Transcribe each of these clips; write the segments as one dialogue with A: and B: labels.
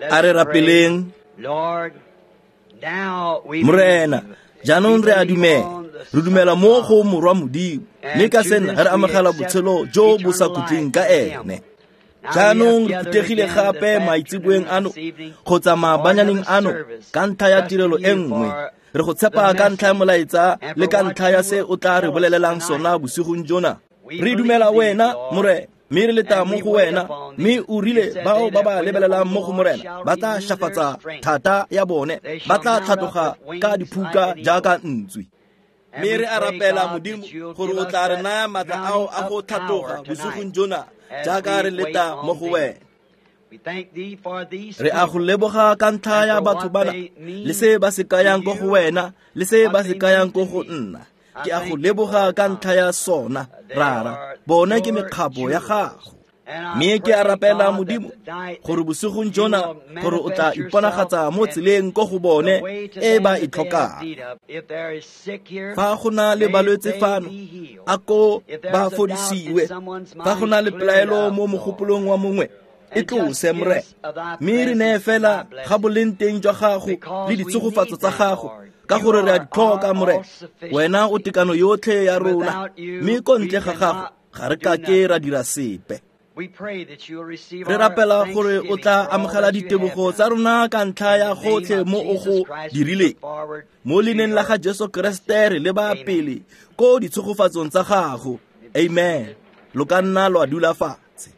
A: A re rapeleng. Morena, jaanong re a dumela. Re dumela mo go Morwa Modimo, mme ka sena re amogela botshelo jo bo sa khutleng ka ene. Jaanong re phuthegile gape maitseboeng ano kgotsa maabanyaneng ano ka ntlha ya tirelo e nngwe. Re go tshepa ka ntlha ya molaetsa le ka ntlha ya se o tla re bolelelang sona bosigong jona. Re dumela wena, Morena, mme re leta mo go wena, mme o rile bao ba ba lebelelang mo go Morena ba tla shafatsa thata ya bone, ba tla tlhatloga ka diphuka jaaka ntswi. Mme re a rapela Modimo gore o tla re naya maatla ao a go tlhatloga bosigong jona jaaka re leta mo go wena. Re a go leboga ka ntlha ya batho bana le se ba se kayang ko go wena le se ba se kayang ko go nna. Ke a go leboga ka ntlha ya sona, Rara. Bone ke mekgapo ya gago. Mme ke a rapela Modimo gore bosigong jona gore o tla iponagatsa mo tseleng ko go bone e ba e tlhokang. Fa go na le balwetse fano, a ko ba fodisiwe. Fa go na le pelaelo mo mogopolong wa mongwe, e tlose, Morena. Mme re neye fela ga boleng teng jwa gago le ditshegofatso tsa gago, ka gore re a di tlhoka, Morena. Wena o tekano yotlhe ya rona, mme ko ntle ga gago ga re kake ra dira sepe. Re rapela gore o tla amogela ditebogo tsa rona ka ntlha ya gotlhe mo o go dirileng. Mo leineng la ga Jesu Keresete re leba pele ko ditshegofatsong tsa gago. Amen. Lo ka nna lwa dula fatshe.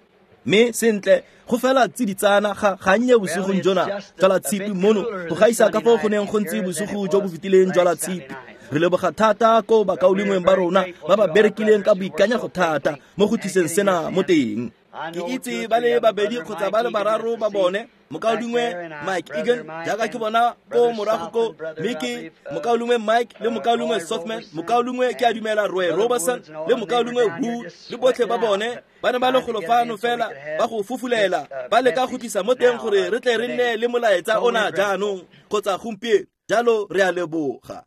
A: Mme sentle, go fela tsiditsana ga gannye bosigong jona jwa la tshipi mono go gaisa ka foo go neng go ntse bosigo jo bo fetileng jwa la tshipi. Re leboga thata ko bakaulengweng ba rona ba ba berekileng ka boikanyego thata mo go tliseng sena mo teng. Ke itse ba le babedi kgotsa ba le bararo ba bone, mokaulengwe Mike Egan jaaka ke bona ko morago ko, mme ke mokaulengwe Mike le mokaulengwe Sothman, mokaulengwe ke a dumela Roy Robertson le mokaulengwe Wood le botlhe ba bone ba ne ba le golo fano fela ba go fufulela, ba leka go tlisa mo teng gore re tle re nne le molaetsa ona jaanong kgotsa gompieno. Jalo re a leboga.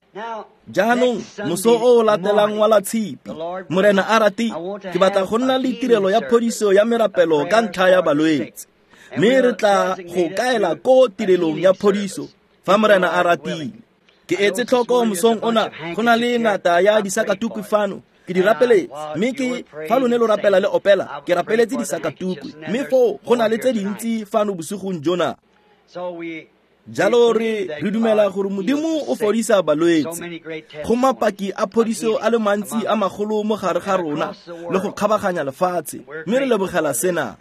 A: Jaanong moso o o latelang wa la tshipi, Morena a rate, ke batla go nna le tirelo ya phodiso ya merapelo ka ntlha ya balwetse. Mme re tla go kaela ko tirelong ya phodiso fa Morena a ratile. Ke etse tlhoko mosong ona go na le ngata ya disakatukwi fano. Ke di rapeletse, mme ke fa lone lo rapela le opela, ke rapeletse disakatukwi, mme foo go na le tse dintsi fano bosigong jona. Jalo re dumela gore Modimo o fodisa balwetse. Go mapaki a phodiso a le mantsi a magolo mo gare ga rona le go kgabaganya lefatshe, mme re lebogela sena.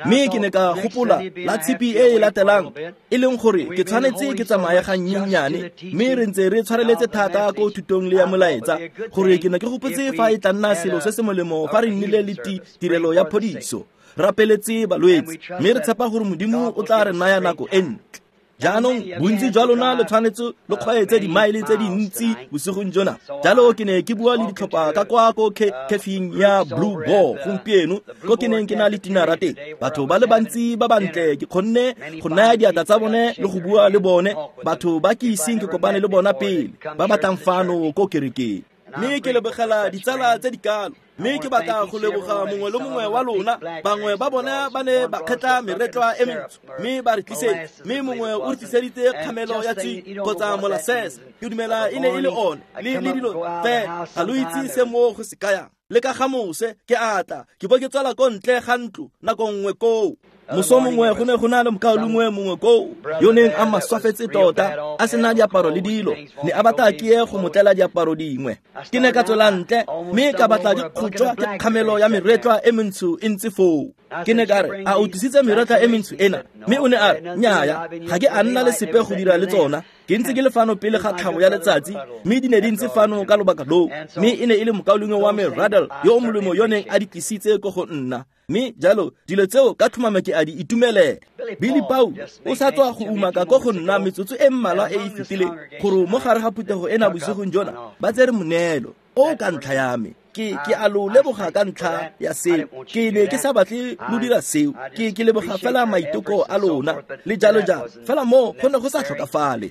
A: Mme ke ne ka gopola la tshipi e e latelang, e leng gore ke tshwanetse ke tsamaye ga nnyennyane, mme re ntse re tshwareletse thata ko thutong le ya molaetsa, gore ke ne ke gopotse fa e tla nna selo se se molemo fa re nnile le tirelo ya phodiso, rapeletse balwetse, mme re tshepa gore Modimo o tla re naya nako e ntle. Jaanong bontsi jwa lona le tshwanetse lo kgweetse dimaele tse dintsi bosigong jona. Jalo ke ne ke bua le ditlhopha ka kwa ko kefing ya Blue Boar gompieno, ko ke neng ke na le tinara teng. Batho ba le bantsi ba bantle ke kgonne go naya diatla tsa bone le go bua le bone, batho ba ke iseng ke kopane le bona pele, ba batlang fano ko kerekeng. Mme ke lebogela ditsala tse di kalo, mme ke batla go leboga mongwe le mongwe wa lona. Bangwe ba bona ba ne ba kgetla meretlwa e mentsho mme ba re tlisetsa, mme mongwe o re tliseditse kgamelo ya tsi kgotsa molasses, ke dumela e ne e le one, le dilo fela ga lo itse se mo go se kayang. Le ka ga mose ke a tla ke bo ke tswela ko ntle ga ntlo nako nngwe koo. Moso mongwe go ne go na le mokaulengwe mongwe koo yo neng a maswafetse tota, a sena diaparo le dilo, ne a batla ke ye go mo tlela diaparo dingwe. Ke ne ka tswela ntle mme ka batla di kgotjwa ke kgamelo ya meretlwa e mentsho e ntse foo. Ke ne ka re, a o tlisitse meretlwa e mentsho ena? Mme o ne a re, nnyaya, ga ke a nna le sepe go dira le tsona. Ke ntse ke le fano pele ga tlhabo ya letsatsi, mme di ne di ntse fano ka lobaka loo. Mme e ne e le mokaulengwe wa me Radel yo o molemo yo neng a di tlisitse ko go nna. Mme jalo dilo tseo ka tlhomamo ke a di itumelela. Billy Paul o sa tswa go umaka ko go nna metsotso e mmalwa e e fetileng gore mo gare ga phuthego ena bosigong jona ba tsere moneelo o ka ntlha ya me. Ke a lo leboga ka ntlha ya seo. Ke ne ke sa batle lo dira seo. Ke leboga fela maiteko a lona le jalo jalo. Fela mo go ne go sa tlhokafale.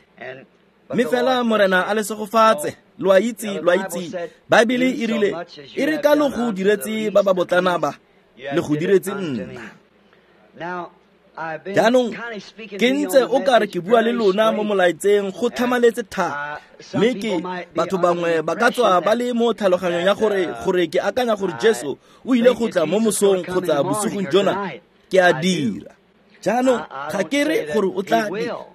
A: Mme fela Morena a le segofatse. Lo a itse, Baebele e rile, e re ka lo go diretse ba ba botlana ba, le go diretse nna. Jaanong ke ntse o kare ke bua le lona mo molaetseng go tlhamaletse thata, mme ke batho bangwe ba ka tswa ba le mo tlhaloganyong ya gore ke akanya gore Jesu o ile go tla mo mosong kgotsa bosigong jona. Ke a dira. Jaanong ga ke re gore o tla,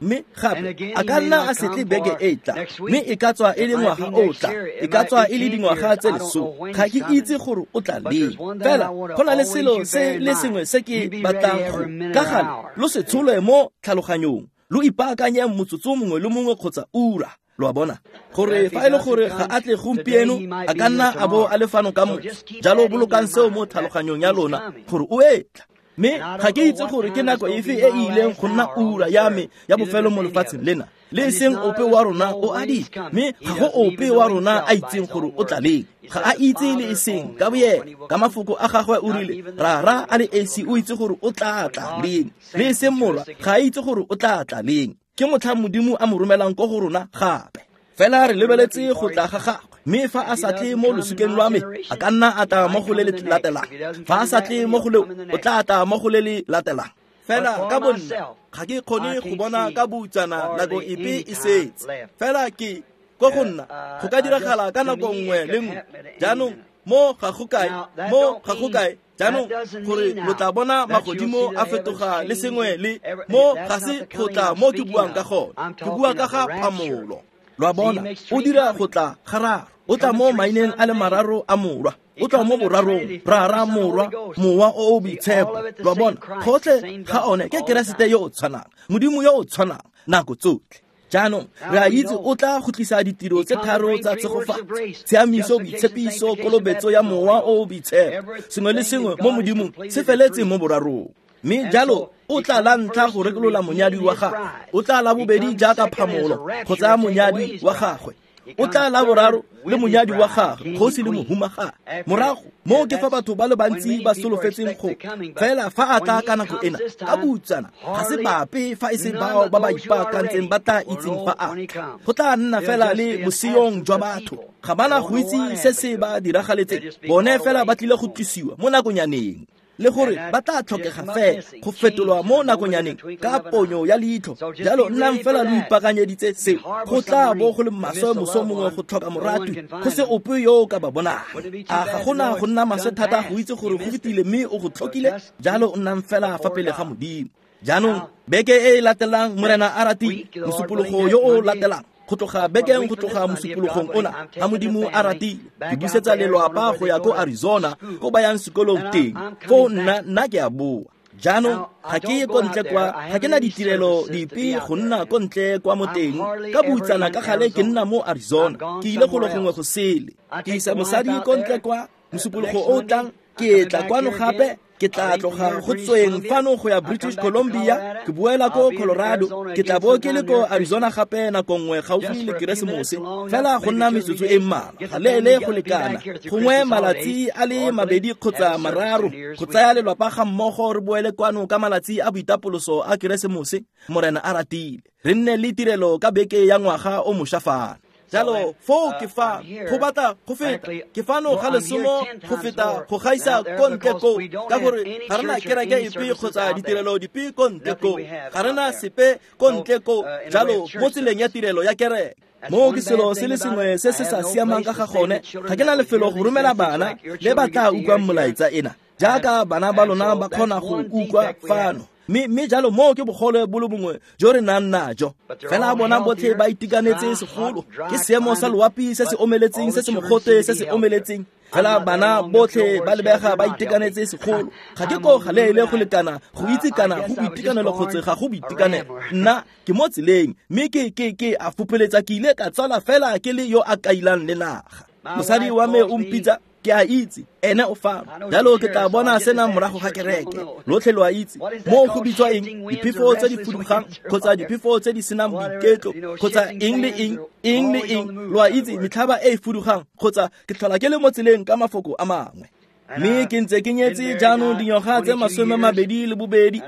A: mme gape a ka nna a se tle beke e tla, mme e ka tswa e le ngwaga o tla, e ka tswa e le dingwaga tse 10. Ga ke itse gore o tla leng. Fela go na le selo se le sengwe se ke batlang go ka gale lo se tsholwe mo tlhaloganyong, lo ipaakanye motsotso mongwe le mongwe kgotsa ura. Lo a bona gore fa e le gore ga a tle gompieno, a ka nna a bo a le fano ka moso. Jalo bolokang seo mo tlhaloganyong ya lona gore o etla. Mme ga ke itse gore ke nako efe e e ileng go nna ura ya me ya bofelo mo lefatsheng lena. Le e seng ope wa rona o a di, mme ga go ope wa rona a itseng gore o tla leng. Ga a itse le e seng ka boyena. Ka mafoko a gagwe o rile, Rara a le esi o itse gore o tla tla leng. Le e seng Morwa ga a itse gore o tla tla leng. Ke motlha Modimo a mo romelang ko go rona gape. Fela re lebeletse go tla ga gagwe. Mme fa a sa tle mo losikeng lwa me, a ka nna a tla mo go le le latelang. Fa a sa tle mo go leo, o tla tla mo go le le latelang. Fela ka bonna ga ke kgone go bona ka boutsana nako epe e setse. Fela ke ko go nna go ka diragala ka nako nngwe le nngwe. Jaanong mo ga go kae, mo ga go kae. Jaanong gore lo tla bona magodimo a fetoga le sengwe le mo ga se go tla mo ke buang ka gone. Ke bua ka ga phamolo. Lo a bona, o dira go tla gararo. O tla mo maineng a le mararo a Morwa. O tla mo borarong, Rara, Morwa, Mowa o o Boitshepo. Lo a bona, gotlhe ga one ke Keresete yo o tshwanang, Modimo yo o tshwanang nako tsotlhe. Jaanong re a itse o tla go tlisa ditiro tse tharo tsa tshegofatso: tshiamiso, boitshepiso, kolobetso ya Mowa o o Boitshepo. Sengwe le sengwe mo Modimong se feletse mo borarong. Mme jalo o tla la ntlha go rekolola monyadi wa gagwe, o tla la bobedi jaaka phamolo go tsaya monyadi wa gagwe, o tla la boraro le monyadi wa gagwe, kgosi le mohumagadi. Morago moo ke fa batho ba le bantsi ba solofetseng go fela fa a tla ka nako ena ka boutsana ga se bape fa e se bao ba ba ipaakantseng ba tla itseng fa a tla. Go tla nna fela le boseyong jwa batho, ga bana go itse se se ba diragaletseng. Bone fela ba tlile go tlosiwa mo nakonyaneng, le gore ba tla tlhokega fela go fetolwa mo nakonyaneng ka ponyo ya leitlho. Jalo nnang fela lo ipaakanyeditse seo. Go tla bo go le maswe moso mongwe go tlhoka moratwi, go se ope yo o ka ba bonang. A ga gona go nna maswe thata go itse gore go fetile mme o go tlhokile? Jalo nnang fela fa pele ga Modimo. Jaanong beke e e latelang, Morena a ratile, mosupologo yo o latelang, go tloga bekeng go tloga mosupologong ona, ga Modimo a ratile, ke busetsa lelwapa go ya ko Arizona, ko ba yang sekolong teng. Foo nna ke a boa. Jaanong ga ke ye ko ntle kwa, ga ke na ditirelo dipe go nna ko ntle kwa mo teng. Ka boutsana ka gale ke nna mo Arizona, ke ile golo gongwe go sele. Ke isa mosadi ko ntle kwa mosupologo o tlang, ke tla kwano gape. Ke tla tloga go tsweng fano go ya British Columbia, ke boela ko Colorado, ke tla bo ke le ko Arizona gape nako nngwe gaufi le Keresemose, fela go nna metsotso e mmalwa, ga leele go lekana, gongwe malatsi a le mabedi kgotsa mararo, go tsaya lelwapa ga mmogo re boele kwano ka malatsi a boitapoloso a Keresemose, Morena a ratile. Re nne le tirelo ka beke ya ngwaga o mošwa fano. Jalo foo ke fa go batla go feta, ke fano ga lesomo go feta go gaisa ko ntle ko, ka gore ga rena kereke epe kgotsa ditirelo dipe ko ntle ko, ga rena sepe ko ntle ko. Jalo mo tseleng ya tirelo ya kereke, moo ke selo se le sengwe se se sa siamang ka ga gone. Ga ke na lefelo go romela bana le ba tla utlwang molaetsa ena, jaaka bana ba lona ba kgona go utlwa fano. Mme jalo moo ke bogole bo le bongwe jo re nang najo. Fela bona botlhe ba itekanetse segolo, ke seemo sa loapi se se omeletseng, se se mogote se se omeletseng. Fela bana botlhe ba lebega ba itekanetse segolo. Ga ke ko galeele go lekana go itse kana go boitekanelo kgotsa ga go boitekanelo. Nna ke mo tseleng, mme ke a fopeletsa, ke ile ka tsala fela ke le yo a kailang le naga. Mosadi wa me o mpitsa, ke a itse ene o fano. Jalo ke tla bona sena morago ga kereke. Lotlhe lo a itse moo go bitswa eng, diphefo tse di fudugang kgotsa diphefo tse di senang boiketlo kgotsa eng le eng, eng le eng. Lo a itse metlhaba e e fudugang, kgotsa ke tlhola ke le mo tseleng ka mafoko a mangwe. Mme ke ntse ke nyetse jaanong dingwaga tse 22,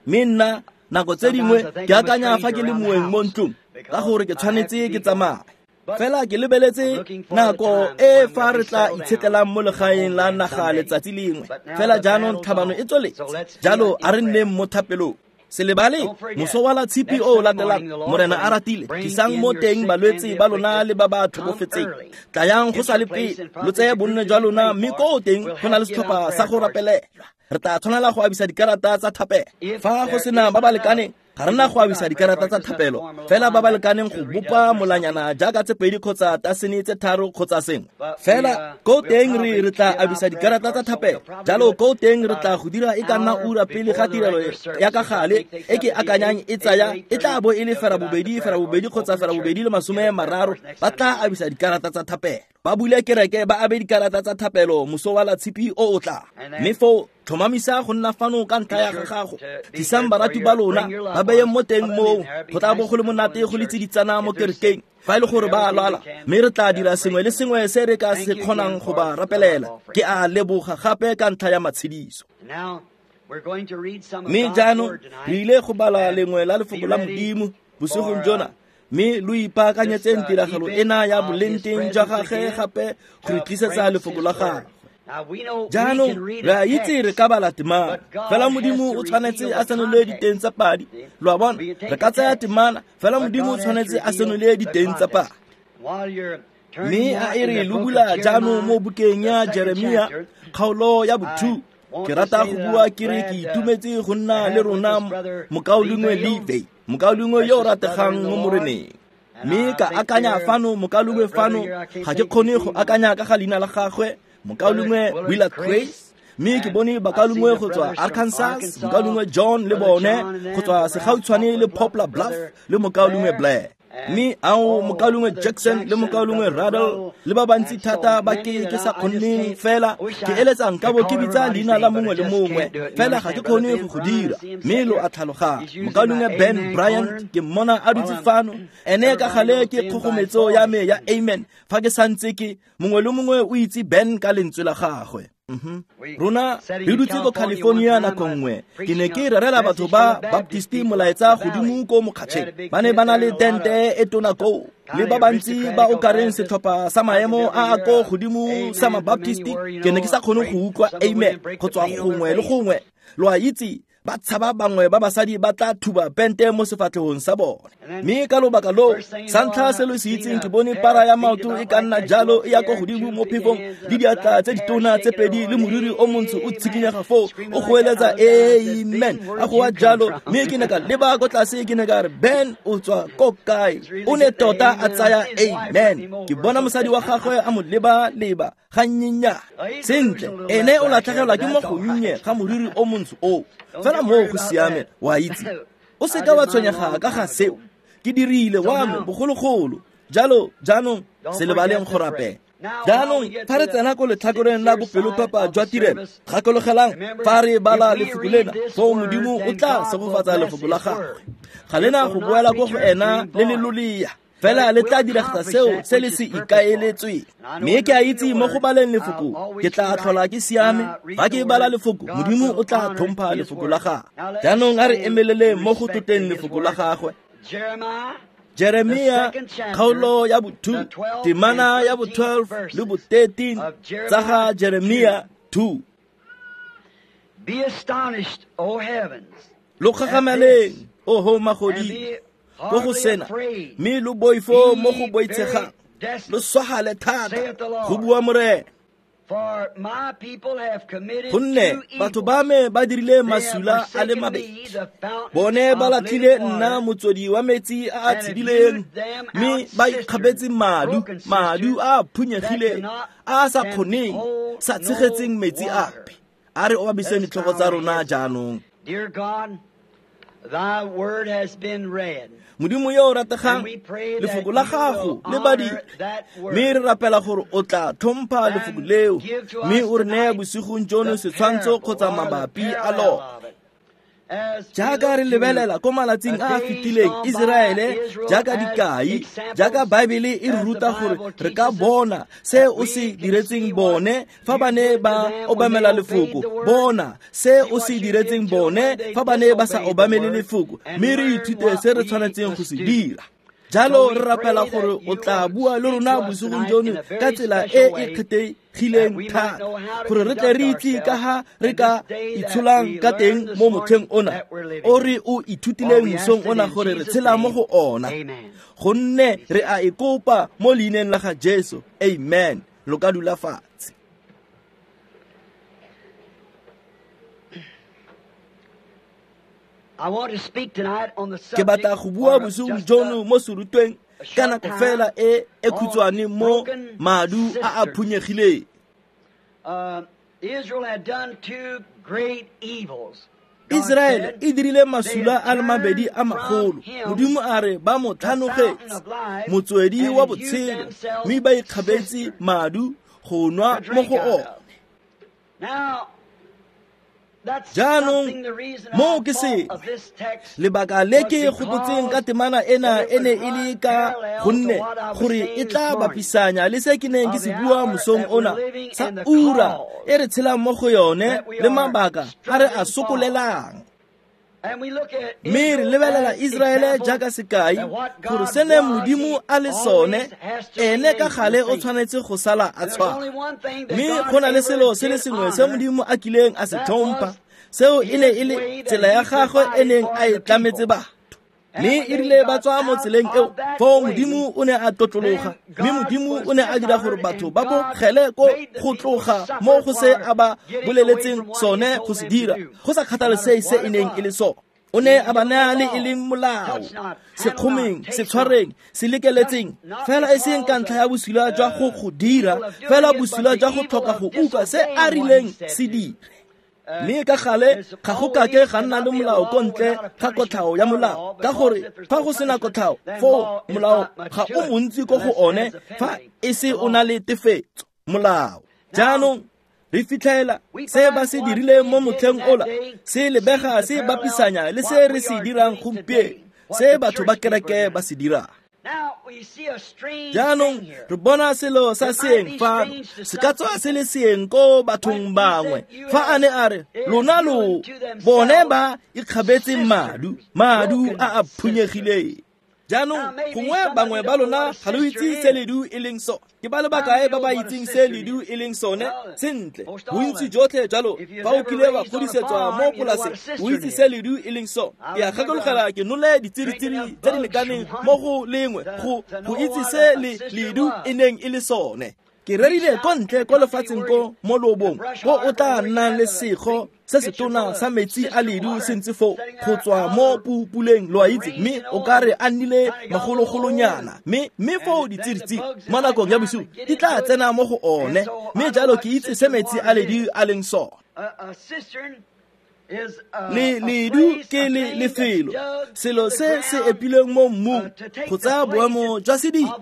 A: mme nna nako tse dingwe ke akanya fa ke le moeng mo ntlong, ka gore ke tshwanetse ke tsamaye. Fela ke lebeletse nako e fa re tla itshetlelang mo legaeng la naga letsatsi lengwe. Fela jaanong tlhabano e tsweletse, jalo a re nneng mo thapelong. Se lebale moso wa la tshipi o latelang Morena a ratile, tlisang mo teng balwetse ba lona le ba ba tlhokofetseng. Tlayang go sa le pele, lo tseye bonno jwa lona, mme koo teng go na le setlhopha sa go rapelelwa. Re tla tshwanela go abisa dikarata tsa thapelo. Fa go sena ba ba lekaneng, ga re na go abisa dikarata tsa thapelo, fela ba ba lekaneng go bopa molanyana jaaka tse pedi kgotsa tasene tse tharo kgotsa sengwe. Fela ko teng re tla abisa dikarata tsa thapelo. Jalo ko teng re tla go dira e ka nna ura pele ga tirelo ya ka gale e ke akanyang e tsaya e tla bo e le 8:30 kgotsa 8:30, ba tla abisa dikarata tsa thapelo. Ba bule kereke ba abe dikarata tsa thapelo moso wa la tshipi o o tla. Mme foo tlhomamisa go nna fano ka ntlha ya gago. Tlisang barati ba lona ba beye mo teng moo, go tla bo go le monate go le tsiditsana mo kerekeng fa e le gore ba a lwala, mme re tla dira sengwe le sengwe se re ka se kgonang go ba rapelela. Ke a leboga gape ka ntlha ya matshediso. Mme jaanong re ile go bala lengwe la lefoko la Modimo bosigong jona, mme lo ipaakanyetseng tiragalo ena ya boleng jwa gagwe gape go re tlisetsa lefoko la gagwe. Jaanong re a itse re ka bala temana, fela Modimo o tshwanetse a senole diteng tsa padi. Lo a bona, re ka tsaya temana, fela Modimo o tshwanetse a senole diteng tsa padi. Mme a e re lo bula jaanong mo bukeng ya Jeremia kgaolo ya bo-2. Ke rata go bua ke re ke itumetse go nna le rona mokaulengwe Levey, mokaulengwe yo o rategang mo Moreneng. Mme ka akanya fano mokaulengwe fano, ga ke kgone go akanya ka ga leina la gagwe, mokaulengwe Willard Grace. Mme ke bone bakaulengwe go tswa Arkansas, mokaulengwe John le bone go tswa segautshwane le Poplar Bluff le mokaulengwe Blair. Mme ao mokaulengwe Jackson le mokaulengwe Ruddle le ba bantsi thata ba ke sa kgonneng fela ke eletsa nka bo ke bitsa leina la mongwe le mongwe, fela ga ke kgone go go dira. Mme lo a tlhaloganya. Mokaulengwe Ben Bryant ke mmona a dutse fano, ene ka gale ke kgogometso ya me ya amen fa ke santse ke mongwe le mongwe o itse Ben ka lentswe la gagwe. Rona re dutse ko California nako nngwe, ke ne ke rerela batho ba Baptisti molaetsa godimo ko mokgatšheng. Ba ne ba na le tente e tona koo, le ba bantsi ba o kareng setlhopha sa maemo a a ko godimo sa Mabaptisti. Ke ne ke sa kgone go utlwa amen go tswa gongwe le gongwe. Lo a itse, ba tshaba bangwe ba basadi ba tla thuba pente mo sefatlhegong sa bone. Mme ka lobaka loo, sa ntlha se lo se itseng, ke bone para ya maoto e ka nna jalo e ya ko godimo mo phefong, le diatla tse ditona tse pedi le moriri o montsho o tshikinyega foo, o goeletsa amen, a goa jalo. Mme ke ne ka leba ko tlase, ke ne ka re, Ben o tswa ko kae? O ne tota a tsaya amen. Ke bona mosadi wa gagwe a mo leba-leba gannyenyane. Sentle, ene o latlhegelwa ke mo gonnye ga moriri o montsho oo. Fela moo go siame, wa itse. O seka wa tshwenyega ka ga seo. Ke dirile wa me bogologolo. Jalo jaanong se lebaleng go rapela. Jaanong fa re tsena ko letlhakoreng la bopelophepa jwa tirelo, gakologelang fa re bala lefoko lena, foo Modimo o tla segofatsa lefoko la gagwe. Ga lena go boela ko go ena le le lolea, fela le tla diragatsa seo se le se ikaeletsweng. Mme ke a itse mo go baleng lefoko ke tla tlhola ke siame. Fa ke bala lefoko, Modimo o tla tlhompha lefoko la gagwe. Jaanong a re emeleleng mo go tlotleng lefoko la gagwe. Jeremia kgaolo ya bo-2, temana ya bo-12 le bo-13 tsa ga Jeremia 2.
B: Be astonished, O heavens,
A: Lo gagamaleng, oho magodimo, ko go sena, mme lo boifo mo go boitshegang, lo swagale thata, go bua Morena.
B: For my people have committed
A: Gonne
B: two
A: batho
B: evils.
A: ba me ba dirile
B: They have
A: masula a le
B: forsaken
A: mabedi.
B: me, the fountain
A: Bone ba
B: of
A: latlhile
B: living
A: nna
B: water,
A: motswedi wa metsi a a
B: and have
A: tshedileng,
B: hewed them
A: mme
B: out
A: ba ikgabetse
B: cisterns,
A: madu,
B: broken
A: madu
B: cisterns
A: a a phunyegileng,
B: that cannot
A: a a sa
B: can
A: kgoneng,
B: hold
A: sa
B: no
A: tshegetseng metsi
B: water.
A: ape. A re obamiseng
B: Let us
A: ditlhogo
B: bow
A: tsa
B: our
A: rona
B: heads.
A: jaanong.
B: Dear God, thy word has been read.
A: Modimo yo o rategang,
B: And we pray that
A: lefoko la
B: you
A: gago
B: will
A: le
B: honor
A: badile,
B: that word.
A: mme re rapela gore o tla tlhompha lefoko
B: And
A: leo,
B: give to
A: mme
B: us
A: o re neye
B: tonight
A: bosigong jono
B: the
A: setshwantsho
B: parable
A: kgotsa
B: or the
A: mabapi a
B: parallel
A: lona.
B: of it. As we
A: Jaaka re
B: look to
A: lebelela ko malatsing
B: the
A: a a
B: days
A: fetileng
B: gone by,
A: Iseraele
B: Israel
A: jaaka
B: as
A: dikai,
B: examples,
A: jaaka Baebele e re
B: as the
A: ruta gore
B: Bible
A: re ka
B: teaches us
A: bona se
B: that
A: o
B: we
A: se
B: can
A: diretseng
B: see what
A: bone fa
B: you
A: ba ne
B: did to
A: ba
B: them when they
A: obamela
B: obeyed
A: lefoko,
B: the word.
A: bona se
B: See
A: o
B: what
A: se
B: you did
A: diretseng
B: to them
A: bone
B: when they
A: fa ba ne ba sa
B: disobeyed the
A: obamele
B: word
A: lefoko,
B: and
A: mme re
B: learn
A: ithute
B: what
A: se re
B: we
A: tshwanetseng go
B: must
A: se
B: do.
A: dira. Jalo re rapela gore o tla bua le rona bosigong jono ka tsela e e kgethegileng thata, gore re tle re itse ka ga re ka itsholang ka teng mo motlheng ona o re o ithutileng mosong ona gore re tshela mo go ona. Gonne re a e kopa mo leineng la ga Jesu. Amen. Lo ka dula fatshe. Ke batla go bua bosigong jono mo serutweng ka nako fela e e khutshwane mo madu a a phunyegileng. Israele e dirile masula a le mabedi a magolo. Modimo a re ba mo tlhanogetse motswedi wa botshelo, mme ba ikgabetse madu go nwa mo go one. Jaanong moo ke sengwe lebaka le ke gopotseng ka temana ena e ne e le ka gonne gore e tla bapisanya le se ke neng ke se bua mosong ona sa ura e re tshelang mo go yone le mabaka a re a sokolelang. Mme re lebelela Israele jaaka sekai gore se ne Modimo a le sone, ene ka gale o tshwanetse go sala a tshwana. Mme go na le selo se le sengwe se Modimo a kileng a se tlhompha, seo e ne e le tsela ya gagwe e neng a e tlametse batho. Mme e rile ba tswa mo tseleng eo, foo Modimo o ne a tlotlologa, mme Modimo o ne a dira gore batho ba bogele ko go tloga mo go se a ba boleletseng sone go se dira, go sa kgathalesege se e neng e le sone. O ne a ba naya le e leng molao, sekgomeng, setshwareng, se lekeletseng, fela e seng ka ntlha ya bosula jwa go go dira, fela bosula jwa go tlhoka go utlwa se a rileng se dire. Mme ka gale ga go kake ga nna le molao ko ntle ga kotlhao ya molao, ka gore fa go sena kotlhao foo molao ga o montsi ko go one fa e se o na le tefetso molao. Jaanong re fitlhela se ba se dirileng mo motlheng ola se lebega se bapisanya le se re se dirang gompieno, se batho ba kereke ba se dirang. Jaanong re bona selo sa seeng fano, se ka tswa se le seeng ko bathong bangwe fa a ne a re lona lo bone ba ikgabetse madu, madu a a phunyegileng. Jaanong gongwe bangwe ba lona ga lo itse se ledu e leng sone. Ke ba le bakae ba ba itseng se ledu e leng sone? Sentle, bontsi jotlhe jalo fa o kile wa godisetswa mo polaseng o itse se ledu e leng sone. Ke a gakologelwa ke nole ditsiritsiri tse di lekaneng mo go lengwe go itse se ledu e neng e le sone. Ke rerile ko ntle ko lefatsheng ko mo loobong ko o tla nnang le sego se setona sa metsi a ledu se ntse foo go tswa mo puleng, lo a itse, mme o ka re a nnile magologolonyana, mme foo ditsiritsiri mo nakong ya bosigo di tla tsena mo go one. Mme jalo ke itse se metsi a ledu a leng sone. Le ledu ke le lefelo, selo se se epilweng mo mmung go tsaya boemo jwa sediba,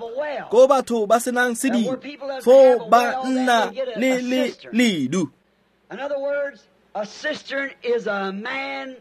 A: ko batho ba senang sediba foo ba nna le le ledu.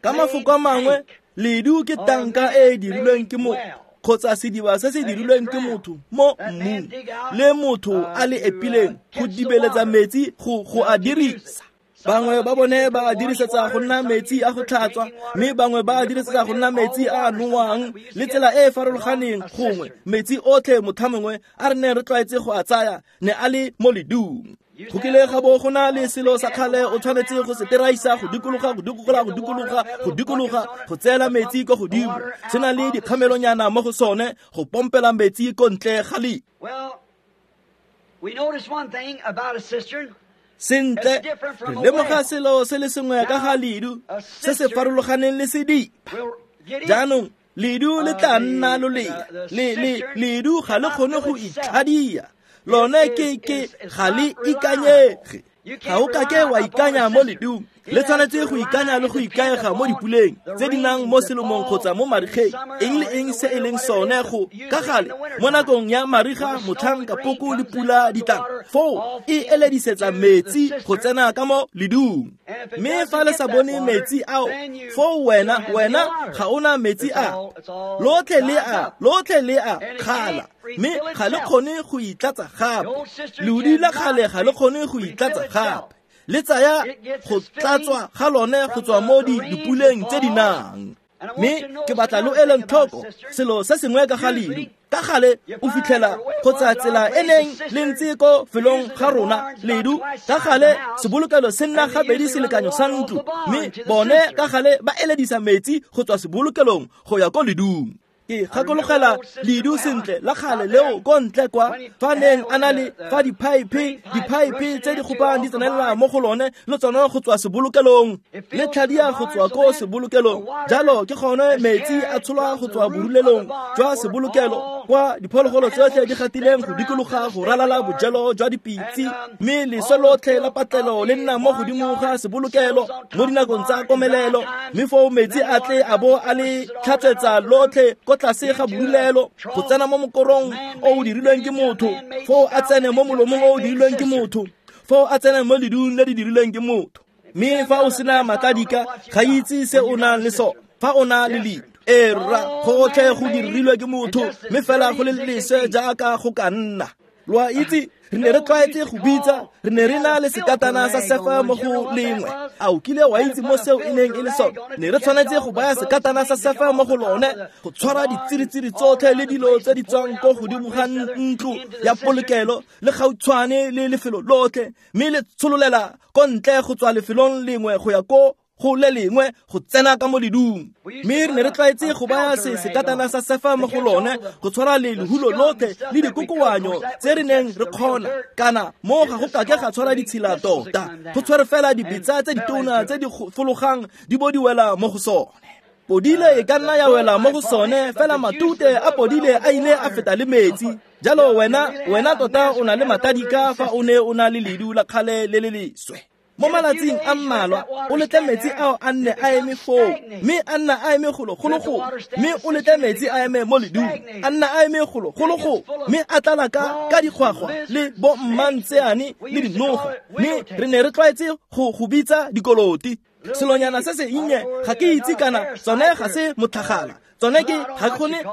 A: Ka mafoko a mangwe, ledu ke tanka e e dirilweng ke motho kgotsa sediba se se dirilweng ke motho mo mmung, le motho a le epileng go dibeletsa metsi go a dirisa. Bangwe ba bone ba a dirisetsa go nna metsi a go tlhatswa, mme bangwe ba a dirisetsa go nna metsi a a nowang, le tsela e e farologaneng. Gongwe metsi otlhe motho mongwe a re neng re tlwaetse go a tsaya ne a le mo ledung. Go kile ga bo go na le selo sa kgale o tshwanetse go se teraisa go dikologa, go dikologa, go dikologa, go dikologa, go tseela metsi ko godimo. Se na le dikgamelonyana mo go sone go pompela metsi ko ntle ga le. Sentle, re lemoga selo se le sengwe ka ga ledu se se farologaneng le sediba. Jaanong ledu le tla nna lolea, ledu ga le kgone go itlhadia, lone ke ga le ikanyege. Ga o kake wa ikanya mo ledung, le tshwanetse go ikanya le go ikaega mo dipuleng tse di nang mo selomong kgotsa mo marigeng, eng le eng se e leng sone go ka gale mo nakong ya mariga motlhang kapoko le pula di tlang, foo e eledisetsa metsi go tsena ka mo ledung. Mme fa le sa bone metsi ao, foo wena ga ona metsi a lotlhe le a kgala, mme ga le kgone go itlatsa gape. Leudi la kgale ga le kgone go itlatsa gape, le tsaya go tlatswa ga lone go tswa mo dipuleng tse di nang. Mme ke batla lo eleng tlhoko selo se sengwe ka ga ledu. Ka gale o fitlhela kgotsa tsela e neng le ntse ko felong ga rona ledu ka gale sebolokelo se nna gabedi selekanyo sa ntlo, mme bone ka gale ba eledisa metsi go tswa sebolokelong go ya ko ledung. Ke gakologela ledu sentle la kgale leo ko ntle kwa fa neng a na le fa diphaephe tse di gopang di tsenelela mo go lone le tsone go tswa sebolokelong le tlhadia go tswa ko sebolokelong. Jalo ke gone metsi a tsholwa go tswa borulelong jwa sebolokelo kwa diphologolo tsotlhe di gatileng go dikologa go ralala bojelo jwa dipitse, mme leswe lotlhe la patlelo le nna mo godimo ga sebolokelo mo dinakong tsa komelelo, mme foo metsi a tle a bo a le tlhatswetsa lotlhe ko tlase ga borulelo go tsena mo mokorong o o dirilweng ke motho, foo a tsene mo molomong o o dirilweng ke motho, foo a tsene mo ledung le di dirilweng ke motho. Mme fa o sena matladika ga itse se o nang le sone fa o na le ledu. Ee rra, gotlhe go dirilwe ke motho, mme fela go le leswe jaaka go ka nna. Lo a itse, re ne re tlwaetse go bitsa, re ne re na le sekatana sa sefa mo go lengwe. A o kile wa itse mo seo e neng e le sone? Ne re tshwanetse go baya sekatana sa sefa mo go lone go tshwara ditsiritsiri tsotlhe le dilo tse di tswang ko godimo ga ntlo ya polokelo le gautshwane le lefelo lotlhe, mme le tshololela ko ntle go tswa lefelong lengwe go ya ko go le lengwe go tsena ka mo ledung. Mme re ne re tlwaetse go baya sekatana sa sefa mo go lone go tshwara le lehulo lotlhe le dikokoanyo tse re neng re kgona, kana mo ga go kake ga tshwara ditshila tota, go tshware fela dibetsa tse ditona tse di fologang di bo di wela mo go sone. Podile e ka nna ya wela mo go sone, fela matute a podile a ile a feta le metsi. Jalo wena tota o na le matadika fa o ne o na le ledu la kgale le le leswe. Mo malatsing a mmalwa o letle metsi ao a nne a eme foo, mme a nna a eme golo golo go, mme o letle metsi a eme mo ledung, a nna a eme golo golo go, mme a tlala ka dikgwagwa le bo mmantseane le dinoga, mme re ne re tlwaetse go bitsa dikoloti. Selonyana se se nnye ga ke itse kana tsone ga se motlhagala, tsone ke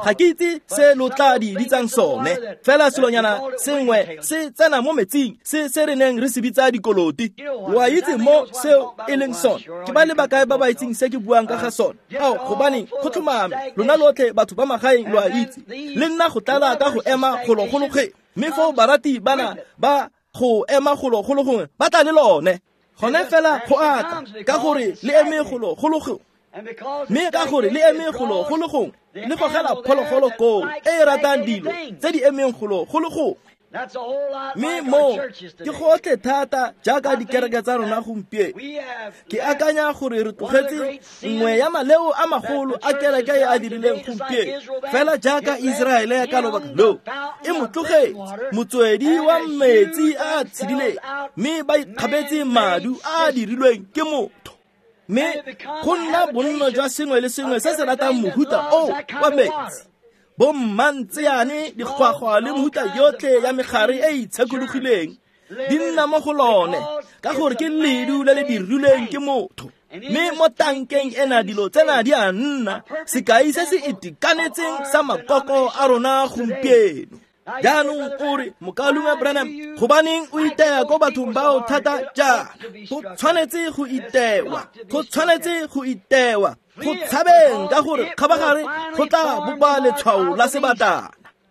A: ga ke itse se lo tla di bitsang sone, fela selonyana sengwe se tsena mo metsing se re neng re se bitsa dikoloti. Lo a itse mo seo e leng sone? Ke ba le bakae ba ba itseng se ke buang ka ga sone? Ao, gobane go tlhomame lona lotlhe batho ba magaeng lo a itse, le nna go tlala ka go ema golo-golo-ge, mme foo barati bana ba go ema golo-golo gongwe ba tla le lone. Gone fela go ata ka gore le eme golo-golo-gongwe, mme ka gore le eme golo-golo gongwe le gogela phologolo koo e e ratang dilo tse di emeng golo-golo gongwe. Mme mo ke gotlhe thata jaaka dikereke tsa rona gompieno. Ke akanya gore re tlogetse nngwe ya maleo a magolo a kereke e a dirileng gompieno, fela jaaka Iseraele ka lobaka loo e mo tlogetse motswedi wa metsi a a tshedileng, mme ba ikgabetse madu a a dirilweng ke motho. Mme go nna bonno jwa sengwe le sengwe se se ratang mohuta o wa metsi, bo mmantseane, dikgwagwa le mohuta yotlhe ya megare e itshekologileng di nna mo go lone, ka gore ke ledu le le dirilweng ke motho. Mme mo tankeng ena dilo tsena di a nna sekai se se itekanetseng sa makoko a rona gompieno. Jaanong o re, Mokaulengwe Branham, gobaneng o iteya ko bathong bao thata jaana? Go tshwanetse go itewa, go tshwanetse go itewa, go tshabeng ka gore kgabagare go tla bopa letshwao la sebatana.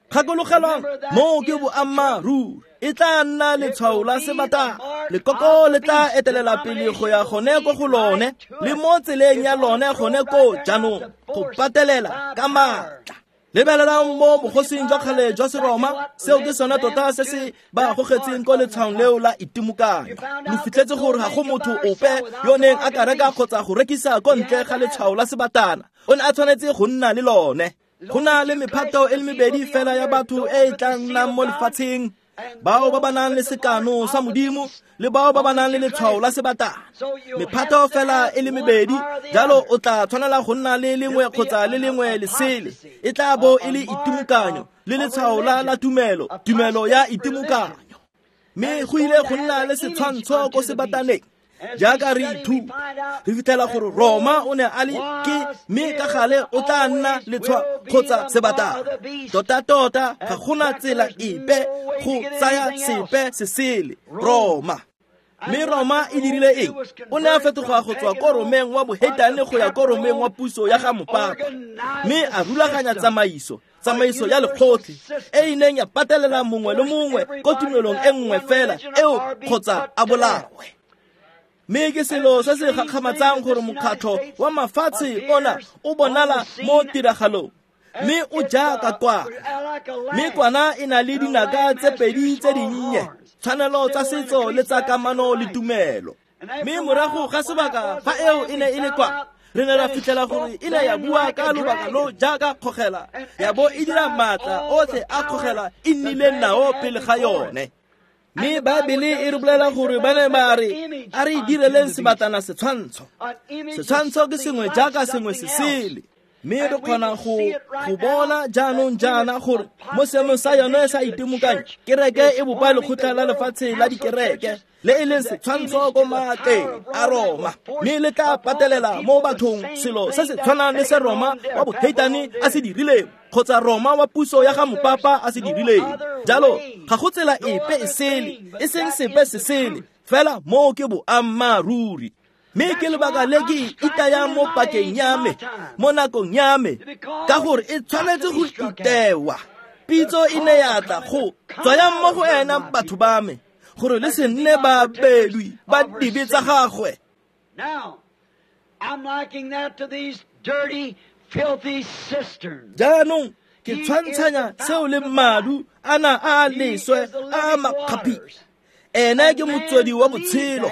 A: Gakologelwang, moo ke boammaaruri, e tla nna letshwao la sebatana. Lekoko le tla etelela pele go ya gone ko go lone, le mo tseleng ya lone gone ko jaanong, go patelela ka maatla. Lebelelang mo bogosing jwa kgale jwa Seroma, seo ke sone tota se se ba gogetseng ko letshwaong leo la itemokanyo. Lo fitlhetse gore ga go motho ope yo neng a ka reka kgotsa go rekisa ko ntle ga letshwao la sebatana, o ne a tshwanetse go nna le lone. Go na le mephato e le mebedi fela ya batho e e tla nnang mo lefatsheng, bao ba ba nang le sekano sa Modimo le bao ba ba nang le letshwao la sebatana. Mephato fela e le mebedi, jalo o tla tshwanela go nna le lengwe kgotsa le lengwe lesele. E tla bo e le itemokanyo le letshwao la tumelo, tumelo ya itemokanyo. Mme go ile go nna le setshwantsho ko sebataneng. Jaaka re ithuta, re fitlhela gore Roma o ne a le ke, mme ka gale o tla nna letshwa kgotsa sebatana. Tota-tota ga gona tsela epe go tsaya sepe se sele, Roma. Mme Roma e dirile eng? O ne a fetoga go tswa ko Romeng wa boheitane go ya ko Romeng wa puso ya ga mopapa, mme a rulaganya tsamaiso ya lekgotlhe e e neng ya patelela mongwe le mongwe ko tumelong e nngwe fela eo kgotsa a bolawe. Mme ke selo se se gakgamatsang gore mokgatlho wa mafatshe ona o bonala mo tiragalong, mme o jaaka kwana. Mme kwana e na le dinaka tse pedi tse dinnye, tshwanelo tsa setso le tsa kamano le tumelo. Mme morago ga sebaka fa eo e ne e le kwa, re ne ra fitlhela gore e ne ya bua ka lobaka lo jaaka kgogela, ya bo e dira maatla otlhe a kgogela e nnileng nao pele ga yone. Mme Baebele e re bolela gore ba ne ba re, a re direleng sebatana setshwantsho. Setshwantsho ke sengwe jaaka sengwe se sele. Mme re kgona go bona jaanong jaana gore mo seemong sa yone sa itemokanyo, kereke e bopa lekgotla la lefatshe la dikereke le e leng setshwantsho ko maatleng a Roma, mme le tla patelela mo bathong selo se se tshwanang le se Roma wa boheitane a se dirileng kgotsa Roma wa puso ya ga mopapa a se dirileng. Jalo ga go tsela epe e sele, e seng sepe se sele, fela moo ke boammaaruri. Mme ke lebaka le ke itayang mo pakeng ya me, mo nakong ya me, ka gore e tshwanetse go itewa. Pitso e ne ya tla go tswayang mo go ena batho ba me, gore le se nne babelwi ba dibe tsa gagwe. Jaanong ke tshwantshanya seo le madu ana a leswe a makgaphi. Ena ke motswedi wa botshelo,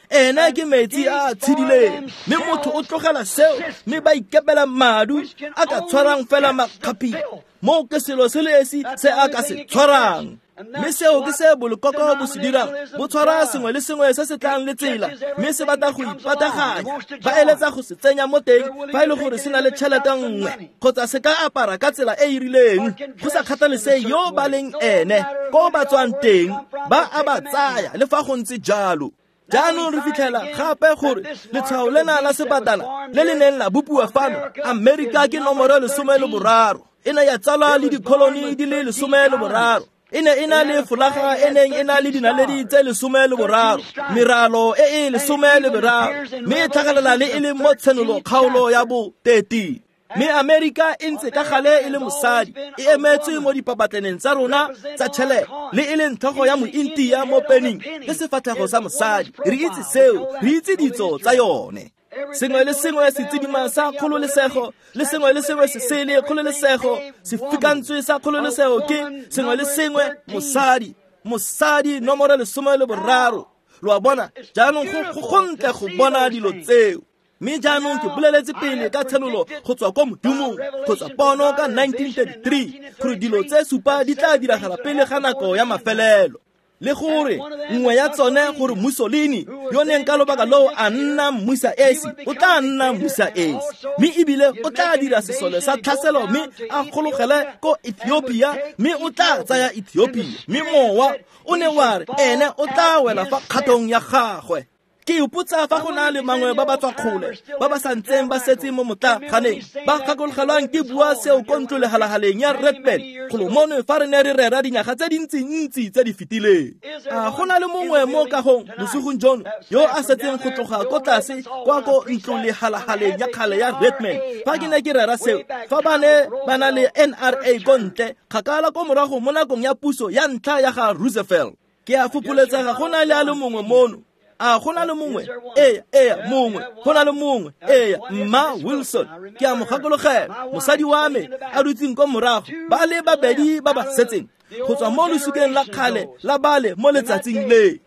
A: ena ke metsi a tshedileng, mme motho o tlogela seo mme ba ikepela madu a ka tshwarang fela makgaphi. Moo ke selo se le esi se a ka se tshwarang. Mme seo ke se bolekoko bo se dirang, bo tshwara sengwe le sengwe se se tlang le tsela, mme se batla go ipataganya. Ba eletsa go se tsenya mo teng fa e le gore se na le tšhelete nngwe, kgotsa se ka apara ka tsela e e rileng, go sa kgathalese yo ba leng ene, ko ba tswang teng, ba a ba tsaya le fa go ntse jalo. Jaanong re fitlhela gape gore letshwao lena la sebatana le le neng la bopiwa fano Amerika ke nomoro 13. E ne ya tsalwa le dikholoni di le 13. E ne e na le folaga e neng e na le dinaledi tse 13, meralo e e 13, mme e tlhagelela le e le mo tshenolo kgaolo ya bo 13. Mme Amerika e ntse ka gale e le mosadi, e emetswe mo dipapatleneng tsa rona tsa tšhelete, le e leng tlhogo ya mointia mo pening le sefatlhego sa mosadi. Re itse seo, re itse ditso tsa yone. Sengwe le sengwe se tsidima sa kgololesego, le sengwe le sengwe se sele kgololesego, sefikantswe sa kgololesego ke sengwe le sengwe mosadi, mosadi nomoro 13. Lo a bona, jaanong go gontle go bona dilo tseo. Mme jaanong ke boleletse pele ka tshenolo go tswa ko Modimong, kgotsa pono ka 1933, gore dilo tse supa di tla diragala pele ga nako ya mafelelo. Le gore nngwe ya tsone gore Mussolini yo neng ka lobaka loo a nna mmusa esi, o tla nna mmusa esi, mme ebile o tla dira sesole sa tlhaselo mme a gologele ko Ethiopia, mme o tla tsaya Ethiopia. Mme mowa o ne wa re ene o tla wela fa kgatong ya gagwe. Ke ipotsa fa go na le mangwe ba ba tswa kgole ba ba sa ntseng ba setse mo motlaganeng, ba gakologelwang ke bua seo ko ntlo legalagaleng ya Redman golo mono fa re ne re rera dinyaga tse dintsintsi tse di fetileng. A go na le mongwe mo kagong bosigong jono yo a setseng go tloga ko tlase kwa ko ntlo legalagaleng ya kgale ya Redman fa ke ne ke rera seo, fa ba ne ba na le NRA ko ntle kgakala ko morago mo nakong ya puso ya ntlha ya ga Roosevelt. Ke a fopholetsega go na le a le mongwe mono. A go na le mongwe? Ee, mongwe. Go na le mongwe. Ee, Mma Wilson. Ke a mo gakologela, mosadi wa me a dutseng ko morago, ba le babedi ba ba setseng go tswa mo losikeng la kgale la bale mo letsatsing le.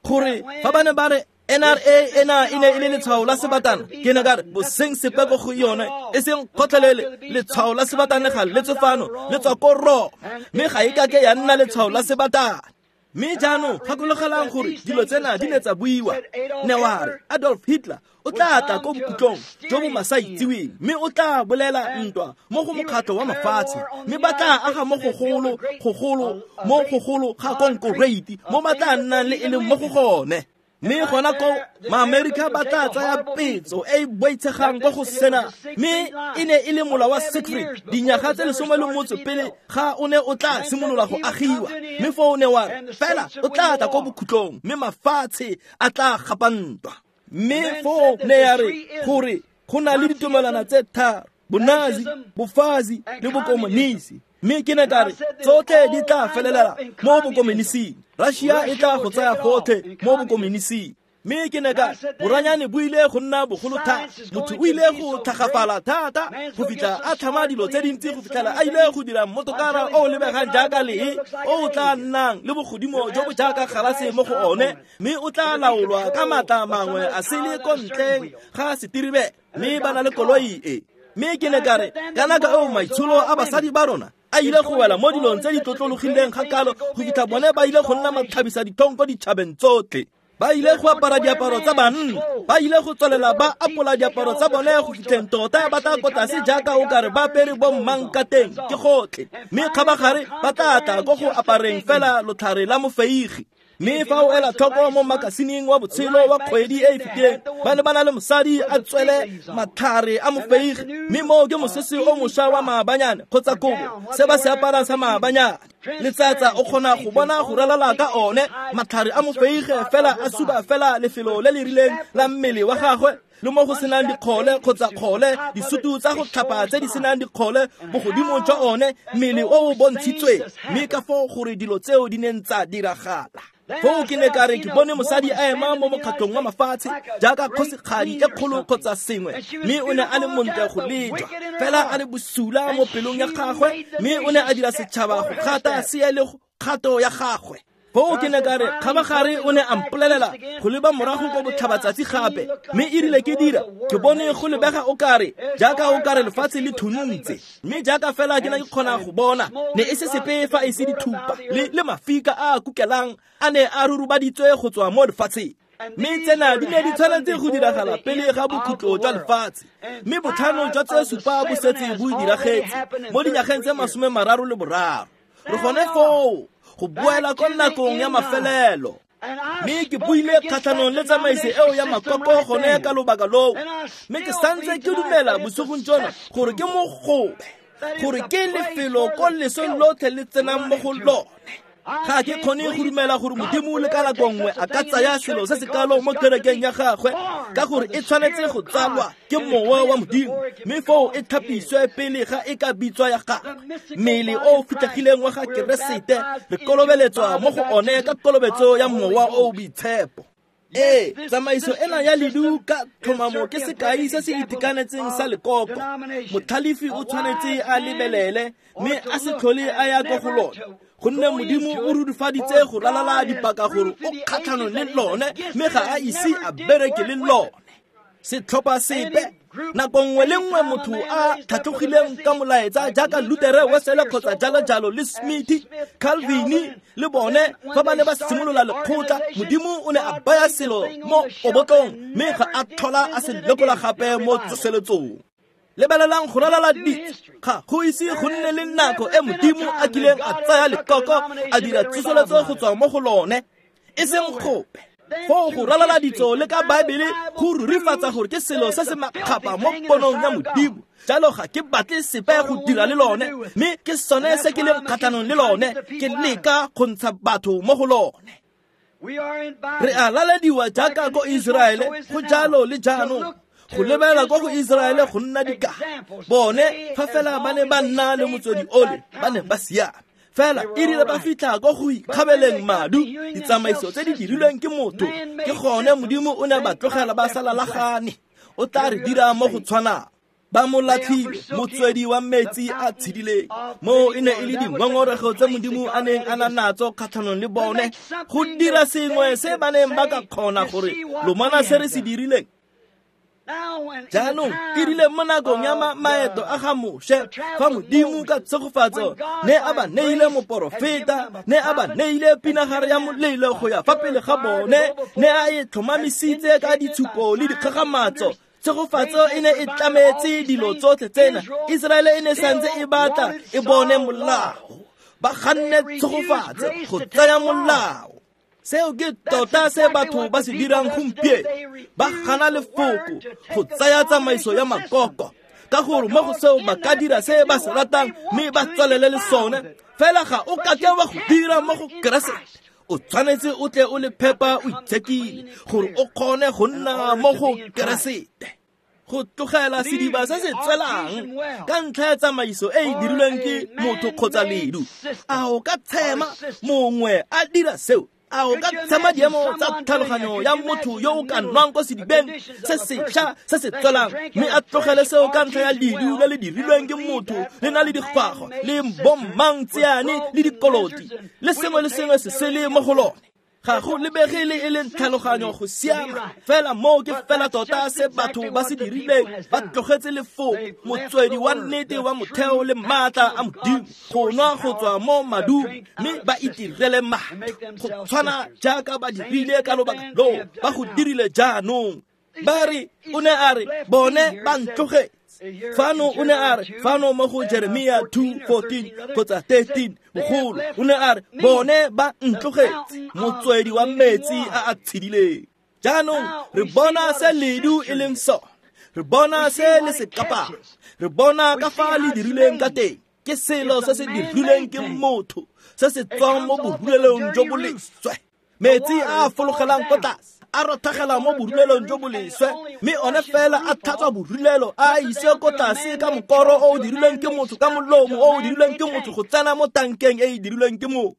A: Gore fa ba ne ba re NRA ena e ne e le letshwao la sebatana, ke ne ka re boseng sepe ko go yone, e seng kgotlhelele. Letshwao la sebatana ga le tswe fano, le tswa ko Roma, mme ga e kake ya nna letshwao la sebatana. Mme jaanong gakologelang gore dilo tsena di ne tsa buiwa. Ne wa re Adolf Hitler o tla tla ko bokhutlong jo bo masaitsiweng, mme o tla bolela ntwa mo go mokgatlho wa mafatshe, mme ba tla aga mo gogolo mo gogolo ga konkoreiti mo ba tla nnang le e leng mo go gone. Mme gona ko Maamerika ba tla tsaya petso e e boitshegang ko go sena, mme e ne e le mola wa Siegfried dinyaga tse 18 pele ga o ne o tla simolola go agiwa. Mme foo o ne wa fela o tla tla ko bokhutlong, mme mafatshe a tla gapa ntwa. Mme foo ne ya re gore go na le ditumelwana tse tharo, bonazi, bofazi le bokomonisi. Mme ke ne ka re tsotlhe di tla felelela mo bokomonising. Russia e tla go tsaya gotlhe mo bokomonising. Mme ke ne ka boranyane bo ile go nna bogolo thata, motho o ile go tlhagafala thata go fitlha a tlhama dilo tse dintsi go fitlhela a ile go dira mmotokara o o lebegang jaaka lee, o o tla nnang le bogodimo jo bo jaaka galase mo go one, mme o tla laolwa ka maatla mangwe a sele ko ntleng ga setiribele, mme ba na le koloi e. Mme ke ne ka re kana ka eo maitsholo a basadi ba rona a ile go wela mo dilong tse di tlotlologileng ga kalo go fitlha bone ba ile go nna matlhabisa ditlhong ko ditšhabeng tsotlhe. Ba ile go apara diaparo tsa banna, ba ile go tswelela ba apola diaparo tsa bone go fitlheng tota ba tla ko tlase jaaka o kare ba apere bo mmang ka teng ke gotlhe. Mme kgabagare ba tla tla ko go apareng fela lotlhare la mofeigi. Mme fa o ela tlhoko mo makasineng wa botshelo wa kgwedi e e fetileng, ba ne ba na le mosadi a tswele matlhare a mofeigi, mme moo ke mosese o mošwa wa maabanyane kgotsa kobo se ba se aparang sa maabanyane. Letsatsa o kgona go bona go ralala ka one matlhare a mofeige fela a suba fela lefelo le le rileng la mmele wa gagwe, le mo go senang dikgole kgotsa kgole, disutu tsa go tlhapa tse di senang dikgole bogodimo jwa one mmele o o bontshitsweng. Mme ka foo gore dilo tseo di neng tsa diragala. Foo ke ne ka re ke bone mosadi a ema mo mokgatlhong wa mafatshe jaaka kgosigadi e kgolo kgotsa sengwe, mme o ne a le montle go lejwa, fela a le bosula mo pelong ya gagwe, mme o ne a dira setšhaba go gata se le kgato ya gagwe. Foo ke ne ka re kgabagare o ne a mpolelela go leba morago ko botlhabatsatsi gape, mme e rile ke dira ke bone go lebega o kare jaaka o kare lefatshe le thuntse, mme jaaka fela ke ne ke kgona go bona ne e se sepe fa e se dithupa le mafika a a kukelang a ne a rurubaditswe go tswa mo lefatsheng. Mme tsena di ne di tshwanetse go diragala pele ga bokhutlo jwa lefatshe, mme botlhano jwa tse supa bo setse bo diragetse mo dinyageng tse 33. Re gone foo go boela ko nakong ya mafelelo. Mme ke buile kgatlhanong le tsamaiso eo ya makoko gone ka lobaka loo, mme ke santse ke dumela bosigong jona gore ke mogobe, gore ke lefelo ko leso lotlhe le tsenang mo go lone. Ga ke kgone go dumela gore Modimo le ka nako nngwe a ka tsaya selo se se kalo mo kerekeng ya gagwe, ka gore e tshwanetse go tsalwa ke mowa wa Modimo, mme foo e tlhapiswe pele ga e ka bitswa ya gagwe. Mmele o o fitlhegileng wa ga Keresete re kolobeletswa mo go one ka kolobetso ya mowa o o boitshepo. Ee, tsamaiso ena ya ledu ka tlhomamo ke sekai se se itekanetseng sa lekoko. Motlhalefi o tshwanetse a lebelele mme a se tlhole a ya ko go lone, gonne Modimo o rurifaditse go ralala dipaka gore o kgatlhanong le lone, mme ga a ise a bereke le lone. Setlhopha sepe nako nngwe le nngwe motho a tlhatlhogileng ka molaetsa jaaka Lutere, Wesele kgotsa jalo jalo le Smith, Calvin le bone fa ba ne ba simolola lekgotla, Modimo o ne a baya selo mo obotlong mme ga a tlhola a se lekola gape mo tsoseletsong. Lebelelang go ralala ditso, ga go ise go nne le nako e Modimo a kileng a tsaya lekoko a dira tsoseletso go tswa mo go lone, e seng gope. Foo go ralala ditso le ka Baebele go rurifatsa gore ke selo se se makgapa mo ponong ya Modimo. Jalo ga ke batle sepe go dira le lone, mme ke sone se ke leng kgatlhanong le lone, ke leka go ntsha batho mo go lone. Re a lalediwa jaaka ko Iseraele, go jalo le jaanong. Go lebelela ko go Iseraele go nna dikai. Bone fa fela ba ne ba nna le motswedi ole, ba ne ba siame. Fela e rile ba fitlha ko go ikgabeleng madu, ditsamaiso tse di dirilweng ke motho, ke gone Modimo o ne ba tlogela ba sa lalagane. O tla re dira mo go tshwanang. Ba mo latlhile motswedi wa metsi a tshedileng. Moo e ne e le dingongorego tse Modimo a neng a na natso kgatlhanong le bone, go dira sengwe se ba neng ba ka kgona gore lomana se re se dirileng. Jaanong e rile mo nakong ya maeto a ga Moshe, fa Modimo ka tshegofatso ne a ba neile moporofeta, ne a ba neile pinagare ya molelo go ya fa pele ga bone, ne a e tlhomamisitse ka ditshupo le dikgagamatso. Tshegofatso e ne e tlametse dilo tsotlhe tsena. Iseraele e ne santse e batla e bone molao, ba ganne tshegofatso go tsaya molao. Seo ke tota se batho ba se dirang gompieno, ba gana lefoko go tsaya tsamaiso ya makoko, ka gore mo go seo ba ka dira se ba se ratang mme ba tswelele le sone. Fela ga o kake wa go dira mo go Keresete. O tshwanetse o tle o le phepa o itshekile gore o kgone go nna mo go Keresete. Go tlogela sediba se se tswelang ka ntlha ya tsamaiso e e dirilweng ke motho kgotsa ledu, a o ka tshema mongwe a dira seo? A o ka tshema diemo tsa tlhaloganyo ya motho yo o ka nwang ko sedibeng se sešwa se se tswelang mme a tlogele seo ka ntlha ya ledu le le dirilweng ke motho le na le dikgwago le bommangtseane le dikoloti le sengwe le sengwe se sele mo go lone? Ga go lebege le e leng tlhaloganyo go siama. Fela moo ke fela tota se batho ba se dirileng, ba tlogetse lefoko, motswedi wa nnete wa motheo le maatla a Modimo, go nwa go tswa mo madung mme ba itirele matho go tshwana jaaka ba dirile ka lobaka loo, ba go dirile jaanong. Ba re, o ne a re, bone ba ntlogetse. Fano o ne a re, fano mo go Jeremia 2:14 kgotsa 13 bogolo, o ne a re, bone ba ntlogetse, motswedi wa metsi a a tshedileng. Jaanong re bona se ledu e leng sone, re bona se le se kapang, re bona ka fa le dirilweng ka teng. Ke selo se se dirilweng ke motho, se se tswang mo borulelong jo bo leswe. Metsi a a fologelang ko tlase a rothagela mo borulelong jo bo leswe, mme one fela a tlhatswa borulelo a ise ko tlase ka mokoro o o dirilweng ke motho, ka molomo o o dirilweng ke motho go tsena mo tankeng e e dirilweng ke motho.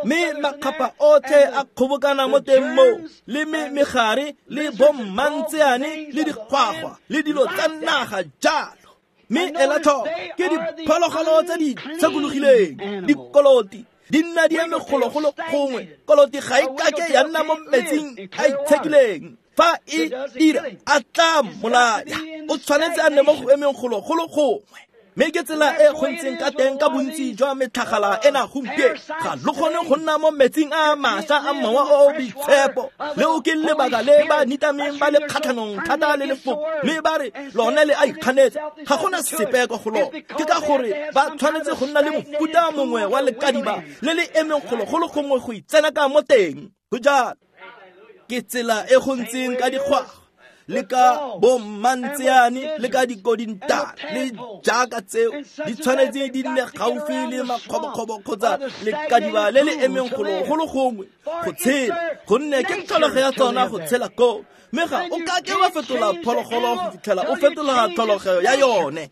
A: Mme makgapha otlhe a kgobokana mo teng moo, le megare le bommantseane le dikgwagwa le dilo tsa naga jalo. Mme ela tlhoko, ke diphologolo tse di tshekologileng, dikoloti di nna di eme gologolo gongwe. Koloti ga e kake ya nna mo metsing a itshekileng. Fa e dira, a tla mmolaya. O tshwanetse a nne mo go emeng gologolo gongwe. Mme ke tsela e go ntseng ka teng ka bontsi jwa metlhagala ena gompieno. Ga lo kgone go nna mo metsing a mašwa a mowa o o boitshepo. Leo ke lebaka le ba nitameng ba le kgatlhanong thata le lefoko, mme ba re lone le a ikganetsa. Ga gona sepe kwa go lone. Ke ka gore ba tshwanetse go nna le mofuta mongwe wa lekadiba le le emeng gologolo gongwe go itsena ka mo teng. Go jalo. Ke tsela e go ntseng ka dikgwago le ka bommantseane le ka dikodintana le jaaka tseo di tshwanetse di nne gaufi le makgobokgobo kgotsa lekadiba le le emeng gologolo gongwe go tshela, gonne ke tlholego ya tsona go tshela koo. Mme ga o kake wa fetola phologolo go fitlhela o fetola tlholego ya yone.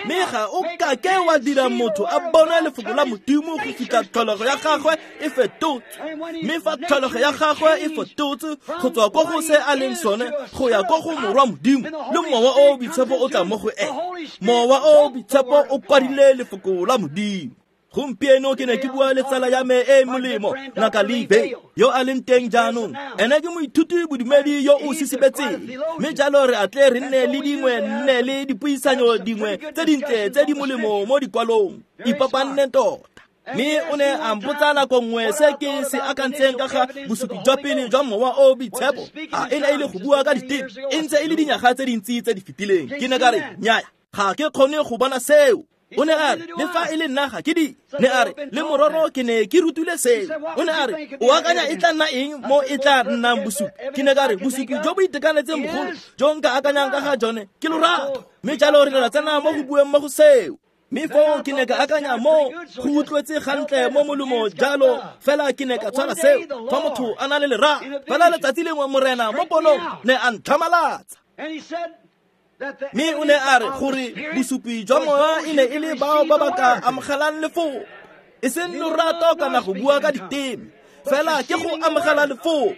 A: Mme ga o kake wa dira motho a bona lefoko la Modimo go fitlha tlholego ya gagwe e fetotswe. Mme fa tlholego ya gagwe e fetotswe go tswa ko go se a leng sone go ya ko go morwa Modimo, le mowa o o boitshepo o tla mo go ene. Mowa o o boitshepo o kwadile lefoko la Modimo. Gompieno ke ne ke bua le tsala ya me e molemo, Ngaka Lee, yo a leng teng jaanong. Ene ke moithuti bodumedi yo o sisibetseng, mme jalo re atle re nne le dingwe nne le dipuisanyo dingwe tse dintle tse di molemo mo dikwalong. Ipapanne tota. Mme o ne a mpotsa nako nngwe se ke se akantseng ka ga bosupi jwa pele jwa mowa o boitshepo. A e ne e le go bua ka diteme, e ntse e le dinyaga tse dintsi tse di fetileng. Ke ne ka re, nnyaya, ga ke kgone go bona seo. O ne a re, le fa e le nna ga ke di. Ne a re, le mororo ke ne ke rutile seo. O ne a re, o akanya e tla nna eng mo e tla nnang bosupi? Ke ne ka re, bosupi jo bo itekanetseng bogolo jo nka akanyang ka ga jone ke lorato. Mme jalo re ne ra tsena mo go bueng mo go seo. Mme foo ke ne ka akanya mo go utlwetse gantle mo molomo jalo, fela ke ne ka tshwara seo. Fa motho a na le lerato, fela letsatsi lengwe Morena mo ponong ne a ntlhamalatsa. Mme o ne a re gore bosupi jwa moya e ne e le bao ba ba ka amogelang lefoko, e seng lorato kana go bua ka diteme, fela ke go amogela lefoko.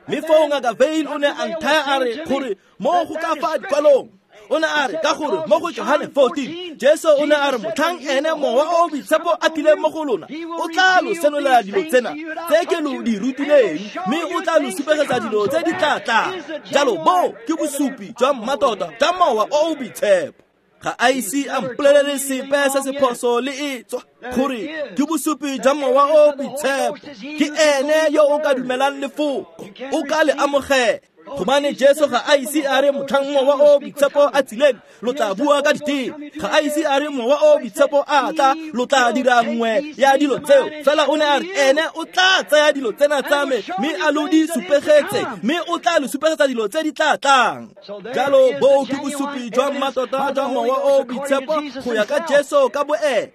A: Mme foo Ngaka Veil o ne a nthaya a re gore mo go ka fa dikwalong, o ne a re ka gore mo go Johane 14 Jesu o ne a re motlhang ene mowa o o boitshepo a tlileng mo go lona, o tla lo senolela dilo tsena tse ke lo di rutileng, mme o tla lo supegetsa dilo tse di tla tlang. Jalo bo ke bosupi jwa mmatota jwa mowa o o boitshepo. Ga a ise a mpolelele sepe se se phoso le e tswa gore ke bosupi jwa mowa o o boitshepo. Ke ene yo o ka dumelang lefoko, o ka le amogela. Gobane Jesu ga a ise a re motlhang Mowa o Boitshepo a tsileng lo tla bua ka diteme, ga a ise a re Mowa o Boitshepo a tla lo tla dira nngwe ya dilo tseo. Fela o ne a re ene o tla tsaya dilo tsena tsa me mme a lo di supegetse, mme o tla lo supegetsa dilo tse di tla tlang. Jalo boo ke bosupi jwa mmatota jwa Mowa o Boitshepo go ya ka Jesu ka boene.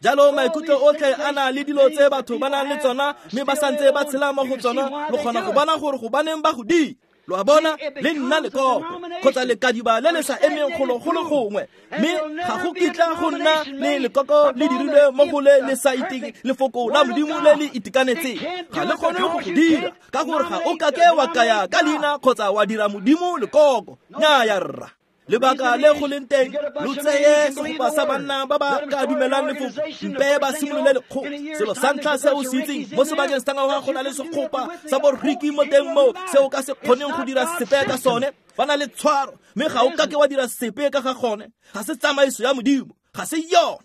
A: Jalo maikutlo otlhe a na le dilo tse batho ba nang le tsona mme ba santse ba tshela mo go tsona, lo kgona go bona gore gobaneng ba go di. Lo a bona, le nna lekoko kgotsa lekadiba le le sa emeng golo go le gongwe, mme ga go kitla go nna le lekoko le dirilwe mo go le le sa iteng lefoko la Modimo le le itekanetseng. Ga le kgone go go dira ka gore ga o kake wa kaya ka leina kgotsa wa dira Modimo lekoko. Nnyaya rra. Lebaka le go leng teng, lo tseye segopa sa banna ba ba ka dumelang lefoko, mpe ba simolole lekgotla. Selo sa ntlha se o se itseng mo sebakeng sa ngwaga go na le segopa sa boriki mo teng moo se o ka se kgoneng go dira sepe ka sone. Ba na le tshwaro, mme ga o kake wa dira sepe ka ga gone. Ga se tsamaiso ya Modimo, ga se yona.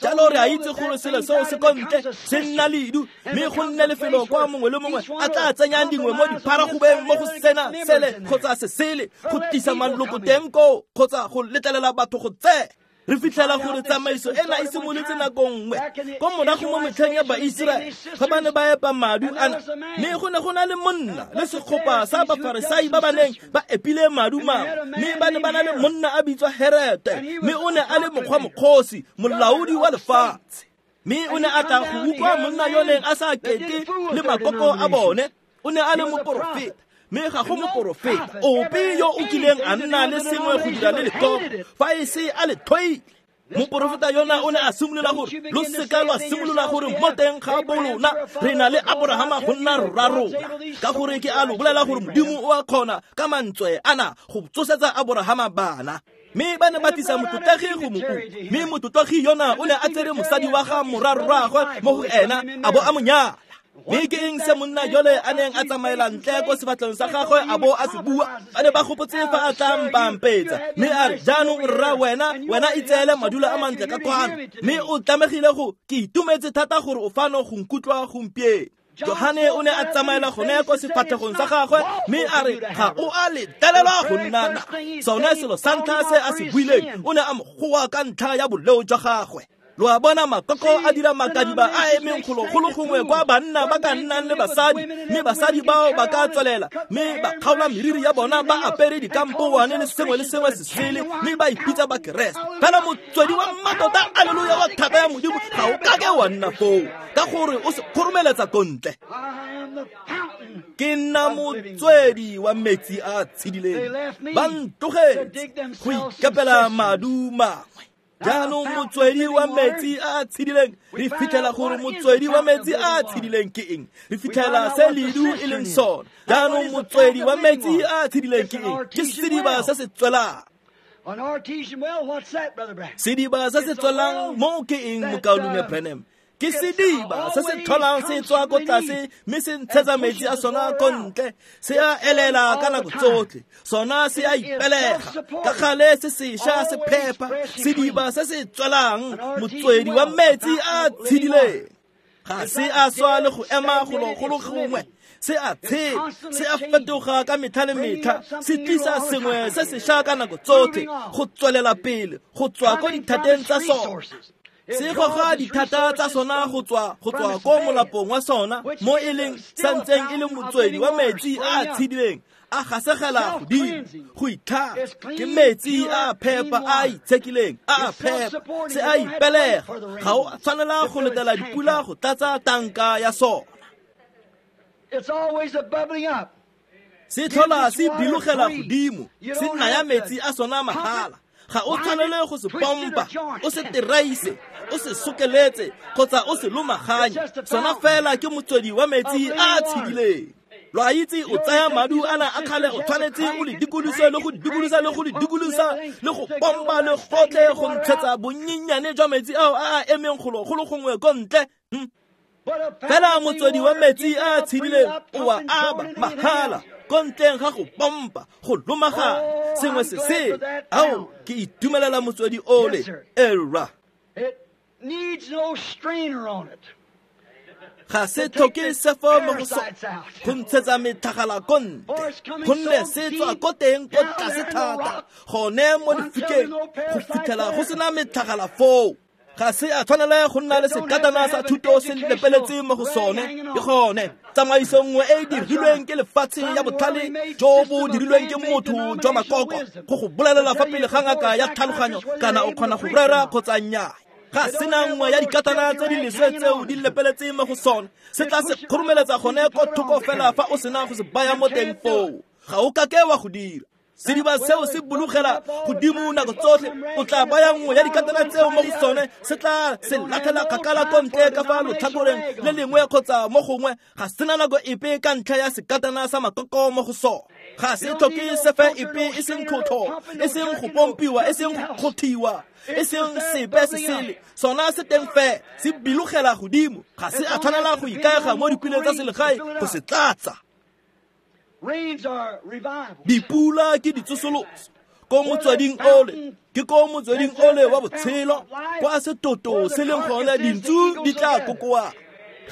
A: Jalo re a itse gore selo seo se ko ntle se nna ledu, mme go nne lefelo kwa mongwe le mongwe a tla tsenyang dingwe mo dipharagobeng mo go sena sele kgotsa sesele go tlisa maloko teng koo kgotsa go letlelela batho go tsena. Re fitlhela gore tsamaiso ena e simolotse nako nngwe ko morago mo metlheng ya Baiseraele ga ba ne ba epa madu ana, mme go ne go na le monna le segopa sa Bafarisai ba ba neng ba epile madu mangwe, mme ba ne ba na le monna a bitswa Herete, mme o ne a le mokgwa mokgosi, molaodi wa lefatshe. Mme o ne a tla go utlwa monna yo neng a sa kete le makoko a bone. O ne a le moporofeta, mme ga go moporofeta ope yo o kileng a nna le sengwe go dira le lekoko fa e se a le tlhoile. Moporofeta yona o ne a simolola gore lo seka lwa simolola gore mo teng ga bolona re na le Aborahama go nna rra rona, ka gore ke a lo bolela gore Modimo o a kgona ka mantswe ana go tsosetsa Aborahama bana. Mme ba ne ba tlisa motlotlegi go mo utlwa, mme motlotlegi yona o ne a tsere mosadi wa ga morwarraagwe mo go ena a bo a mo nyala. Mme ke eng se monna jole a neng a tsamaela ntle ko sefatlhong sa gagwe a bo a se bua? Ba ne ba gopotse fa a tla mpampetsa, mme a re, jaanong rra wena, wena itseele madulo a mantle ka kwano, mme o tlamegile go ke itumetse thata gore o fano go nkutlwa gompieno. Johane o ne a tsamaela gone ko sefatlhegong sa gagwe mme a re ga o a letelelwa go nna na. Sone selo sa ntlha se a se buileng, o ne a mo goa ka ntlha ya boleo jwa gagwe. Lo a bona, makoko a dira makadiba a emeng golo go le gongwe kwa banna ba ka nnang le basadi, mme basadi bao ba ka tswelela mme ba kgaola meriri ya bona ba apere dikampowane le sengwe le sengwe se sele, mme ba ipitsa ba Keresete. Fela motswedi wa mmatota, aleluya, wa thata ya Modimo ga o kake wa nna foo, ka gore o se kgoromeletsa ko ntle. Ke nna motswedi wa metsi a tshedileng, ba ntlogetse go ikepela madu mangwe. Jaanong motswedi wa metsi a a tshedileng, re fitlhela gore motswedi wa metsi a a tshedileng ke eng? Re fitlhela se ledu e leng sona. Jaanong motswedi wa metsi a a tshedileng ke eng? Ke sediba se se tswelang. Sediba se se tswelang mo ke eng, mokaulengwe Branham? Ke sediba se se tlholang se tswa ko tlase mme se ntshetsa metsi a sona ko ntle, se a elela ka nako tsotlhe, sona se a ipelega ka gale, se sešwa se phepa. Sediba se se tswelang, motswedi wa metsi a tshedileng, ga se a swa le go ema golo go le gongwe, se a tshela, se a fetoga ka metlha le metlha, se tlisa sengwe se sešwa ka nako tsotlhe, go tswelela pele go tswa ko dithateng tsa sona. Se goga dithata tsa sona go tswa ko molapong wa sona, mo e leng santseng e le motswedi wa metsi a a tshedileng, a gasegela godimo go itlhatswa. Ke metsi a a phepa, a a itshekileng, a a phepa, se a ipelega. Ga o tshwanela go letela dipula go tlatsa tanka ya sona. Se tlhola se bilogela godimo, se naya metsi a sona mahala. Ga o tshwanele go se pompa, o se teraise, o se sokeletse kgotsa o se lomaganye. Sona fela ke motswedi wa metsi a a tshedileng. Lo a itse, o tsaya madu ana a kgale, o tshwanetse o le dikolose le go dikolosa le go le dikolosa le go pompa le gotlhe go ntshetsa bonnyenyane jwa metsi ao a a emeng golo go le gongwe ko ntle. Fela motswedi wa metsi a a tshedileng o a aba mahala ko ntleng ga go pompa, go lomagana sengwe se se. Ao, ke itumelela motswedi ole. Era.
B: It needs no strainer on it.
A: Ga se tlhoke sefo mo go sone go ntshetsa metlhagala ko ntle, gonne se tswa ko teng ko tlase thata gone mo lefikeng go fitlhela go sena metlhagala foo. Ga se a tshwanela go nna le sekatana sa thuto se lepeletse mo go sone. Ke gone tsamaiso nngwe e e dirilweng ke lefatshe ya botlhale jo bo dirilweng ke motho jwa makoko go go bolelela fa pele ga ngaka ya tlhaloganyo kana o kgona go rera kgotsa nnyaa. Ga sena nngwe ya dikatana tse di leswe tseo di lepeletse mo go sone, se tla se kgoromeletsa gone ko thoko fela fa o sena go se baya mo teng foo. Ga o kake wa go dira. Sediba seo se bulugela godimo nako tsotlhe. O tla baya nngwe ya dikatana tseo mo go sone, se tla se latlhela kgakala ko ntle ka fa lotlhakoreng le lengwe kgotsa mo gongwe. Ga sena nako epe ka ntlha ya sekatana sa makoko mo go sone. Ga se tlhoke sefe epe, e seng tlhotlho, e seng go pompiwa, e seng go kgothiwa, e seng sepe se sele. Sona se teng fe, se bilogela godimo. Ga se a tshwanela go ikaega mo dipuleng tsa selegae go se tlatsa. Dipula ke ditsosoloso ko motsweding ole, ke ko motsweding ole wa botshelo, kwa setoto se leng gone dintsu di tla kokoa.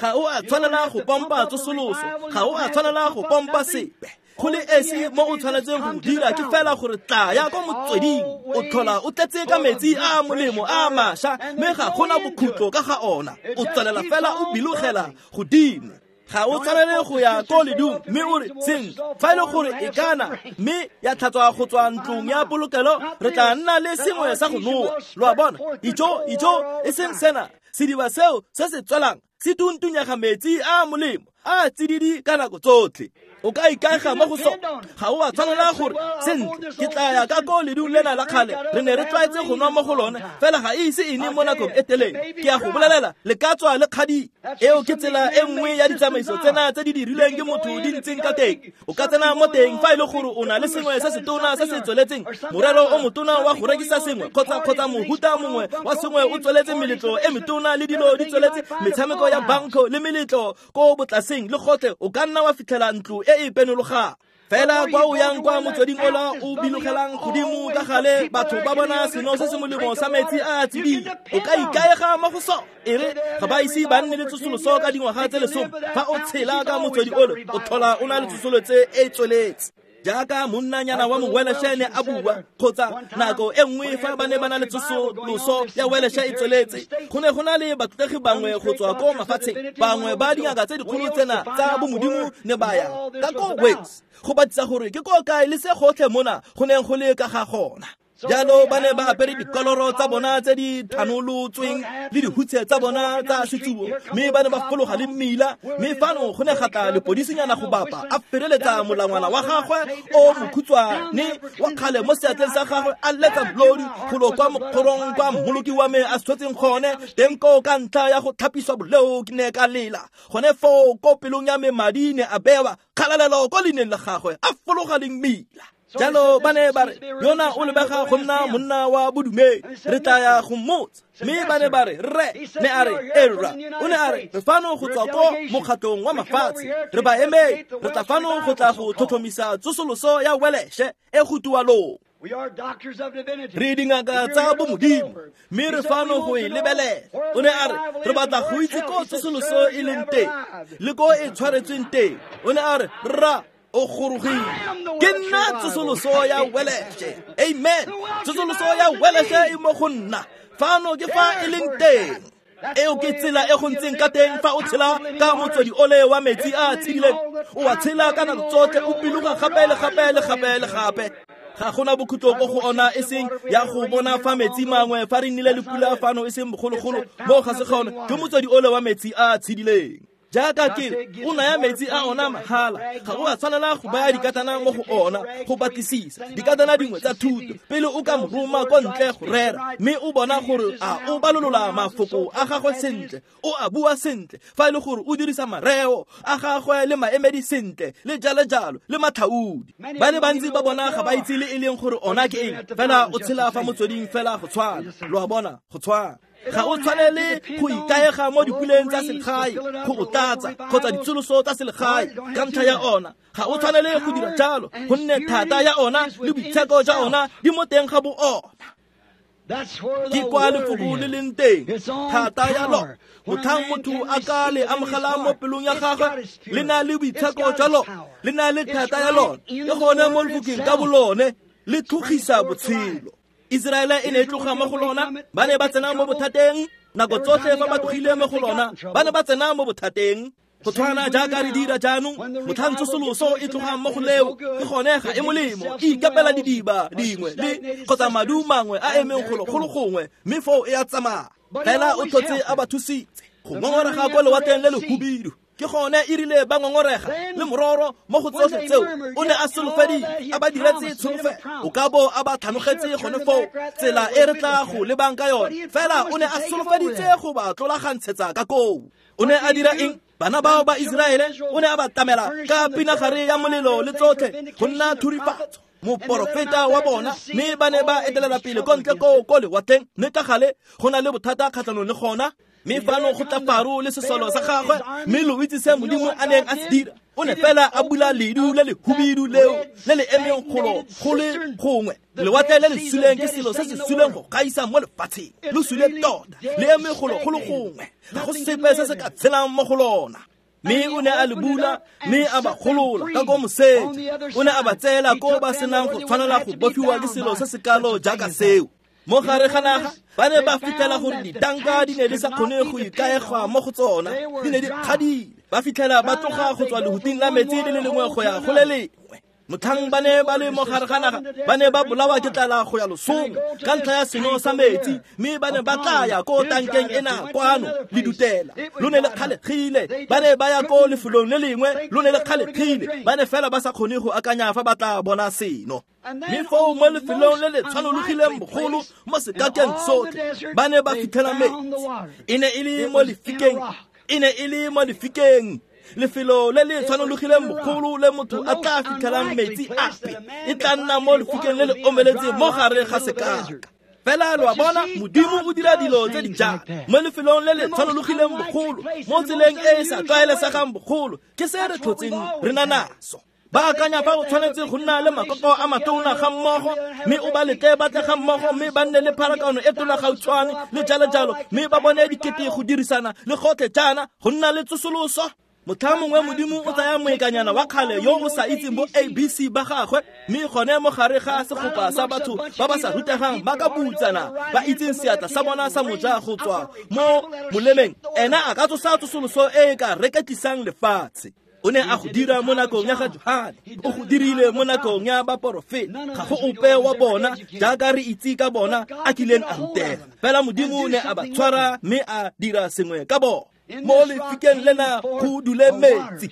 A: Ga o a tshwanela go pompa tsosoloso, ga o a tshwanela go pompa sepe. Go le esi mo o tshwanetseng go dira ke fela gore tlaya ko motsweding, o tlhola o tletse ka metsi a a molemo a mašwa, mme ga gona bokhutlo ka ga ona. O tswelela fela o bilogela godimo. Ga o tshwanele go ya ko ledung mme o re sentle fa e le gore e kana mme ya tlhatswa go tswa ntlong ya polokelo, re tla nna le sengwe sa go nowa. Lo a bona? Ijo, ijo, e seng sena. Sediba seo se se tswelang se tuntunyega metsi a molemo a tsididi ka nako tsotlhe. O ka ikaega mo go sone. Ga o a tshwanela gore sentle ke tla ya ka ko ledung lena la kgale, re ne re tlwaetse go nwa mo go lone, fela ga e ise e ne mo nakong e telele. Ke a go bolelela, le ka tswa le kgadi. Eo ke tsela e nngwe ya ditsamaiso tsena tse di dirilweng ke motho di ntseng ka teng. O ka tsena mo teng fa e le gore o na le sengwe se se tona se se tsweletseng, morero o motona wa go rekisa sengwe kgotsa mohuta mongwe wa sengwe o tsweletse, meletlo e metona le dilo di tsweletse, metshameko ya banko le meletlo ko botlaseng le gotlhe, o ka nna wa fitlhela ntlo e e penologang. Fela kwa o yang kwa motsweding ola o bilogelang godimo ka gale, batho ba bona seno se se molemo sa metsi a a tsididi. O ka ikaega mo go sone. E re ga ba ise ba nne le tsosoloso ka dingwaga tse 10, fa o tshela ka motswedi ole o tlhola o na le tsosoloso e tsweletse. Jaaka monnanyana wa moweleshe ne a bua, kgotsa nako e nngwe fa ba ne ba na le tsosoloso ya weleshe e tsweletse, go ne go na le batlotlegi bangwe go tswa ko mafatsheng, bangwe ba dingaka tse dikgolo tsena tsa bomodimo ne ba ya ka ko Wales go batisa gore ke ko kae le se gotlhe mona go neng go le ka ga gona. Jalo ba ne ba apere dikoloro tsa bona tse di thanolotsweng le dihutshe tsa bona tsa setsubo, mme ba ne ba fologa le mmila, mme fano go ne ga tla lepodisinyana go bapa a fereletsa molangwana wa gagwe o mokhutswane wa kgale mo seatleng sa gagwe, a letsa molodi golo kwa mokgorong kwa mmoloki wa me a tshwetseng gone teng koo ka ntlha ya go tlhapiswa boleo. Ke ne ka lela gone foo ko pelong ya me, madi ne a bewa kgalalelo ko leineng la gagwe, a fologa le mmila. Jalo ba ne ba re yona o lebega go nna monna wa bodumedi, re tla ya go mmotsa. Mme ba ne ba re rre, ne a re erra. O ne a re re fano go tswa ko mokgatlong wa mafatshe, re ba emedi, re tla fano go tla go tlhotlhomisa tsosoloso ya weleshe e go tualong. Re dingaka tsa bomodimo, mme re fano go e lebelela. O ne a re re batla go itse ko tsosoloso e leng teng le ko e tshwaretsweng teng. O ne a re rra, o gorogile. Ke nna tsosoloso ya weleshe. Amen. Tsosoloso ya weleshe e mo go nna. Fano ke fa e leng teng. Eo ke tsela e go ntseng ka teng fa o tshela ka motswedi ole wa metsi a a tshedileng. O a tshela ka nako tsotlhe, o biloga gape le gape le gape le gape. Ga gona bokhutlo ko go ona, e seng ya go bona fa metsi mangwe fa re nnile le pula fano e seng bogologolo mo ga se gone, ke motswedi ole wa metsi a a tshedileng. Jaaka ke re, o naya metsi a ona mahala, ga o a tshwanela go baya dikatana mo go ona go batlisisa dikatana dingwe tsa thuto pele o ka mo roma ko ntle go rera, mme o bona gore a o balolola mafoko a gagwe sentle, o a bua sentle, fa e le gore o dirisa mareo a gagwe le maemedi sentle le jalo jalo le matlhaodi. Ba le bantsi ba bona ga ba itse le e leng gore ona ke eng, fela o tshela fa motsweding fela go tshwana. Lo a bona, go tshwana. Ga o tshwanele go ikaega mo dipuleng tsa selegae go o tlatsa kgotsa ditsoloso tsa selegae ka ntlha ya ona. Ga o tshwanele go dira jalo, gonne thata ya ona le boitsheko jwa ona di mo teng ga bo ona. Ke kwa lefoko le leng teng, thata ya lona. Motlhang motho a ka le amogela mo pelong ya gagwe, le na le boitsheko jwa lona, le na le thata ya lona. Ke gone mo lefokeng ka bolone le tlhogisa botshelo. Iseraele e ne e tloga mo go lona, ba ne ba tsena mo bothateng. Nako tsotlhe fa ba tlogile mo go lona, ba ne ba tsena mo bothateng. Go tshwana jaaka re dira jaanong, motlhang tsosoloso e tlogang mo go leo, ke gone ga e molemo, e ikapela didiba dingwe le kgotsa madu mangwe a emeng golo golo gongwe, mme foo e a tsamaya. Fela o tlhotse a ba thusitse go ngongorega kwa lewatleng le lehubidu. Ke gone e rile ba ngongorega le mororo mo go tsotlhe tseo, o ne a solofeditse, a ba diretse tsholofelo. O ka bo a ba tlhanogetse gone foo tsela e re tla go lebang ka yone, fela o ne a solofeditse go ba tlolagantshetsa ka koo. O ne a dira eng? Bana bao ba Iseraele o ne a ba tlamela ka pinagare ya molelo le tsotlhe go nna thurifatso, moporofeta wa bona, mme ba ne ba etelela pele ko ntle koo ko lewatleng, mme ka gale go na le bothata kgatlhanong le gona. Mme fano go tla Faro le sesolo sa gagwe, mme lo itse se Modimo a neng a se dira. O ne fela a bula ledu le lehubidu leo le le emeng golo go le gongwe. Lewatle le le suleng ke selo se se suleng go gaisa mo lefatsheng, lo sule tota, le eme golo go le gongwe, ga go sepe se se ka tshelang mo go lona. Mme o ne a le bula, mme a ba golola ka ko moseja. O ne a ba tseela ko ba senang go tshwanela go bofiwa ke selo se se kalo jaaka seo. Mo gare ga naga ba ne ba fitlhela gore ditanka di ne di sa kgone go ikaegwa mo go tsona, di ne di kgadile. Ba fitlhela ba tloga go tswa lehuting la metsi le le lengwe go ya go le lengwe. Motlhang ba ne ba le mo gare ga naga, ba ne ba bolawa ke tlala go ya losong ka ntlha ya seno sa metsi, mme ba ne ba tla ya ko tankeng ena kwano le dutela, lo ne le kgalegile. Ba ne ba ya ko lefelong le lengwe, lo ne le kgalegile. Ba ne fela ba sa kgone go akanya fa ba tla bona seno. Mme foo mo lefelong le le tshwanologileng bogolo mo sekakeng sotlhe, ba ne ba fitlhela metsi. E ne e le mo lefikeng, e ne e le mo lefikeng, lefelo le le tshwanologileng bogolo le motho a tla fitlhelang metsi ape, e tla nna mo lefikeng le le omeletseng mo gare ga sekaka. Fela lo a bona, Modimo o dira dilo tse di jalo mo lefelong le le tshwanologileng bogolo, mo tseleng e e sa tlwaelesegang bogolo. Ke se re tlhotseng re na naso. Ba akanya fa o tshwanetse go nna le makoko a matona ga mmogo, mme o ba letle ba tle ga mmogo, mme ba nne le pharakano e tona gautshwane le jalo jalo, mme ba bone dikete go dirisana le gotlhe jaana go nna le tsosoloso. Motlha mongwe Modimo o tsaya moekanyana wa kgale yo o sa itseng bo ABC ba gagwe, mme gone mo gare ga segopa sa batho ba ba sa rutegang ba ka butsana ba itseng seatla sa bona sa moja go tswa mo molemeng, ena a ka tsosa tsosoloso e e ka reketlisang lefatshe. O ne a go dira mo nakong ya ga Johane, o go dirile mo nakong ya baporofeta. Ga go ope wa bona jaaka re itse ka bona a kileng a rutega, fela Modimo o ne a ba tshwara mme a dira sengwe ka bona. Mo lefikeng lena go dule metsi.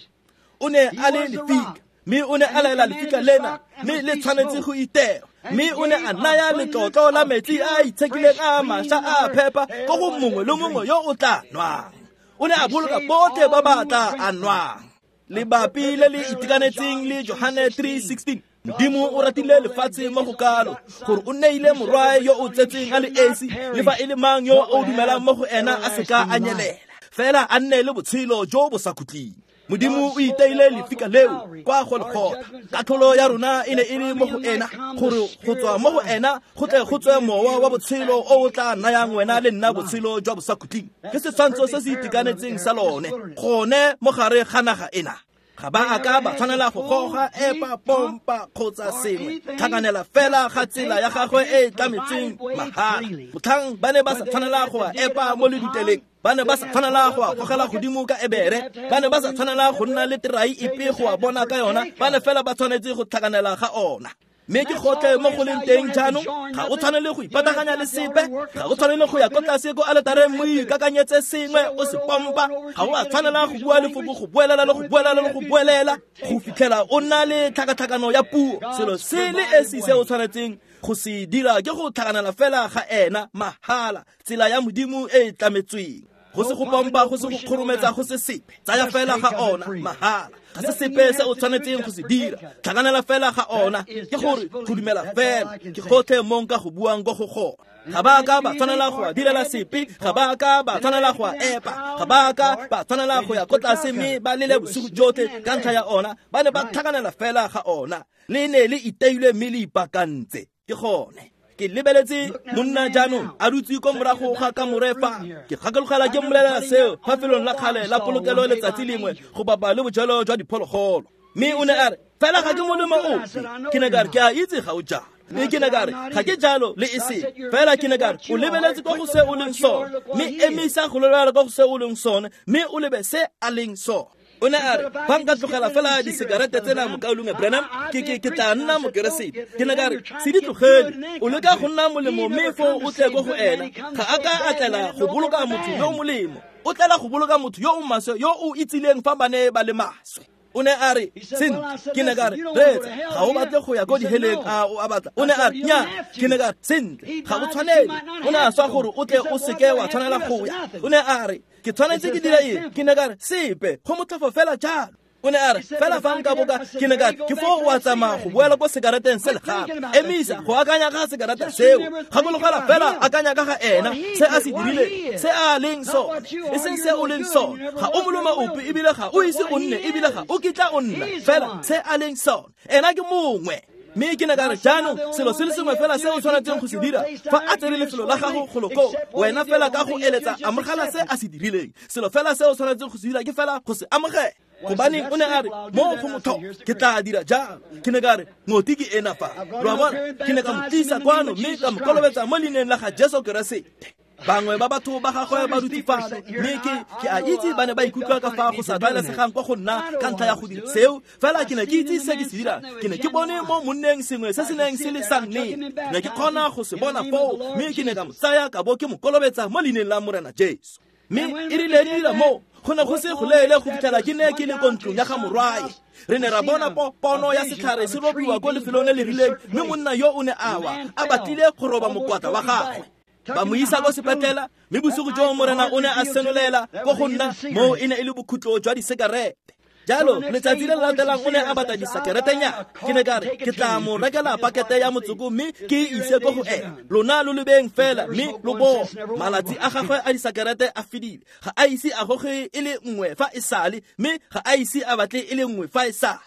A: O ne a le lefika, mme o ne a laela lefika lena, mme le tshwanetse go itewa. Mme o ne a naya letlotlo la metsi a a itshekileng a mašwa a phepa ko go mongwe le mongwe yo o tla nwang. O ne a boloka botlhe ba ba tla a nwang. Lebapi le le itekanetseng le Johane 3:16, Modimo o ratile lefatshe mo go kalo gore o neile morwae yo o tsetseng a le esi, le fa e le mang yo o dumelang mo go ena a seka a nyelela, fela a nne le botshelo jo bo sa khutleng. Modimo o iteile lefika leo kwa Golgotha. Katlholo ya rona e ne e le mo go ena, gore go tswa mo go ena go tle go tswe mowa wa botshelo o o tla nayang wena le nna botshelo jwa bosakhutleng. Ke setshwantsho se se itekanetseng sa lone gone mo gare ga naga ena. Ga ba a ka ba tshwanela go goga, epa, pompa kgotsa sengwe, tlhakanela fela ga tsela ya gagwe e e tlametseng mahala. Motlhang ba ne ba sa tshwanela go a epa mo leduteleng, ba ne ba sa tshwanela go a gogela godimo ka ebere, ba ne ba sa tshwanela go nna le terai epe go a bona ka yona, ba ne fela ba tshwanetse go tlhakanela ga ona. Mme ke gotlhe mo go leng teng jaanong, ga o tshwanele go ipataganya le sepe, ga o tshwanele go ya ko tlase ko aletareng mo ikakanyetse sengwe o se pompa, ga o a tshwanela go bua lefoko go boelela le go boelela le go boelela go fitlhela o nna le tlhakatlhakano ya puo. Selo se le esi se o tshwanetseng go se dira ke go tlhakanela fela ga ena mahala, tsela ya Modimo e e tlametsweng. Go se go pompa, go se go kgorometsa, go se sepe, tsaya fela ga ona mahala. Ga se sepe se o tshwanetseng go se dira, tlhakanela fela ga ona, ke gore go dumela fela, ke gotlhe mo nka go buang ko go gona. Ga ba ka ba tshwanela go a direla sepe, ga ba ka ba tshwanela go a epa, ga ba ka ba tshwanela go ya ko tlase mme ba lele bosigo jotlhe ka ntlha ya ona. Ba ne ba tlhakanela fela ga ona, le ne le iteilwe mme le ipakantse. Ke gone. Ke lebeletse monna jaanong a dutse ko morago ga kamore fa. Ke gakologela ke mmolelela seo fa felong la kgale la polokelo letsatsi lengwe go bapa le bojelo jwa diphologolo. Mme o ne a re, fela ga ke molemo ope. Ke ne ka re, ke a itse ga o jalo. Mme ke ne ka re, ga ke jalo le e seng. Fela ke ne ka re, o lebeletse ko go se o leng sone, mme emisa go lebelela ko go se o leng sone, mme o lebe se a leng sone. O ne a re, fa nka tlogela fela disekarete tsena mokaulengwe Branham, ke tla nna mokeresete. Ke ne ka re, se di tlogele, o leka go nna molemo mme foo o tle ko go ena. Ga a ka a tlela go boloka motho yo o molemo, o tlela go boloka motho yo o maswe yo o itsileng fa ba ne ba le maswe. O ne a re, sentle, ke ne ka re, reetsa, ga o batle go ya ko diheleng a o a batla. O ne a re, nya, ke ne ka re, sentle, ga o tshwanele. O ne a swa gore o tle o seke wa tshwanela go ya. O ne a re, ke tshwanetse ke dira eng? Ke ne ka re, sepe, go motlhofo fela jalo. O ne a re, fela fa nka boka, ke ne ka re, ke foo o a tsamaya go boela ko sekareteng se le gape. Emisa go akanya ka sekarete seo. Gakologela fela akanya ka ga ena, se a se dirileng, se a leng sone, e seng se o leng sone. Ga o molemo ope ebile ga o ise o nne ebile ga o kitla o nna, fela se a leng sone. Ena ke mongwe. Mme ke ne ka re, jaanong selo se le sengwe fela se o tshwanetseng go se dira fa a tsere lefelo la gago golo koo, wena fela ka go eletsa amogela se a se dirileng. Selo fela se o tshwanetseng go se dira ke fela go se amogela. Gobaneng o ne a re, mo go motho ke tla dira jalo. Ke ne ka re, ngoti ke ena fa. Lo a bona? Ke ne ka mo tlisa kwano mme ka mo kolobetsa mo leineng la ga Jesu Keresete. Bangwe ba batho ba gagwe ba dutse fano, mme ke a itse ba ne ba ikutlwa ka fa go sa tlwaelesegang kwa go nna ka ntlha ya go dira seo. Fela ke ne ke itse se ke se dirang. Ke ne ke bone mo monneng sengwe se se neng se le sa nnete. Ke ne ke kgona go se bona foo, mme ke ne ka mo tsaya ka bo ke mo kolobetsa mo leineng la Morena Jesu. Mme e rile di dira moo, go ne go se go leele go fitlhela ke ne ke le ko ntlong ya ga morwae. Re ne ra bona pono ya setlhare se robiwa ko lefelong le le rileng, mme monna yo o ne a wa, a batlile go roba mokwatla wa gagwe. Ba mo isa ko sepetlela, mme bosigo jo Morena o ne a senolela ko go nna, moo e ne e le bokhutlo jwa disekarete. Jalo, letsatsi le le latelang o ne a batla disekeretenyana. Ke ne ka re, ke tla mo rekela pakete ya motsoko mme ke e ise ko go ena. Lona lo lebeng fela mme lo bone. Malatsi a gagwe a disekerete a fedile. Ga a ise a goge e le nngwe fa e sale, mme ga a ise a batle e le nngwe fa e sale.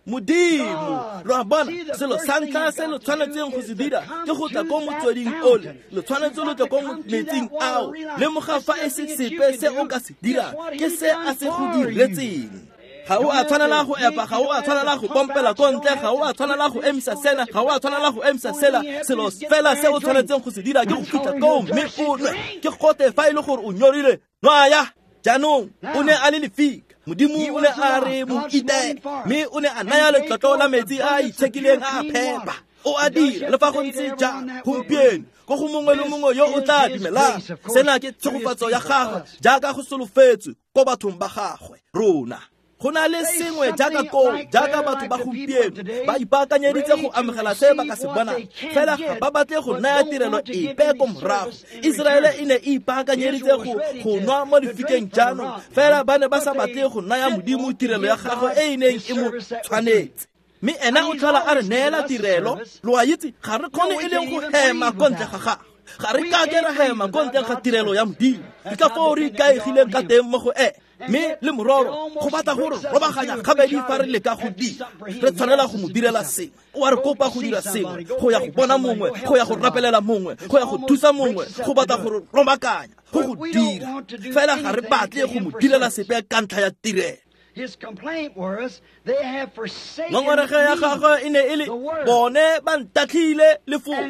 A: Modimo, lo a bona, selo sa ntlha se lo tshwanetseng go se dira ke go tla ko motsweding ole. Lo tshwanetse lo tle ko metsing ao. Lemoga fa e se sepe se o ka se dirang, ke se a se go diretseng. Ga o a tshwanela go epa, ga o a tshwanela go pompela ko ntle, ga o a tshwanela go emisa sena, ga o a tshwanela go emisa sela. Selo fela se o tshwanetseng go se dira ke go fitlha koo mme o nwe. Ke gote fa e le gore o nyorile, nwaya. Jaanong o ne a le lefika. Modimo o ne a re mo itele, mme o ne a naya letlotlo la metsi a a itshekileng a a phepa. O a dira le fa go ntse jang gompieno ko go mongwe le mongwe yo o tla dumelang. Sena ke tshegofatso ya gagwe jaaka go solofetswe ko bathong ba gagwe rona. Go na le sengwe jaaka koo, jaaka batho ba gompieno ba ipaakanyeditse go amogela se ba ka se bonang, fela ga ba batle go naya tirelo epe ko morago. Iseraele e ne e ipaakanyeditse go nwa mo lefikeng jaanong, fela ba ne ba sa batle go naya Modimo tirelo ya gagwe e e neng e mo tshwanetse. Mme ena o tlhola a re neela tirelo. Lo a itse, ga re kgone e leng go hema ko ntle ga gagwe. Ga re kake ra hema ko ntle ga tirelo ya Modimo. Ke ka foo re ikaegileng ka teng mo go ene. Mme le mororo go batla gore robaganya gabedi fa re leka go dira, re tshwanela go mo direla sengwe. O a re kopa go dira sengwe, go ya go bona mongwe, go ya go rapelela mongwe, go ya go thusa mongwe, go batla gore robakanya, go go dira. Fela ga re batle go mo direla sepe ka ntlha ya tirelo. Ngongorego ya gagwe e ne e le, bone ba ntatlhile lefoko,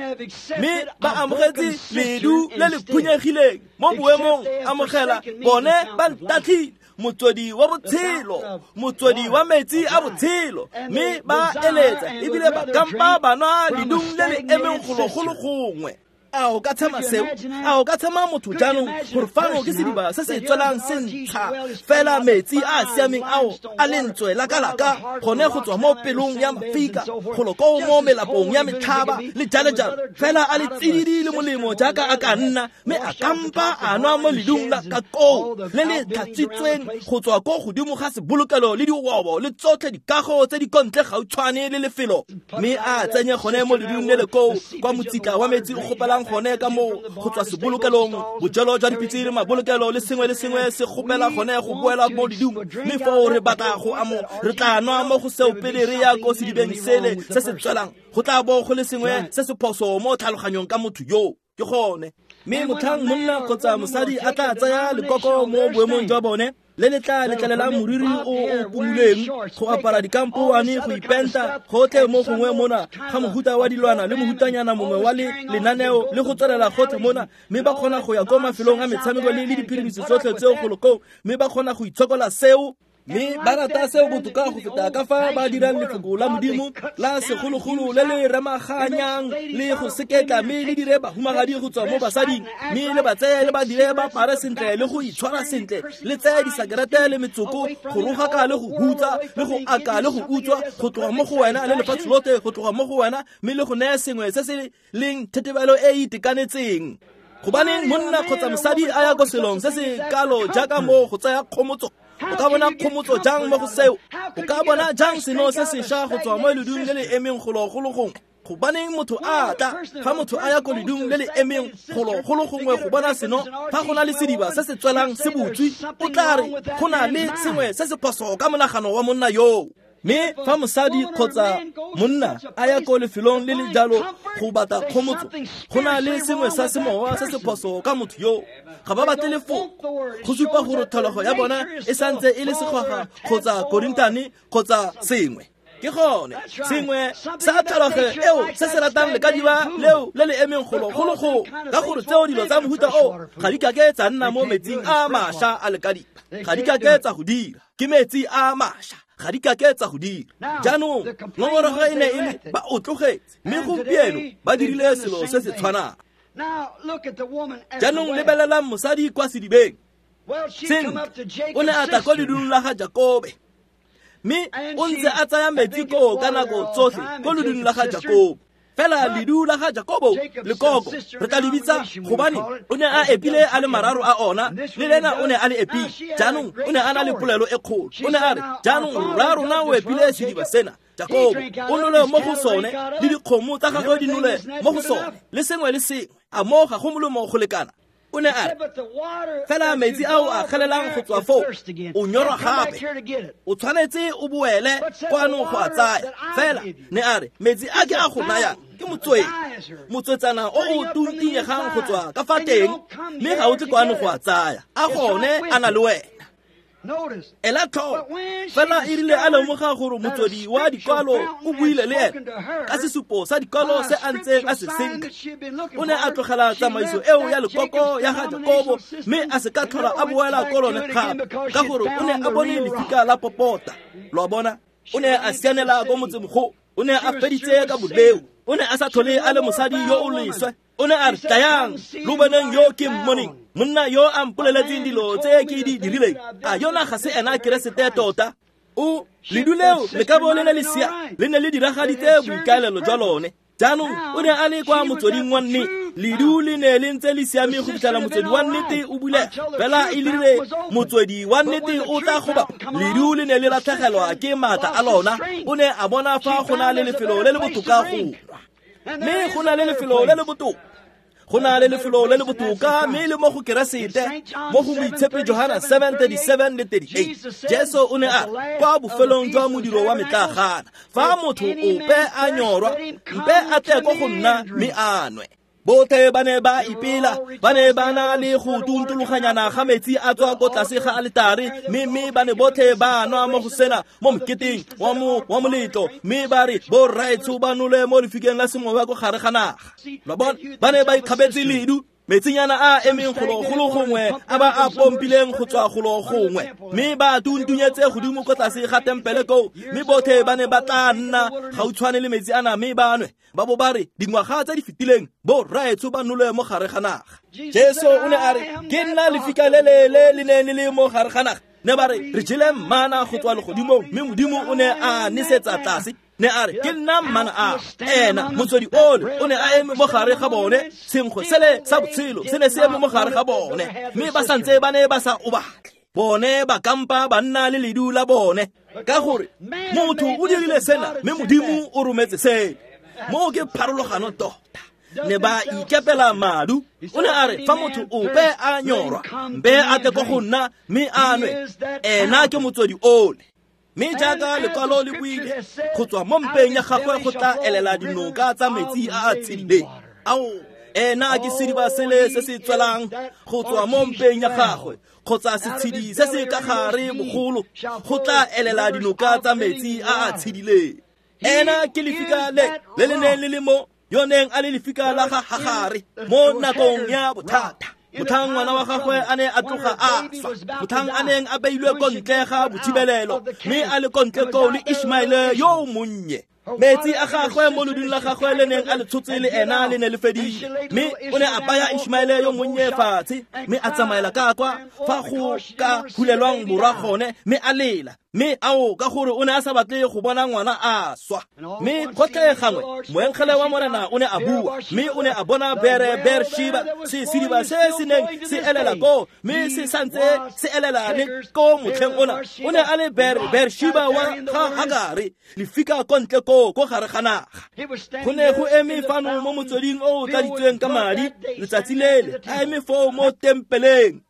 A: mme ba amogetse ledu le le phunyegileng mo boemong amogela. Bone ba ntatlhile motswedi wa botshelo, motswedi wa metsi a botshelo, mme ba eletsa ebile ba kampa ba nwa ledung le le emeng golo gongwe. A o ka tshema seo? A o ka tshema motho jaanong gore fano ke sediba se se tswelang se ntsha fela metsi a a siameng ao a lentswe la kalaka gone go tswa mo pelong ya mafika golo koo mo melapong ya metlhaba le jalo-jalo, fela a le tsididi le molemo jaaka a ka nna, mme a kampa a nwa mo ledung la ka koo le le tlhatswitsweng go tswa ko godimo ga sebolokelo le diobo le tsotlhe dikago tse di kontle gautshwane le lefelo, mme a tsenye gone mo ledung le le koo kwa motsitla wa metsi o gopelang kgopelang gone ka moo go tswa sebolokelong, bojelo jwa dipitse le mabolokelo le sengwe le sengwe se kgopela gone go boela mo ledung, mme foo re batla go amo re tla nwa mo go seo pele re ya ko sedibeng sele se se tswelang, go tla bo go le sengwe se se phoso mo tlhaloganyong ka motho yo. Ke gone mme motlhang monna kgotsa mosadi a tla tsaya lekoko mo boemong jwa bone le le tla letlelelang moriri o o pumuleng, go apara dikampoane, go ipenta gotlhe mo gongwe mona ga mohuta wa dilwana le mohutanyana mongwe wa lenaneo le go tswelela gotlhe mona, mme ba kgona go ya ko mafelong a metshameko le diphirimiso tsotlhe tseo golo koo, mme ba kgona go itshokola seo, mme ba rata seo botoka go feta ka fa ba dirang lefoko la Modimo la segologolo le le remaganyang le go seketla, mme le dire bahumagadi go tswa mo basading, mme le ba tseye le ba dire ba apare sentle le go itshwara sentle, le tseye disakerete le metsoko go rogaka le go hutsa le go aka le go utswa go tloga mo go wena le lefatshe lotlhe go tloga mo go wena, mme le go neye sengwe se se leng thetebelo e e itekanetseng. Gobaneng monna kgotsa mosadi a ya ko selong se se kalo jaaka moo go tsaya kgomotso? O ka bona kgomotso jang mo go seo? O ka bona jang seno se sešwa go tswa mo ledung le le emeng golo go gongwe? Gobaneng motho a tla fa motho a ya ko ledung le le emeng golo go gongwe go bona seno, fa go na le sediba se se tswelang se butswe, o tla re go na le sengwe se se phoso ka monagano wa monna yoo. Mme fa mosadi kgotsa monna a ya ko lefelong le le jalo go batla kgomotso, go na le sengwe sa semowa se se phoso ka motho yoo. Ga ba batle lefoko go supa gore tlholego ya bona e santse e le segwaga kgotsa korintane kgotsa sengwe. Ke gone sengwe sa tlholego eo se se ratang lekadiba leo le le emeng golo go go, ka gore tseo dilo tsa mohuta o ga di kake tsa nna mo metsing a mašwa a lekadiba, ga di kake tsa go dira, ke metsi a mašwa, ga di kake tsa go dira. Jaanong ngongorego e ne e le ba o tlogetse, mme gompieno ba dirile selo se se tshwanang. Jaanong lebelelang mosadi kwa sedibeng. Sentle, o ne a tla ko ledung la ga Jakobe, mme o ntse a tsaya metsi koo ka nako tsotlhe ko ledung la ga Jakobo. Fela ledu la ga Jakobo lekoko re tla le bitsa, gobane o ne a epile a le mararo a ona, le lena o ne a le epile. Jaanong o ne a na le polelo e kgolo, o ne a re, jaanong rra rona o epile sediba sena, Jakobo o nole mo go sone, le dikgomo tsa gagwe di nole mo go sone, le sengwe le sengwe, a mo ga go molemo go lekana. O ne a re, fela metsi ao a kgelelang go tswa foo, o nyorwa gape, o tshwanetse o boele kwano go a tsaya. Fela ne a re, metsi a ke a go nayang ke motswedi, motswetsana o o tuntinyegang go tswa ka fa teng, mme ga o tle kwano go a tsaya, a gone a na le wena. Ela tlhoko, fela e rile a lemoga gore motswedi wa dikwalo o buile le ene ka sesupo sa dikwalo se a ntseng a se senka, o ne a tlogela tsamaiso eo ya lekoko ya ga Jakobo, mme a se ka tlhola a boela ko lone gape, ka gore o ne a bone lefika la popota. Lo a bona, o ne a sianela ko motsemogolo, o ne a feditse ka boleo, o ne a sa tlhole a le mosadi yo o leswe. O ne a re, tlayang lo boneng yo ke mmoneng, monna yo a mpoleletseng dilo tse ke di dirileng, a yona ga se ena Keresete tota? O ledu leo le ka bo le ne le sia, le ne le diragaditse boikaelelo jwa lone. Jaanong o ne a le kwa motsweding wa nnete, ledu le ne le ntse le siame go fitlhela motswedi wa nnete o bulega, fela e rile motswedi wa nnete o tla goba, ledu le ne le latlhegelwa ke maatla a lona. O ne a bona fa go na le lefelo le le botoka go nwa, mme go na le lefelo le le botoka, go na le lefelo le le botoka, mme le mo go Keresete, mo go Moitshepi Johana 7:37 le 38. Jesu o ne a kwa bofelong jwa modiro wa metlaagana, fa motho ope a nyorwa, mpe a tle ko go nna mme a nwe. Botlhe ba ne ba ipela, ba ne ba na le go tuntologanyana ga metsi a tswa ko tlase ga aletare, mme ba ne botlhe ba nwa mo go sena mo moketeng wa moletlo, mme ba re borraetsho ba nole mo lefikeng la semowa ko gare ga naga. Lo bona, ba ne ba ikgabetse ledu, metsinyana a emeng golo go gongwe a ba a pompileng go tswa golo gongwe, mme ba tuntunyetse godimo ko tlase ga tempele koo, mme botlhe ba ne ba tla nna gautshwane le metsi ana mme ba nwe. Ba bo ba re dingwaga tse di fetileng borraetsho ba nole mo gare ga naga. Jesu o ne a re, ke nna lefika le le le le neng le le mo gare ga naga. Ne ba re re jele mana go tswa legodimong, mme Modimo o ne a nesetsa tlase. Ne a re, ke nna mmana a ena motswedi ole o ne a eme mo gare ga bone, senkgwe sele sa botshelo se ne se eme mo gare ga bone, mme ba santse ba ne ba sa o batle. Bone ba kampa ba nna le ledu la bone, ka gore motho o dirile sena mme Modimo o rometse sele. Moo ke pharologano tota. Ne ba ikepela madu. O ne a re fa motho ope a nyorwa, mpe a tle ko go nna mme a nwe. Ena ke motswedi ole. Mme jaaka lekwalo le buile, go tswa mo mpeng ya gagwe go tla elela dinoka tsa metsi a a tshedileng. Ao, ena ke sediba sele se se tswelang go tswa mo mpeng ya gagwe, kgotsa setshedi se se ka gare bogolo, go tla elela dinoka tsa metsi a a tshedileng. Ena ke lefika le le le neng le le mo yo neng a le lefika la ga Hagare mo nakong ya bothata. Motlhang ngwana wa gagwe a ne a tloga a swa, motlhang a neng a beilwe ko ntle ga bothibelelo, mme a le ko ntle koo le Ishmaele yo monnye. Metsi a gagwe mo lodung la gagwe le neng a le tshotse le ena le ne le fedile, mme o ne a baya Ishmaele yo monnye fatshe, mme a tsamaela ka kwa fa go ka hulelwang morwa gone, mme a lela. Mme ao, ka gore o ne a sa batle go bona ngwana a swa. Mme gotlhe gangwe moengele wa Morena o ne a bua, mme o ne a bona Beersheba, se sediba se se neng se elela koo, mme se santse se elela le ko motlheng ona. O ne a le Beersheba wa ga Hagare, lefika ko ntle koo ko gare ga naga. Go ne go eme fano mo motsweding o o tladitsweng ka madi letsatsi lele, a eme foo mo tempeleng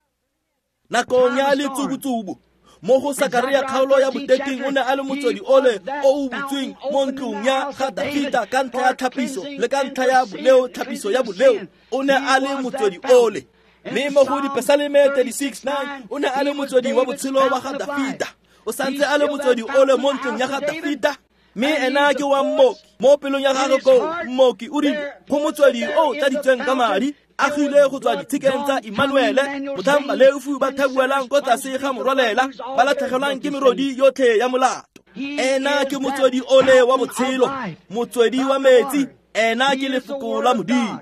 A: nakong ya letsubutsubu. Mo go Sakaria kgaolo ya boteking o ne a le motswedi ole o o butsweng mo ntlong ya ga Dafita ka ntlha ya tlhapiso le ka ntlha ya boleo, tlhapiso ya boleo. O ne a le motswedi ole. Mme mo go Dipesaleme 36:9 o ne a le motswedi wa botshelo wa ga Dafita. O santse a le motswedi ole mo ntlong ya ga Dafita. Mme ena ke wa mmoki mo pelong ya gagwe koo. Mmoki o rile go motswedi o o tladitsweng ka madi, agilwe go tswa ditshikeng tsa Emmanuele, motlhang baleofi ba thabuelang ko tlase ga morwalela, ba latlhegelwang ke merodi yotlhe ya molato. Ena ke motswedi ole wa botshelo, motswedi wa metsi. Ena ke lefoko la Modimo.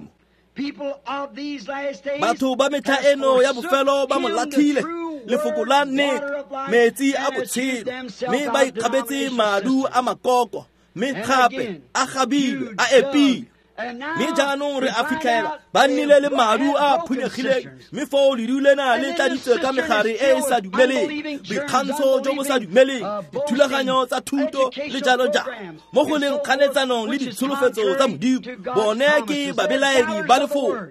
A: Batho ba metlha eno ya bofelo ba mo latlhile, lefoko la nnete, metsi a botshelo, mme ba ikgabetse madu a makoko, mme gape a gabilwe, a epile. Mme jaanong re a fitlhela ba nnile le madu a phunyegileng, mme foo ledu lena le tladitswe ka megare e e sa dumeleng, boikgantsho jo bo sa dumeleng, dithulaganyo tsa thuto le jalo jalo, mo go leng kganetsanong le ditsholofetso tsa Modimo. Bone ke babelaedi ba lefoko.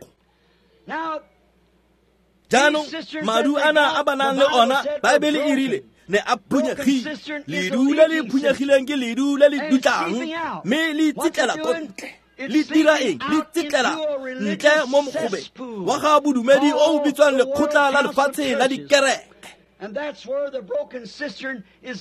A: Jaanong madu ana a ba nang le ona, Baebele e rile ne a phunyegile. Ledu le le phunyegileng ke ledu le le dutlang, mme le tsitlela ko ntle. Le dira eng? Le tsitlela ntle mo mogobeng wa ga bodumedi o o bitswang lekgotla la lefatshe la dikereke.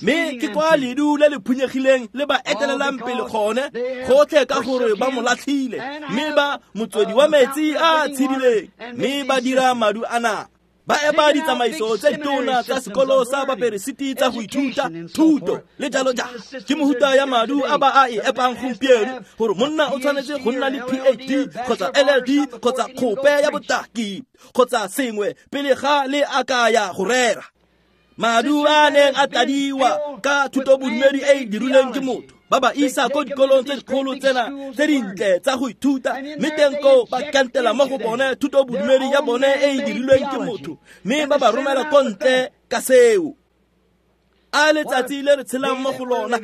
A: Mme ke kwa ledu le le phunyegileng le ba etelelang pele gone, gotlhe ka gore ba mo latlhile, mme ba motswedi wa metsi a tshedileng, mme ba dira madu a naga. Ba epa ditsamaiso tse ditona tsa sekolo sa baperesiti tsa go ithuta thuto le jalo jalo. Ke mohuta ya madu a ba a e epang gompieno, gore monna o tshwanetse go nna le PhD kgotsa LLD kgotsa kgope ya botaki kgotsa sengwe pele ga le a ka ya go rera. Madu a neng a tladiwa ka thutobodumedi e e dirilweng ke motho, ba ba isa ko dikolong tse dikgolo tsena tse dintle tsa go ithuta, mme teng koo ba kantela mo go bone thutobodumedi ya bone e e dirilweng ke motho, mme ba ba romela ko ntle ka seo. A letsatsi le re tshelang mo go lona,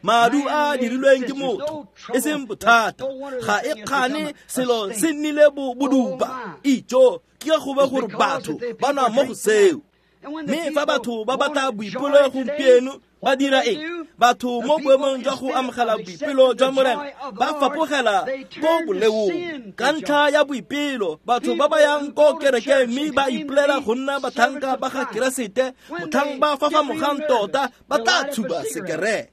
A: madu a dirilweng ke motho, e seng bothata, ga e kgane selo se nnile bodupa. Ijo ke go be gore batho ba nwa mo go seo. Mme fa batho ba batla boipelo gompieno, ba dira eng? Batho mo boemong jwa go amogela boipelo jwa Morena, ba fapogela ko boleong. Ka ntlha ya boipelo, batho ba ba yang ko kerekeng mme ba ipolela go nna batlhanka ba ga Keresete, motlhang ba fafamogang tota, ba tla tshuba sekerete.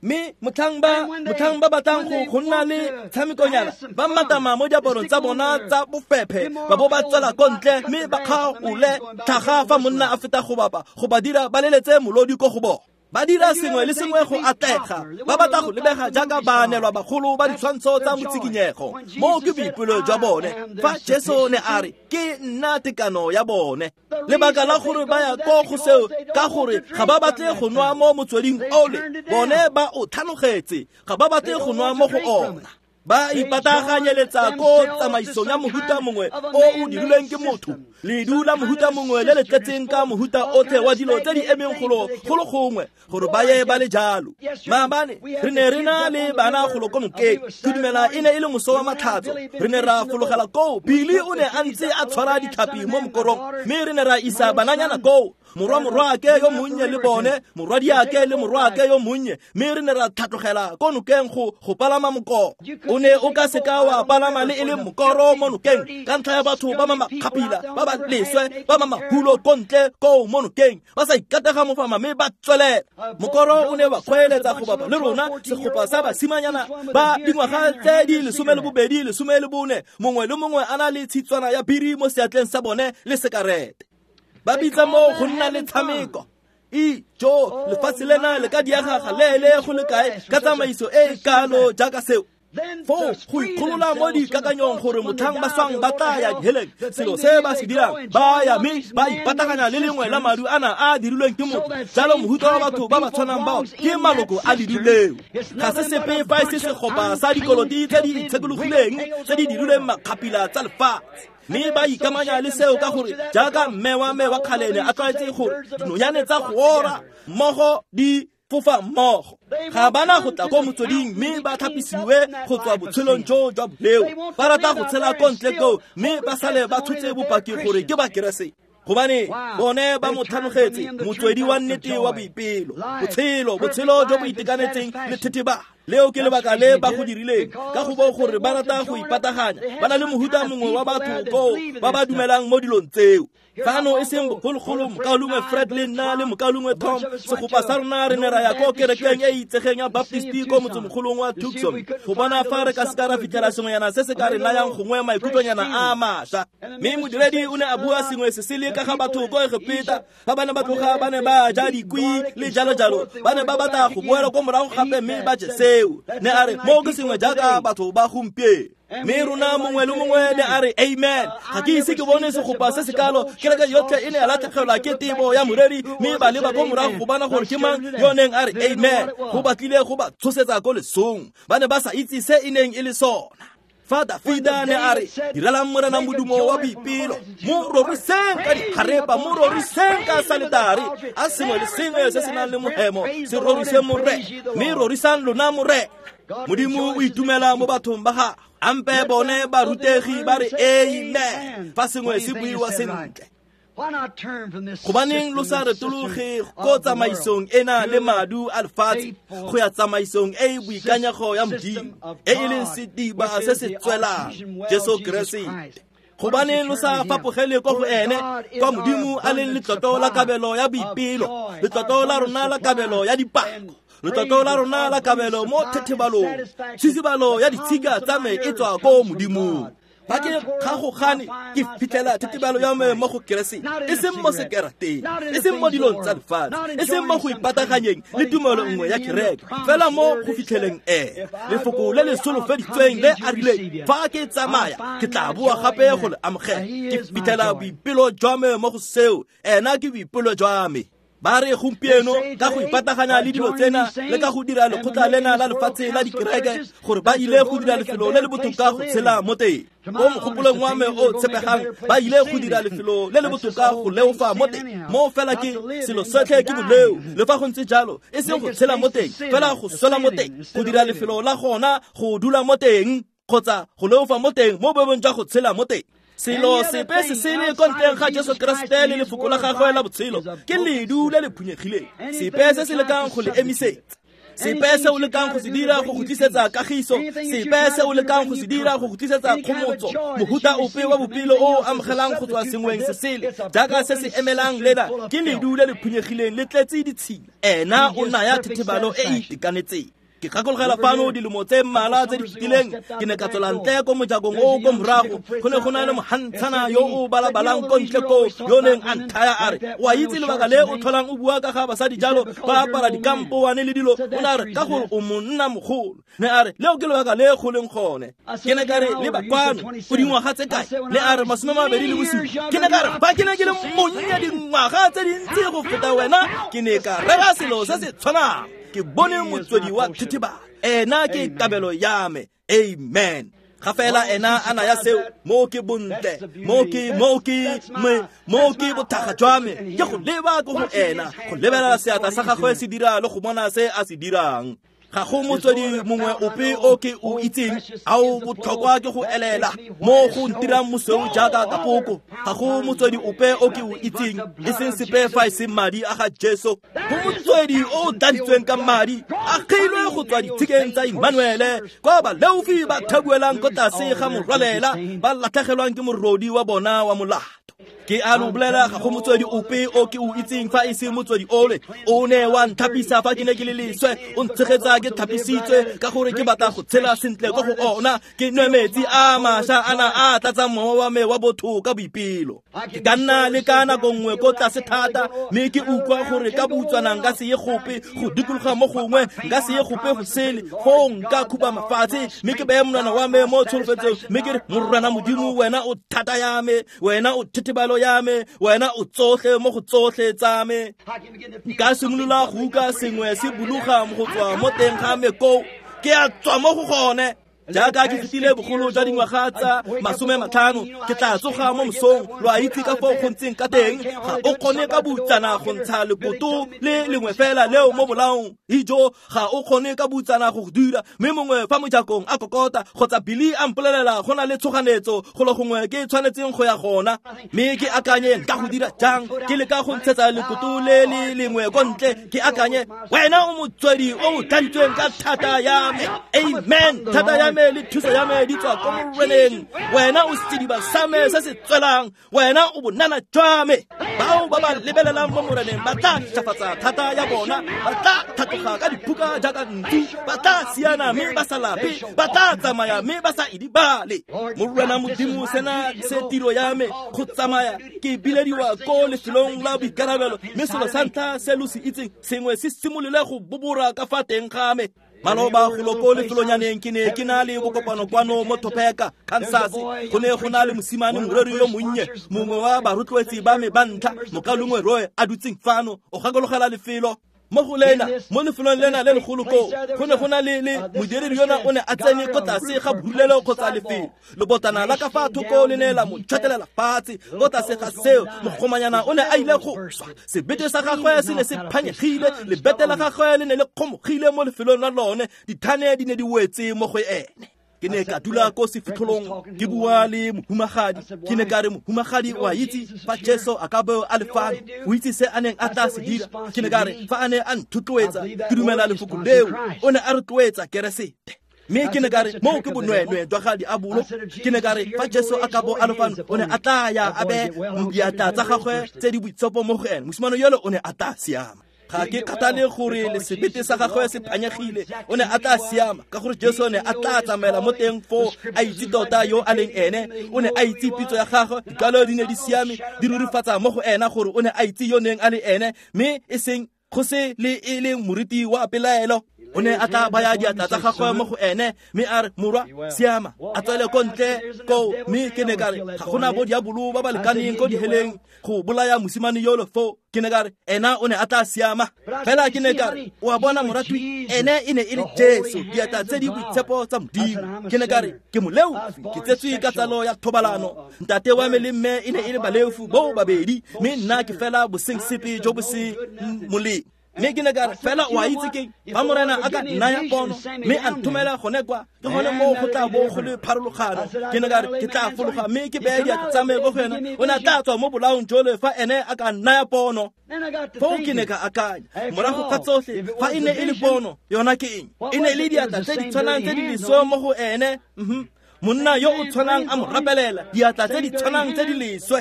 A: Mme motlhang ba batlang go nna le tshamekonyana, ba matama mo diaparong tsa bona tsa bofephe, ba bo ba tswela ko ntle, mme ba kgaole tlhaga fa monna a feta go bapa, go ba dira ba leletse molodi ko go bona. Ba dira sengwe le sengwe go atlega, ba batla go lebega jaaka baanelwa bagolo ba ditshwantsho tsa motsikinyego. Moo ke boipelo jwa bone. Fa Jesu ne a re, ke nna tekano ya bone. Lebaka la gore ba ya ko go seo, ka gore ga ba batle go nwa mo motsweding ole, bone ba o tlhalogetse, ga ba batle go nwa mo go ona. Ba ipataganyeletsa ko tsamaisong ya mohuta mongwe o o dirilweng ke motho, ledu la mohuta mongwe le le tletseng ka mohuta otlhe wa dilo tse di emeng golo golo gongwe gore ba ye ba le jalo. Maabane re ne re na le bana golo ko nokeng, ke dumela e ne e le moso wa matlhatso. Re ne ra fologela koo, Billy o ne a ntse a tshwara ditlhapi mo mokorong, mme re ne ra isa bananyana koo, morwa morwaake yo monnye le bone, morwadiake le morwaake yo monnye, mme re ne ra tlhatlogela ko nokeng go palama mokoro. O ne o ka seka wa palama le e le mokoro mo nokeng ka ntlha ya batho ba ba makgapila, ba ba leswe, ba ba mahulo ko ntle koo mo nokeng, ba sa ikatega mofama mme ba tswelela. Mokoro o ne wa kgweeletsa go bapa le rona, segopa sa basimanyana ba dingwaga tse di 12, 14, mongwe le mongwe a na le tshitswana ya biri mo seatleng sa bone le sekarete. Ba bitsa mo go nna le tshameko. Ijo, lefatshe lena le ka diega galeele go le kae ka tsamaiso e e kalo jaaka seo. Foo go ikgolola mo dikakanyong gore motlhang ba swang ba tla ya diheleng, selo se ba se dirang ba ya mme ba ipataganya le lengwe la madu ana a dirilweng ke motho. Jalo mohuta wa batho ba ba tshwanang bao ke maloko a ledu leo. Ga se sepe fa e se segopa sa dikoloti tse di itshekologileng tse di dirilweng makgapila tsa lefatshe. Mme ba ikamanya le seo ka gore jaaka mme wa me wa kgalene a tlwaetse gore dinonyane tsa go ora mmogo di fofa mmogo, ga bana go tla ko motsweding mme ba tlhapisiwe go tswa botshelong jo jwa boleo. Ba rata go tshela ko ntle koo mme ba sale ba tshotse bopaki gore ke Bakeresete, gobane bone ba mo tlhanogetse motswedi wa nnete wa boipelo, botshelo, botshelo jo bo itekanetseng le thetheba. Leo ke lebaka le ba go dirileng, ka go bo gore ba rata go ipataganya, ba na le mohuta mongwe wa batho koo ba ba dumelang mo dilong tseo. Fano e seng bogologolo, mokaulengwe Fred le nna le mokaulengwe Tom, segopa sa rona re ne ra ya ko kerekeng e e itsegeng ya Baptist ko motsemogolong wa Tucson go bona fa re ka seka ra fitlhela sengwenyana se se ka re nayang gongwe maikutlonyana a mašwa. Mme modiredi o ne a bua sengwe se sele ka ga batho ko Egepeta, fa ba ne ba tloga ba ne ba ja dikwi le jalo jalo, ba ne ba batla go boela ko morago gape mme ba je seo. Ne a re mo ke sengwe jaaka batho ba gompieno. Mme rona mongwe le mongwe ne a re amen. Ga ke ise ke bone segopa se se kalo. Kereke yotlhe e ne ya latlhegelwa ke tebo ya moreri, mme ba leba ko morago go bona gore ke mang yo neng a re amen. Go batlile go ba tshosetsa ko lesong, ba ne ba sa itse se e neng e le sona. Fa Dafida ne a re direlang Morena modumo wa boipelo, mo roriseng ka diharepa, mo roriseng ka saletare, a sengwe le sengwe se se nang le mohemo se rorise Morena, mme rorisang lona Morena. Modimo o itumela mo bathong ba gagwe. Ampe bone barutegi ba re amen fa sengwe se buiwa sentle. Gobaneng lo sa retologe ko tsamaisong ena le madu a lefatshe go ya tsamaisong e e boikanyego ya Modimo, e e leng sediba se se tswelang, Jesu Keresete. Gobaneng lo sa fapogele ko go ene, kwa Modimo a leng letlotlo la kabelo ya boipelo, letlotlo la rona la kabelo ya dipako, letlotlo la rona la kabelo mo thethebalong, tshisibalo ya ditshika tsa me e tswa ko Modimong. Fa ke kgagogane ke fitlhela thethebalo ya me mo go Keresete, e seng mo sekerateng, e seng mo dilong tsa lefatshe, e seng mo go ipataganyeng le tumelo nngwe ya kereke, fela mo go fitlheleng ena lefoko le le solofeditsweng le a rileng, fa ke tsamaya ke tla boa gape go le amogela. Ke fitlhela boipelo jwa me mo go seo, ena ke boipelo jwa me. Ba re gompieno ka go ipataganya le dilo tsena le ka go dira lekgotla lena la lefatshe la dikereke gore ba ile go dira lefelo le le botoka go tshela mo teng. Ko mogopolong wa me o tshepegang, ba ile go dira lefelo le le botoka go leofa mo teng. Mo fela ke selo sotlhe ke boleo, le fa go ntse jalo e seng go tshela mo teng, fela go swela mo teng, go dira lefelo la gona go dula mo teng kgotsa go leofa mo teng mo boemong jwa go tshela mo teng. Selo sepe se sele ko ntleng ga Jesu Keresete le lefoko la gagwe la botshelo ke ledu le le phunyegileng. Sepe se se lekang go le emisetsa, sepe se o lekang go se dira go go tlisetsa kagiso, sepe se o lekang go se dira go go tlisetsa kgomotso, mohuta ope wa bopelo o o amogelang go tswa sengweng se sele jaaka se se emelang lena ke ledu le le phunyegileng le tletse ditshila. Ena o naya thethebalo e e itekanetseng. Ke gakologela fano dilemo tse mmalwa tse di fetileng, ke ne ka tswela ntle ko mojakong o ko morago, go ne go na le mohantshana yo o balabalang ko ntle koo, yo neng a nthaya a re, o a itse lebaka le o tlholang o bua ka ga basadi jalo, ba apara dikampoane le dilo, o ne a re ka gore o monna mogolo. Ne a re leo ke lebaka le go leng gone. Ke ne ka re leba kwano, o dingwaga tse kae? Ne a re 27. Ke ne ka re fa ke ne ke le monnye dingwaga tse dintsi go feta wena, ke ne ka rera selo se se tshwanang. Ke bone motswedi wa thethebalo, ena ke kabelo ya me. Amen. Ga fela ena a naya seo, mo ke bontle, mo ke bothakga jwa me, ke go leba ko go ena, go lebelela seatla sa gagwe se dira le go bona se a se dirang. Ga go motswedi mongwe ope o ke o itseng a o botlhokwa ke go elela mo go ntirang mosweu jaaka kapoko. Ga go motswedi ope o ke o itseng e seng sepe fa e seng madi a ga Jesu. Go motswedi o o tladitsweng ka madi, a kgilwe go tswa ditshikeng tsa Immanuele, kwa baleofi ba thabuelang ko tlase ga morwalela, ba latlhegelwang ke morodi wa bona wa molato. Ke a lo bolela, ga go motswedi ope o ke o itseng fa e se motswedi ole. O ne wa nthapisa fa ke ne ke le leswe, o ntshegetsa ke thapisitswe, ka gore ke batla go tshela sentle ko go ona. Ke nwe metsi a mašwa ana a tlatsang mowa wa me wa botho ka boipelo. Ke ka nna le ka nako nngwe ko tlase thata, mme ke utlwa gore ka boutswana nka se ye gope go dikologa mo gongwe, nka se ye gope go sele, foo nka khuba mafatshe, mme ke beye monwana wa me mo tsholofetsong, mme ke re, Morena Modimo, wena o thata ya me, wena o thethebalo ya me, wena o tsotlhe mo go tsotlhe tsa me. Nka simolola go utlwa sengwe se buluga go tswa mo teng ga me koo, ke a tswa mo go gone. Jaaka ke fetile bogolo jwa dingwaga tsa 50, ke tla tsoga mo mosong. Lo a itse ka foo go ntseng ka teng, ga o kgone ka boutsana go ntsha lekoto le lengwe fela leo mo bolaong. Ijo, ga o kgone ka boutsana go dira, mme mongwe fa mojakong a kokota kgotsa Billy a mpolelela go na le tshoganetso golo gongwe ke tshwanetseng go ya gona, mme ke akanye nka go dira jang. Ke leka go ntshetsa lekoto le le lengwe ko ntle, ke akanye, wena o motswedi o o tladitsweng ka thata ya me. Amen. Thata ya me le thuso ya me di tswa ko Moreneng. Wena o sediba sa me se se tswelang, wena o bonana jwa me. Bao ba ba lebelelang mo Moreneng ba tla ntšhafatsa thata ya bona, ba tla tlhatloga ka diphuka jaaka ntsu, ba tla siana mme ba sa lape, ba tla tsamaya mme ba sa idibale. Morena Modimo, sena se tiro ya me go tsamaya ke bilediwa ko lefelong la boikarabelo, mme selo sa ntlha se lo se itseng, sengwe se simolole go bobora ka fa teng ga me. Maloba golo ko lefelonyaneng ke ne ke na le bokopano kwano mo Topeka, Kansas. Go ne go na le mosimane moreri yo monnye, mongwe wa barotloetsi ba me ba ntlha, mokalongwe Roy, a dutseng fano. O gakologela lefelo mo go lena, mo lefelong lena le legolo koo, go ne go na le modiredi yona o ne a tsene ko tlase ga borulelo kgotsa lefelo. Lebotana la ka fa thoko le ne la mo tšhwatelela fatshe. Ko tlase ga seo, mogomanyana o ne a ile go swa. Sebete sa gagwe se ne se phanyegile, lebete la gagwe le ne le kgomogile mo lefelong la lone, dithane di ne di wetse mo go ene. Ke ne ka dula ko sefitlholong ke bua le mohumagadi. Ke ne ka re, mohumagadi, o a itse fa Jesu a ka bo a le fano, o itse se a neng a tla se dira. Ke ne ka re, fa a ne a nthotloetsa, ke dumela lefoko leo, o ne a rotloetsa Keresete. Mme ke ne ka re, moo ke bonweenwee jwa ga diabolo. Ke ne ka re, fa Jesu a ka bo a le fano, o ne a tla ya a beye diatla tsa gagwe tse di boitshepo mo go ene. Mosimane yole o ne a tla siama. Ga ke kgathale gore le sebete sa gagwe se phanyegile, o ne a tla siama, ka gore Jesu o ne a tla tsamaela mo teng foo, a itse tota yo a leng ene. O ne a itse pitso ya gagwe, dikwalo di ne di siame, di rurifatsa mo go ena gore o ne a itse yo neng a le ene, mme e seng go se le e leng moriti wa pelaelo. O ne a tla baya diatla tsa gagwe mo go ene, mme a re, morwa, siama, a tswele ko ntle koo. Mme ke ne ka re, ga gona bo diabolo ba ba lekaneng ko diheleng go bolaya mosimane yolo foo. Ke ne ka re, ena o ne a tla siama. Fela ke ne ka re, o a bona moratwi, ene e ne e le Jesu, diatla tse di boitshepo tsa Modimo. Ke ne ka re, ke moleofi, ke tsetswe ka tsalo ya thobalano. Ntate wa me le mme e ne e le baleofi bo babedi, mme nna ke fela boseng sepe jo bo se molemo. Mme ke ne ka re, fela o a itse keng, fa Morena a ka nnaya pono mme a nthomela gone kwa, ke gone moo go tla bo go le pharologano. Ke ne ka re, ke tla fologa mme ke beye diatla tsa me ko go ena. O ne a tla tswa mo bolaong jole fa ene a ka nnaya pono. Foo ke ne ka akanya, morago ga tsotlhe, fa e ne e le pono, yona ke eng? E ne e le diatla tse di tshwanang tse di leswe mo go ene. Monna yo o tshwanang a mo rapelela, diatla tse di tshwanang tse di leswe.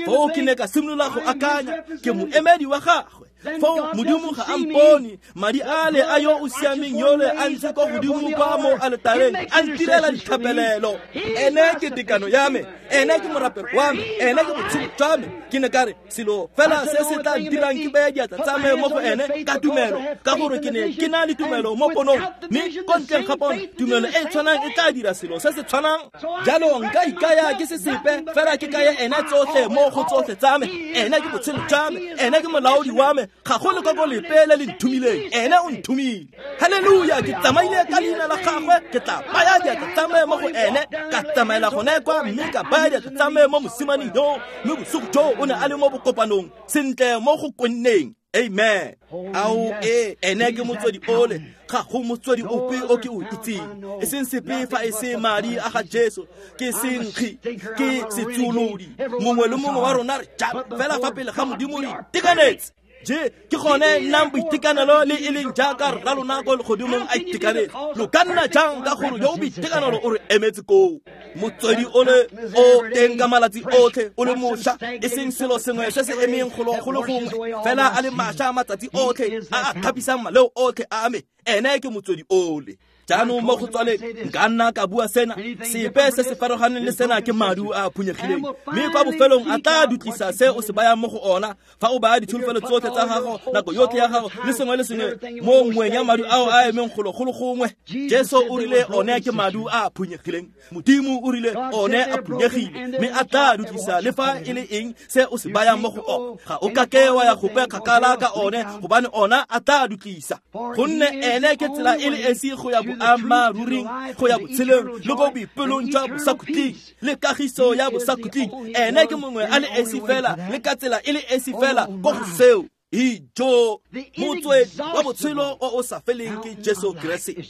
A: Foo ke ne ka simolola go akanya, ke moemedi wa gagwe. Foo Modimo ga a mpone, madi ale a yo o siameng yole a ntse ko godimo kwa mo aletareng, a ntirela dithapelelo. Ene ke tekano ya me, ene ke morapelo wa me, ene ke botshelo jwa me. Ke ne ka re, selo fela se se tla ntirang ke beye diatla tsa me mo go ene ka tumelo, ka gore ke ne ke na le tumelo mo ponong, mme ko ntleng ga pono, tumelo e tshwanang e tla dira selo se se tshwanang. Jalo nka ikaya ke se sepe, fela ke kaya ene tsotlhe mo go tsotlhe tsa me. Ene ke botshelo jwa me, ene ke molaodi wa me, Ga go lekoko lepe le le nthomileng, ene o nthomile. Halleluja, ke tsamaile ka leina la gagwe, ke tla baya diatla tsa me mo go ene, ka tsamaela gone kwa mme ka baya diatla tsa me mo mosimaneng yo, mme bosigo jo o ne a le mo bokopanong sentle mo go kwenneng. Amen. Ao e ene ke motswedi ole, ga go motswedi ope o ke o itseng, e seng sepe fa e se madi a ga Jesu. Ke senkgi, ke setsuolodi. Mongwe le mongwe wa rona re jalo fela fa pele ga Modimo re itekanetse. Je ke gone nnang boitekanelo le e leng jaaka rra lona ko legodimong a itekanetse. Lo ka nna jang ka gore yo o boitekanelo o re emetse koo? Motswedi ole o teng ka malatsi otlhe, o le mošwa, e seng selo sengwe se se emeng golo go le gongwe, fela a le mašwa matsatsi otlhe, a a thapisang maleo otlhe a me. Ene ke motswedi ole. Jaanong mo go tswaleng nka nna ka bua sena, sepe se se farologaneng le sena ke madu a a phunyegileng, mme kwa bofelong a tla dutlisa se o se bayang mo go ona. Fa o baya ditsholofelo tsotlhe tsa gago, nako yotlhe ya gago le sengwe le sengwe mo nngweng ya madu ao a emeng golo go le gongwe, Jesu o rile one ke madu a a phunyegileng. Modimo o rile one a phunyegile, mme a tla dutlisa le fa e le eng se o se bayang mo go ona. Ga o kake wa ya gope kgakala ka one, gobane ona a tla dutlisa. Gonne ene ke tsela e le esi go ya boammaaruring, go ya botshelong le ko boipelong jwa bosakhutleng le kagiso ya bosakhutleng. Ene ke mongwe a le esi fela, le ka tsela e le esi fela ko go seo. Ijo, motswedi wa botshelo o o sa feleng ke Jesu Keresete.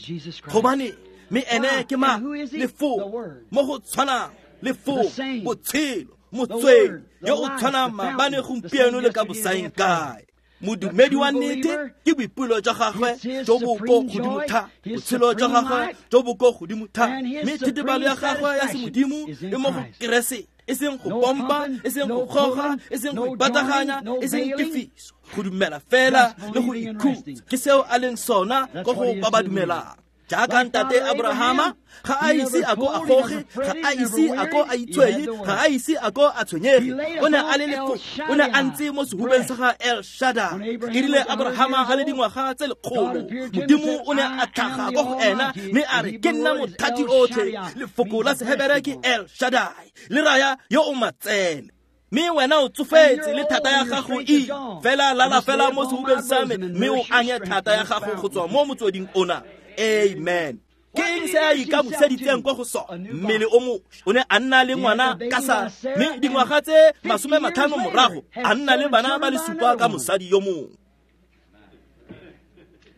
A: Gobane mme ene ke mang? Lefoko, mo go tshwanang lefoko, botshelo, motswedi yo o tshwanang maabane, gompieno le ka bosaeng kae. Modumedi wa nnete ke boipelo jwa gagwe jo bo ko godimo thata, botshelo jwa gagwe jo bo ko godimo thata, mme thitibalo ya gagwe ya semodimo e mo go Keresete. E seng go pompa, e seng go goga, e seng go ipataganya, e seng tefiso, go dumela fela le go ikhutsa. Ke seo a leng sona ko go ba ba dumelang. Jaaka ntate Abrahama, ga a ise a ko a goge, ga a ise a ko a itshwenye, ga a ise a ko a tshwenyege. O ne a le lefoko, o ne a ntse mo sehubeng sa ga El Shaddai. E rile Abrahama a le dingwaga tse lekgolo, Modimo o ne a tlhaga ko go ena mme a re, ke nna mothati otlhe. Lefoko la Sehebere ke El Shaddai, le raya yo o matsele. Mme wena o tsofetse le thata ya gago e fela, lala fela mo sehubeng sa me mme o anye thata ya gago go tswa mo motsweding ona. Amen. Ke eng se a ikamoseditseng ko go sona? Mmele o mošwa. O ne a nna le ngwana ka Sara, mme dingwaga tse 50 morago a nna le bana ba le supa ka mosadi yo mongwe.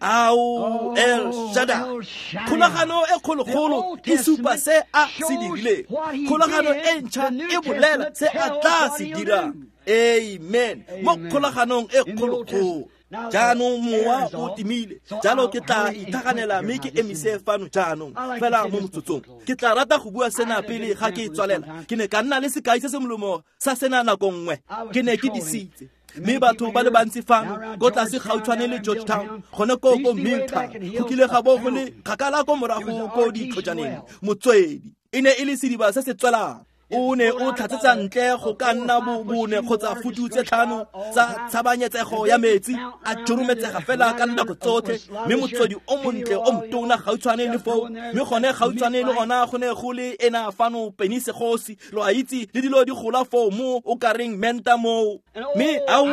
A: Ao, El Shaddai. Kgolagano e kgologolo e supa se a se dirileng. Kgolagano e ntšha e bolela se a tla se dirang. Amen. Mo kgolaganong e kgologolo. Jaanong mowa o timile, jalo ke tla ithaganela mme ke emise fano jaanong fela mo motsotsong. Ke tla rata go bua sena pele ga ke tswalela. Ke ne ka nna le sekai se se molomo sa sena nako nngwe. Ke ne ke disitse, mme batho ba le bantsi fano ko tlase gautshwane le Georgetown, gone ko ko Milltown, go kile ga bo go le kgakala ko morago ko ditlhojaneng. Motswedi e ne e le sediba se se tswelang. O ne o tlhatsetsa ntle go ka nna bone kgotsa futu tse 5 tsa tshabanyetsego ya metsi, a jorometsega fela ka nako tsotlhe, mme motswedi o montle o motona gautshwane le foo, mme gone gautshwane le ona go ne go le ena fano penisegosi, lo a itse, le dilo di gola foo mo o ka reng menta moo. Mme ao,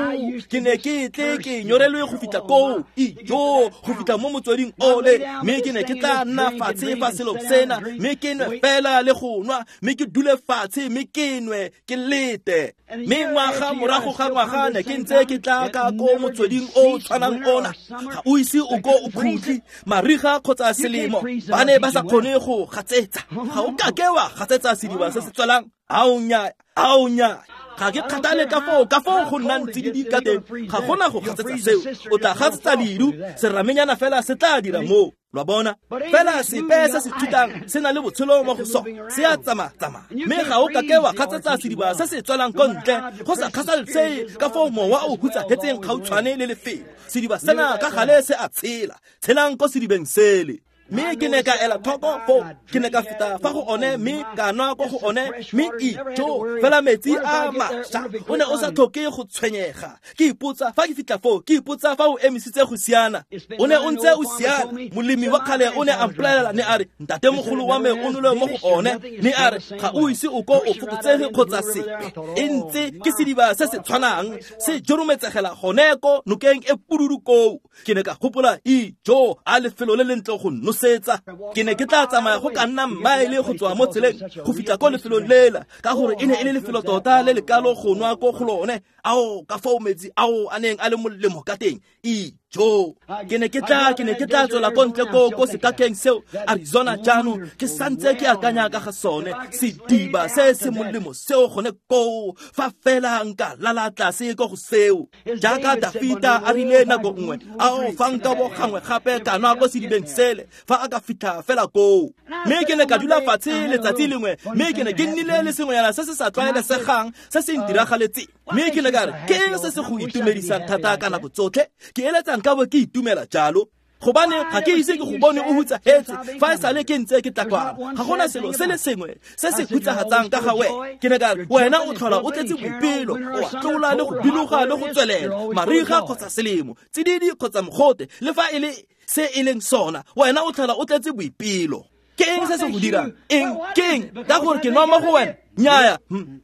A: ke ne ke tle ke nyorelwe go fitlha koo, ijo, go fitlha mo motsweding ole, mme ke ne ke tla nna fatshe fa selo sena, mme ke nwe fela le go nwa, mme ke dule fatshe mme ke nwe, ke lete. Mme ngwaga morago ga ngwaga ne ke ntse ke tla ka ko motsweding o o tshwanang ona, ga o ise o ko o khutle, mariga kgotsa selemo, ba ne ba sa kgone go gatsetsa. Ga o kake wa gatsetsa sediba se se tswelang. Ao nnyaa, ao nnyaa. Ga ke kgathale ka foo go nnang tsididi ka teng, ga gona go gatsetsa seo. O tla gatsetsa leru, seramenyana fela se tla dira moo. Lwa bona? Fela sepe se se thutang se na le botshelo mo go sone, se a tsamaya-tsamaya, mme ga o kake wa gatsetsa sediba se se tswelang ko ntle, go sa kgathalesege ka foo mowa o hutsahetseng gautshwane le lefelo. Sediba sena ka gale se a tshela. Tshelang ko sedibeng sele. Mme ke ne ka ela tlhoko foo, ke ne ka feta fa go one mme ka nwa ko go one, mme ijo fela metsi a mašwa, o ne o sa tlhoke go tshwenyega. Ke ipotsa fa ke fitlha foo, ke ipotsa fa o emisitse go siana. O ne o ntse o siana. Molemi wa kgale o ne a mpolelela, ne a re, ntatemogolo wa me o nole mo go one, ne a re, ga o ise o ko o fokotsege kgotsa sepe, e ntse ke sediba se se tshwanang, se jorometsegela gone ko nokeng e pududu koo. Ke ne ka gopola, ijo, a lefelo le lentle go nosetsa. Ke ne ke tla tsamaya go ka nna mmaele go tswa mo tseleng go fitlha ko lefelong lela, ka gore e ne e le lefelo tota le lekalo go nwa ko go lone. Ao, ka foo metsi ao a neng a le molemo ka teng. Ijo, ke ne ke tla tswela ko ntle ko sekakeng seo Arizona jaanong, ke santse ke akanya ka ga sone sediba se se molemo seo gone koo, fa fela nka lala tlase ko go seo. Jaaka Dafita a rile nako nngwe, ao, fa nka bo gangwe gape ka nwa ko sedibeng sele, fa a ka fitlha fela koo. Mme ke ne ka dula fatshe letsatsi lengwe, mme ke ne ke nnile le sengwenyana se se sa tlwaelesegang se se ntiragaletseng. Mme ke ne ka re, ke eng se se go itumedisang thata ka nako tsotlhe? Ke eletsa nka bo ke itumela jalo, gobane ga ke ise ke go bone o hutsahetse fa e sale ke ntse ke tla kwano. Ga gona selo se le sengwe se se hutsagatsang ka ga wena. Ke ne ka re, wena o tlhola o tletse boipelo, o a tlola le go biloga le go tswelela, mariga kgotsa selemo, tsididi kgotsa mogote, le fa e le se e leng sona, wena o tlhola o tletse boipelo. Ke eng se se go dirang? Eng? Ke eng? Ka gore ke nwa mo go wena? Nnyaya.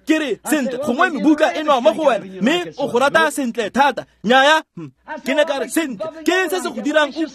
A: Ke re, sentle, gongwe mebuka e nwa mo go wena, mme o go rata sentle thata. Nnyaya. Ke ne ka re, sentle, ke eng se se go dirang o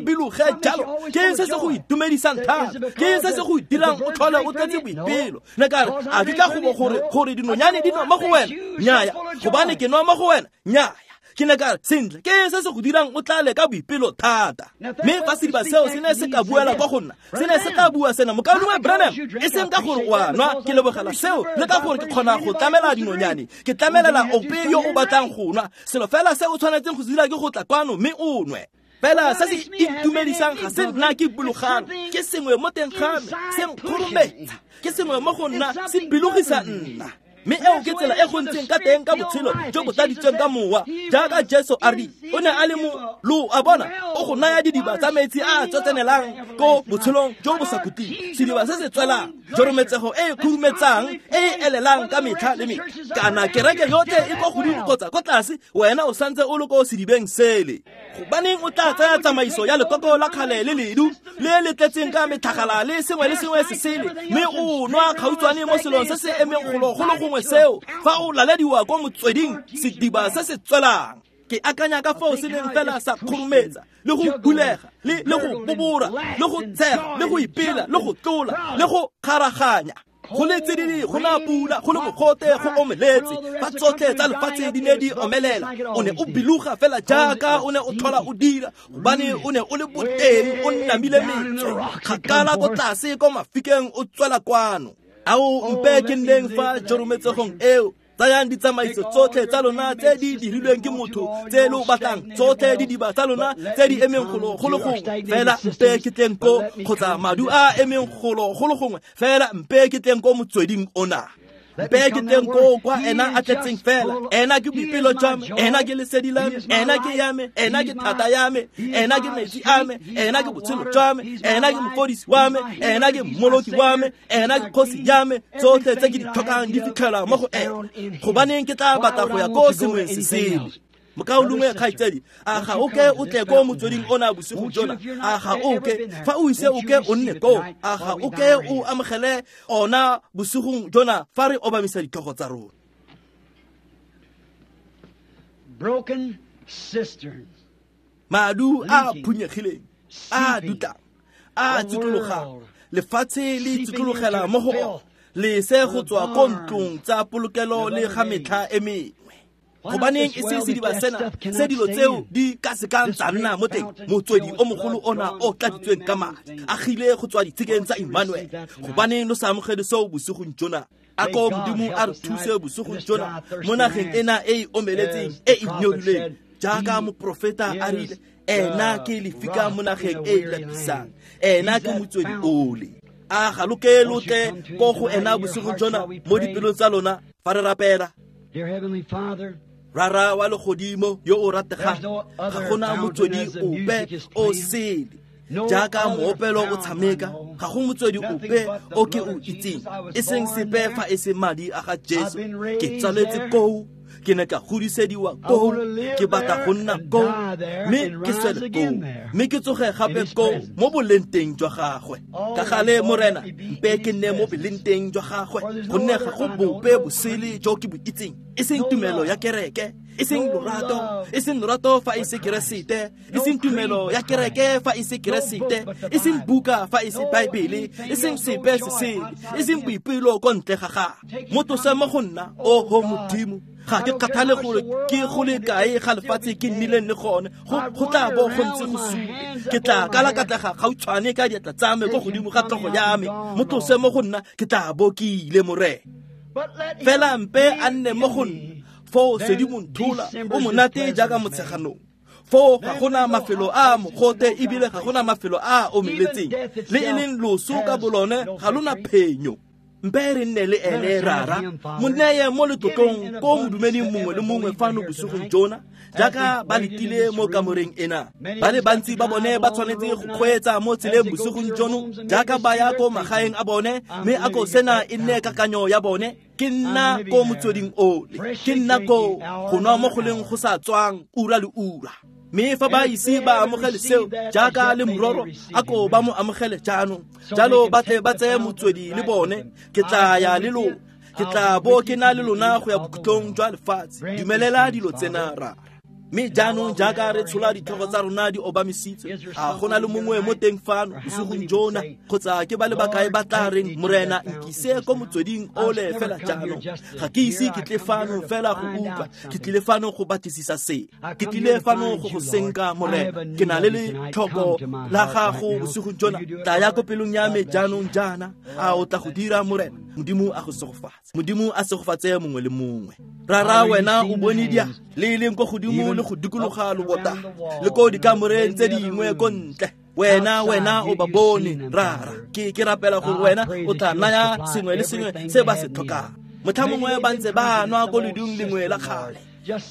A: biloge jalo? Ke eng se se go itumedisang thata? Ke eng se se go dirang o tlhole o tletse boipelo? Ne ka re, a ke ka go bo gore dinonyane di nwa mo go wena? Nnyaya. Gobane ke nwa mo go wena? Nnyaya. Ke ne ka re, sentle, ke eng se se go dirang o tlale ka boipelo thata? Mme fa sediba seo se ne se ka buela kwa go nna, se ne se tla bua sena, mokaulengwe Branham, e seng ka gore o a nwa, ke lebogela seo, le ka gore ke kgona go tlamela dinonyane, ke tlamelela ope yo o batlang go nwa. Selo fela se o tshwanetseng go se dira ke go tla kwano mme o nwe. Fela se se itumedisang ga se nna ke bulogano, ke sengwe mo teng ga me se nkgorometsa, ke sengwe mo go nna se bilogisa nna. Mme eo ke tsela e go ntseng ka teng ka botshelo jo bo tladitsweng ka mowa, jaaka Jesu a rile, o ne a le mo lo a bona, o go naya didiba tsa metsi a a tsotsenelang ko botshelong jo bo sa khutleng, sediba se se tswelang, jorometsego e e khurumetsang, e e elelang ka metlha le metlha. Kana kereke yotlhe e ko godimo kgotsa ko tlase, wena o santse o le ko sedibeng sele. Gobaneng o tla tsaya tsamaiso ya lekoko la kgale le ledu le le tletseng ka metlhagala le sengwe le sengwe se sele, mme o nwa kgautshwane mo selong se se emeng golo go le gongwe seo, fa o lalediwa ko motsweding, sediba se se tswelang. Ke akanya ka foo se neng fela sa khurumetsa le go bulega le go bobora le go tshega le go ipela le go tlola le go kgaraganya. Go le tsididi, go na pula, go le mogote, go omeletse, fa tsotlhe tsa lefatshe di ne di omelela, o ne o biloga fela jaaka o ne o tlhola o dira, gobane o ne o le boteng, o namile metswe kgakala ko tlase ko mafikeng o tswela kwano. Ao, mpe ke nneng fa jorometsegong eo. Tsayang ditsamaiso tsotlhe tsa lona tse di dirilweng ke motho, tse lo batlang, tsotlhe didiba tsa lona tse di emeng golo go le gongwe, fela mpe ke tleng ko, kgotsa madu a emeng golo go le gongwe, fela mpe ke tleng ko motsweding ona. Mpe ke tleng ko kwa ena a tletseng fela. Ena ke boipelo jwa me, ena ke lesedi la me, ena ke ya me, ena ke thata ya me, ena ke metsi a me, ena ke botshelo jwa me, ena ke mofodisi wa me, ena ke mmoloki wa me, ena ke kgosi ya me. Tsotlhe tse ke di tlhokang di fitlhelwa mo go ena. Gobaneng ke tla batla go ya ko sengweng se sele? Mokaulengwe kgaitsadi, a ga o ke o tle ko motsweding ona bosigo jona? A ga o ke, fa o ise o ke o nne koo, a ga o ke o amogele ona bosigong jona fa re obamisa ditlhogo tsa rona?
B: Broken cisterns,
A: madu a phunyegileng, a dutlang, a tsitlologang, lefatshe le tsitlologela mo go ona, lese go tswa ko ntlong tsa polokelo le ga metlha e mengwe. Gobaneng e se sediba sena se dilo tseo di ka se kang tsa nna mo teng, motswedi o mogolo ona o tladitsweng ka madi, agile go tswa ditshikeng tsa Emmanuel. Gobaneng lo sa amogele seo bosigong jona? A ko Modimo a re thuse bosigong jona mo nageng ena e e omeletseng, e e nyorileng, jaaka moprofeta a rile, ena ke lefika mo nageng e e lapisang, ena ke motswedi ole. A ga lo ke lo tle ko go ena bosigong jona mo dipelong tsa lona fa re rapela?
B: Dear Heavenly Father,
A: Rara wa legodimo yo o rategang, ga gona motswedi ope o sele Jaaka moopelo o tshameka, ga go motswedi ope o ke o itseng, e seng sepe fa e se madi a ga Jesu. Ke tsaletse koo, ke ne ka godisediwa koo, ke batla go nna koo, mme ke swele koo, mme ke tsoge gape koo mo boleng teng jwa gagwe. Ka gale Morena, mpe ke nne mo boleng teng jwa gagwe, gonne ga go bope bosele jo ke bo itseng, e seng tumelo ya kereke, e seng lorato, e seng lorato fa e se Keresete, e seng tumelo ya kereke fa e se Keresete, e seng buka fa e se Baebele, e seng sepe se sele, e seng boipelo ko ntle ga gagwe. Mo tlose mo go nna, oho Modimo, ga ke kgathale gore ke go le kae ga lefatshe ke nnileng le gone, go tla bo go ntse go sule. Ke tla kalakatlega gautshwane ka diatla tsa me ko godimo ga tlhogo ya me. Mo tlose mo go nna, ke tla bo ke ile, Morena. Fela mpe a nne mo go nna, foo Sedimontlhola o monate jaaka motsheganong. Foo ga gona mafelo a mogote, ebile ga gona mafelo a omeletseng, le e leng loso ka bolone ga lona phenyo. Mpe re nne le ene, Rara. Mo neye mo letlotlong ko modumeding mongwe le mongwe fano bosigong jona, jaaka ba letile mo kamoreng ena. Ba le bantsi ba bone ba tshwanetse go kgweetsa mo tseleng bosigong jono, jaaka ba ya ko magaeng a bone, mme a ko sena e nne kakanyo ya bone. Ke nna ko motsweding ole, ke nna ko go nwa mo go leng go sa tswang ura le ura. Mme fa ba ise ba amogele seo jaaka le mororo, a ko ba mo amogele jaanong, jalo ba tle ba tseye motswedi le bone. Ke tla ya le lona, ke tla bo ke na le lona go ya bokhutlong jwa lefatshe. Dumelela dilo tsena, Rara. Mme jaanong jaaka re tshola ditlhogo tsa rona di obamisitswe, a go na le mongwe mo teng fano bosigong jona, kgotsa ke ba le bakae ba tla reng, Morena, nkise ko motsweding ole fela jaanong? Ga ke ise ke tle fano fela go utlwa, ke tlile fano go batlisisa se, ke tlile fano go go senka, Morena. Ke na le letlhoko la gago bosigong jona, tla ya ko pelong ya me jaanong jaana. A o tla go dira, Morena? Modimo a go segofatse. Modimo a segofatse mongwe le mongwe. Rara, wena o bone dia le e leng ko godimo le go dikologa lobota le ko dikamoreng tse dingwe ko ntle. Wena o ba bone, Rara. Ke rapela gore wena o tla naya sengwe le sengwe se ba se tlhokang. Motlha mongwe ba ntse ba nwa ko ledung lengwe la kgale,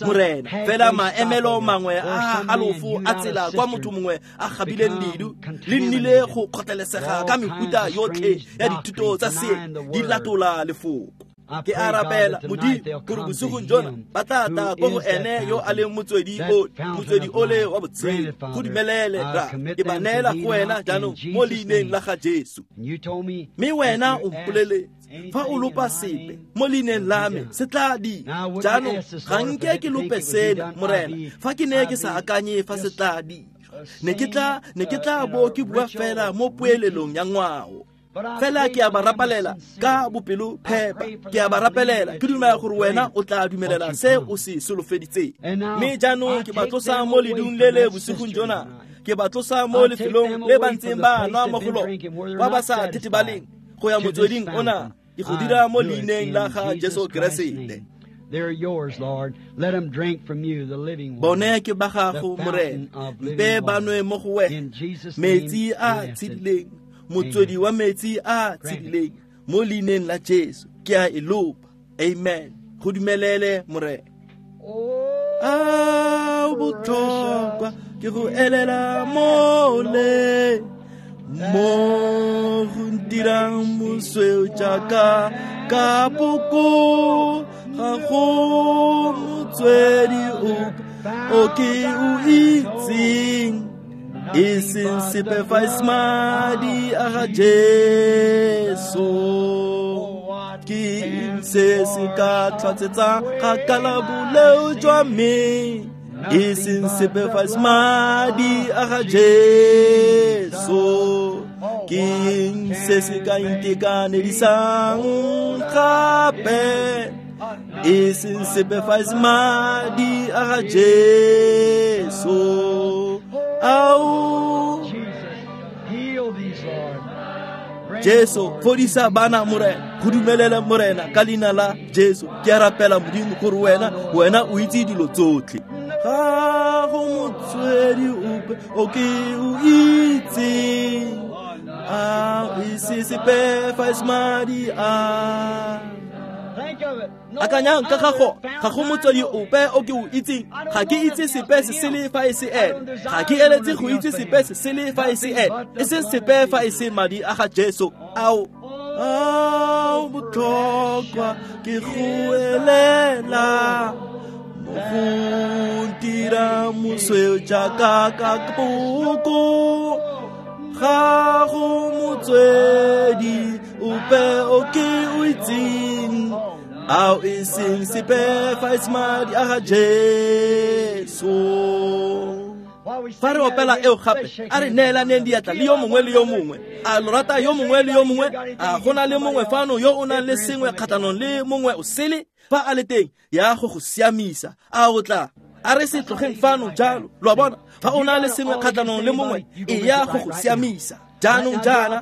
A: Morena, fela maemelo mangwe a halofo a tsela kwa motho mongwe a gabileng ledu le nnile go kgotlelesega ka mefuta yotlhe ya dithuto tsa se di latola lefoko. Ke a rapela, Modimo, gore bosigong jona ba tla tla ko go ene yo a leng motswedi o, motswedi ole wa botshelo. Go dumelele, Ra. Ke ba neela go wena jaanong mo leineng la ga Jesu. Mme wena o mpoleletse, fa o lopa sepe mo leineng la me, se tla dira. Jaanong ga nke ke lope sena, Morena, fa ke ne ke sa akanye fa se tla dira. Ne ke tla bo ke bua fela mo poelelong ya ngwao. Fela ke a ba rapelela ka bopelo phepa, ke a ba rapelela ke dumela gore wena o tla dumelela se o se solofeditseng. Mme jaanong ke ba tlosa mo ledung le le bosigong jona, ke ba tlosa mo lefelong le ba ntseng ba nwa mo go lone, kwa ba sa thethebaleng, go ya motsweding ona. Ke go dira mo leineng la ga Jesu Keresete. Bone ke ba gago, Morena, mpe ba nwe mo go wena metsi a tshedileng, motswedi wa metsi a tshedileng, mo leineng la Jesu ke a e lopa. Amen. Go dumelele, Morena. A botlhokwa ke go elela mole mo go ntirang mosweu jaaka kapoko, ga go motswedi ope o ke o itseng, e seng sepe fa e se madi a ga Jesu. Ke eng se se ka tlhatsetsang kgakala boleo jwa me, e seng sepe fa e se madi a ga Jesu? Ke eng se se ka ntekanedisang gape, e seng sepe fa e se madi a ga Jesu? Ao Jesu, fodisa bana, Morena. Go dumelele, Morena, ka leina la Jesu. Ke a rapela, Modimo, gore wena o itse dilo tsotlhe. Ga go motswedi ope o ke o itseng, a e se sepe fa e se madi a. Akanyang ka gago, ga go motswedi ope o ke o itseng, ga ke itse sepe se sele fa e se ene, ga ke eletse go itse sepe se sele fa e se ene, e seng sepe fa e se madi a ga Jesu. Ao, ao botlhokwa ke go elela mo go ntira mosweu jaaka kapoko, ga go motswedi ope o ke o itseng, ao e seng sepe fa e se madi a ga Jesu. Fa re opela eo gape, a re neelaneng diatla le yo mongwe le yo mongwe. A lo rata yo mongwe le yo mongwe? A go na le mongwe fano yo o nang le sengwe kgatlhanong le mongwe o sele? Fa a le teng, ya go go siamisa. A o tla? A re se tlogeng fano jalo. Lo a bona? Fa o na le sengwe kgatlhanong le mongwe, e ya go go siamisa. Jaanong jaana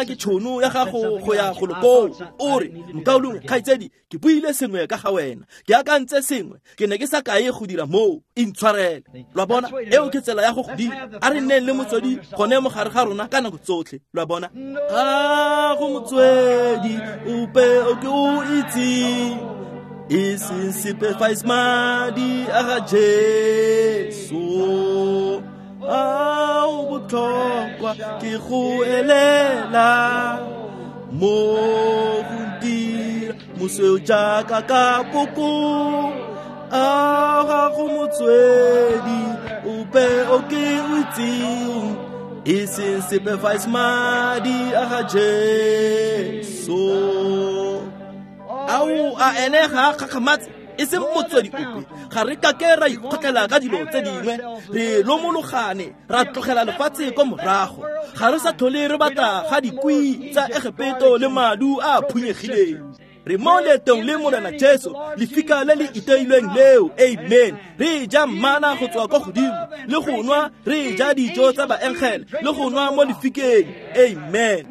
A: ke tšhono ya gago go ya go lokoo. O re, mokaulengwe, kgaitsedi, ke buile sengwe ka ga wena, ke akantse sengwe, ke ne ke sa kae go dira moo, intshwarele. Lo a bona? Eo ke tsela ya go go dira. A re nneng le motswedi gone mo gare ga rona ka nako tsotlhe. Lo a bona? Ga go motswedi ope o ke o itseng, e seng sepe fa e se madi a ga Jesu. Ao botlhokwa ke go elela mo go ntira mosweu jaaka kapoko, a ga go motswedi ope o ke o itseng, e seng sepe fa e se madi a ga Jesu. Ao, a ene ga a kgakgamatse, e seng motswedi ope. Ga re kake ra ikgotlela ka dilo tse dingwe, re lomologane, ra tlogela lefatshe ko morago. Ga re sa tlhole re batla ga dikwi tsa Egepeto le madu a phunyegileng. Re mo leetong le Morena Jesu, lefika le le iteilweng leo. Amen. Re ja mana go tswa kwa godimo, le go nwa, re ja dijo tsa baengele, le go nwa mo lefikeng. Amen.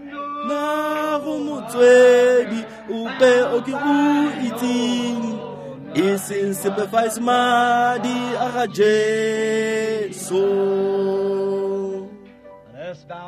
A: Na go motswedi ope o ke o itseng, e seng sepe fa e se madi a ga Jesu.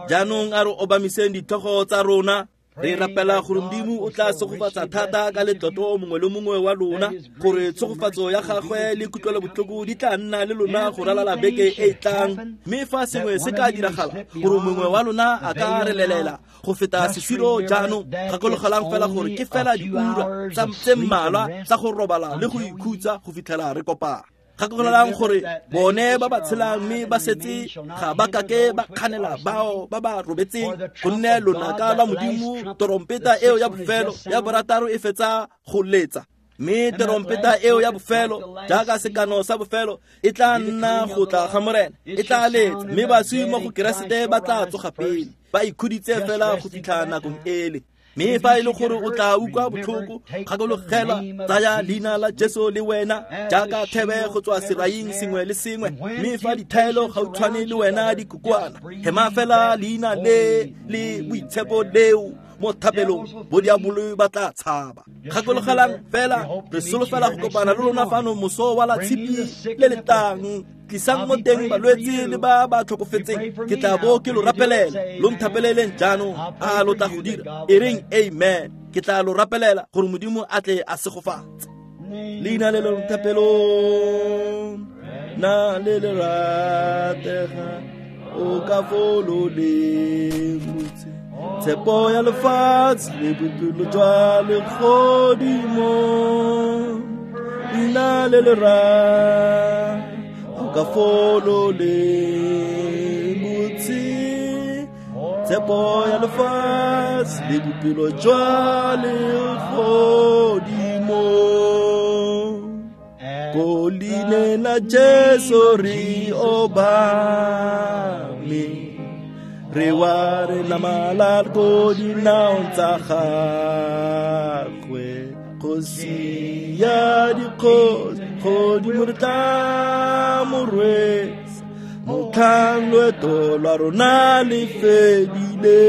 A: Jaanong a re obamiseng ditlhogo tsa rona. Re rapela gore Modimo o tla tshegofatsa thata ka letlotlo mongwe le mongwe wa lona, gore tshegofatso ya gagwe le kutlwelobotlhoko di tla nna le lona go ralala beke e e tlang. Mme fa sengwe se ka diragala gore mongwe wa lona a ka re lelela go feta sesiro jaanong, gakologelang fela gore ke fela diura tse mmalwa tsa go robala le go ikhutsa go fitlhela re kopana. Gakologelang gore bone ba ba tshelang mme ba setse ga ba kake ba kganela bao ba ba robetseng, gonne lonaka lwa Modimo, terompeta eo ya bofelo ya borataro e fetsa go letsa. Mme terompeta eo ya bofelo, jaaka sekano sa bofelo, e tla nna go tla ga Morena, e tla letsa, mme baswi mo go Keresete ba tla tsoga pele, ba ikhuditse fela go fitlha nakong ele. Mme fa e le gore o tla utlwa botlhoko, gakologelwa, tsaya leina la Jesu le wena jaaka thebe go tswa seraing sengwe le sengwe. Mme fa dithaelo gautshwane le wena di kokoana, hema fela leina le le boitshepo leo mo thapelong, bodiabolo ba tla tshaba. Gakologelang fela, re solofela go kopana le lona fano moso wa la tshipi le le tlang. Tlisang mo teng balwetse le ba ba tlhokofetseng, ke tla bo ke lo rapelela. Lo nthapeleleng jaanong, a lo tla go dira? E reng amen. Ke tla lo rapelela gore Modimo a tle a segofatse. Leina le le thapelong na le le ratega, o ka folo le motse, tshepo ya lefatshe le bophelo jwa legodimo. Leina le le ratega, ka folo le motse, tshepo ya lefatshe le bophelo jwa legodimo. Ko leineng la Jesu re obame, re wa re namala ko dinaong tsa gagwe. Kgosi ya dikgosi, godimo re tla mo rwesa, motlhang loeto lwa rona le fedile.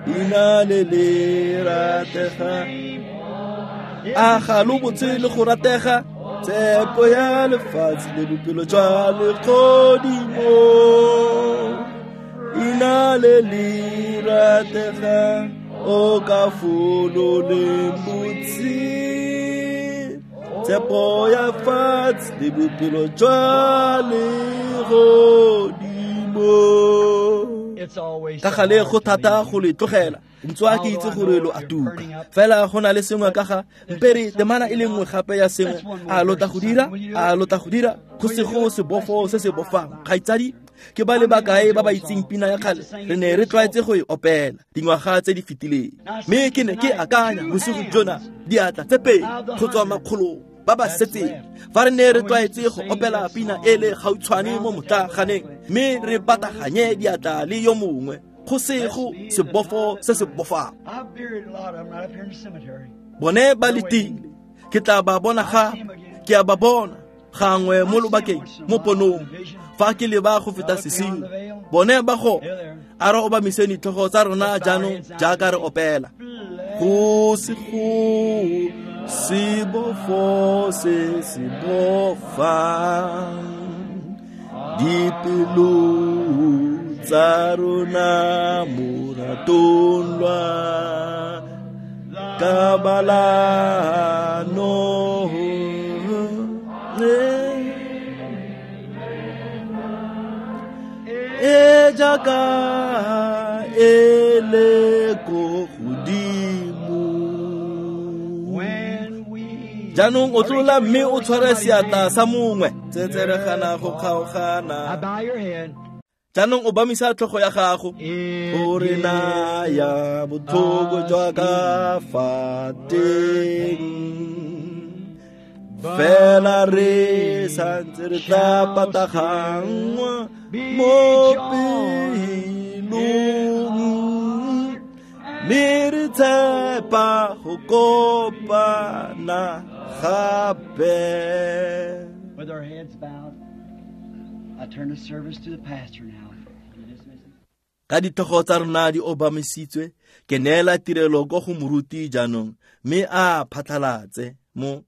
A: Leina le le ratega, a ga lo botse le go ratega, tshepo ya lefatshe le bophelo jwa legodimo. Leina le le ratega, O ka fololeng botse tshepo ya fatshe le bophelo jwa legodimo. Ka gale go thata go le tlogela, ntswa ke itse gore lo a tuka, fela go na le sengwe ka ga mpere temana e le nngwe gape ya sengwe. A lo tla go dira? A lo tla go dira? Go sego sebofo se se bofang. Kgaitsadi, ke ba le bakae ba ba itseng pina ya kgale re ne re tlwaetse go e opela dingwaga tse di fetileng? Mme ke ne ke akanya bosigo jona, diatla tse pedi go tswa makgolong ba ba setseng, fa re ne re tlwaetse go opela pina e le gautshwane mo motlaganeng mme re bataganye diatla le yo mongwe, go sego sebofo se se bofang. Bone ba letile, ke tla ba bona gape. Ke a ba bona gangwe mo lobakeng mo ponong fa ke leba go feta sesiu, bone ba go. A re obamiseng ditlhogo tsa rona jaanong jaaka re opela. Go se go sebofo se se bofang dipelo tsa rona moratong lwa kabalano e jaaka e le ko godimo. Jaanong o tlola mme o tshware seatla sa mongwe, tsetseregana go kgaogana. Jaanong o bamisa tlhogo ya gago. O re naya botlhoko jwa ka fa teng, fela re santse re tla pataganngwa mo pelong, mme re tshepa go kopana gape.
B: With our heads bowed, I turn the service to the pastor now. You dismiss him.
A: Ka ditlhogo tsa rona di obamisitswe, ke neela tirelo ko go moruti jaanong mme a phatlhalatse mo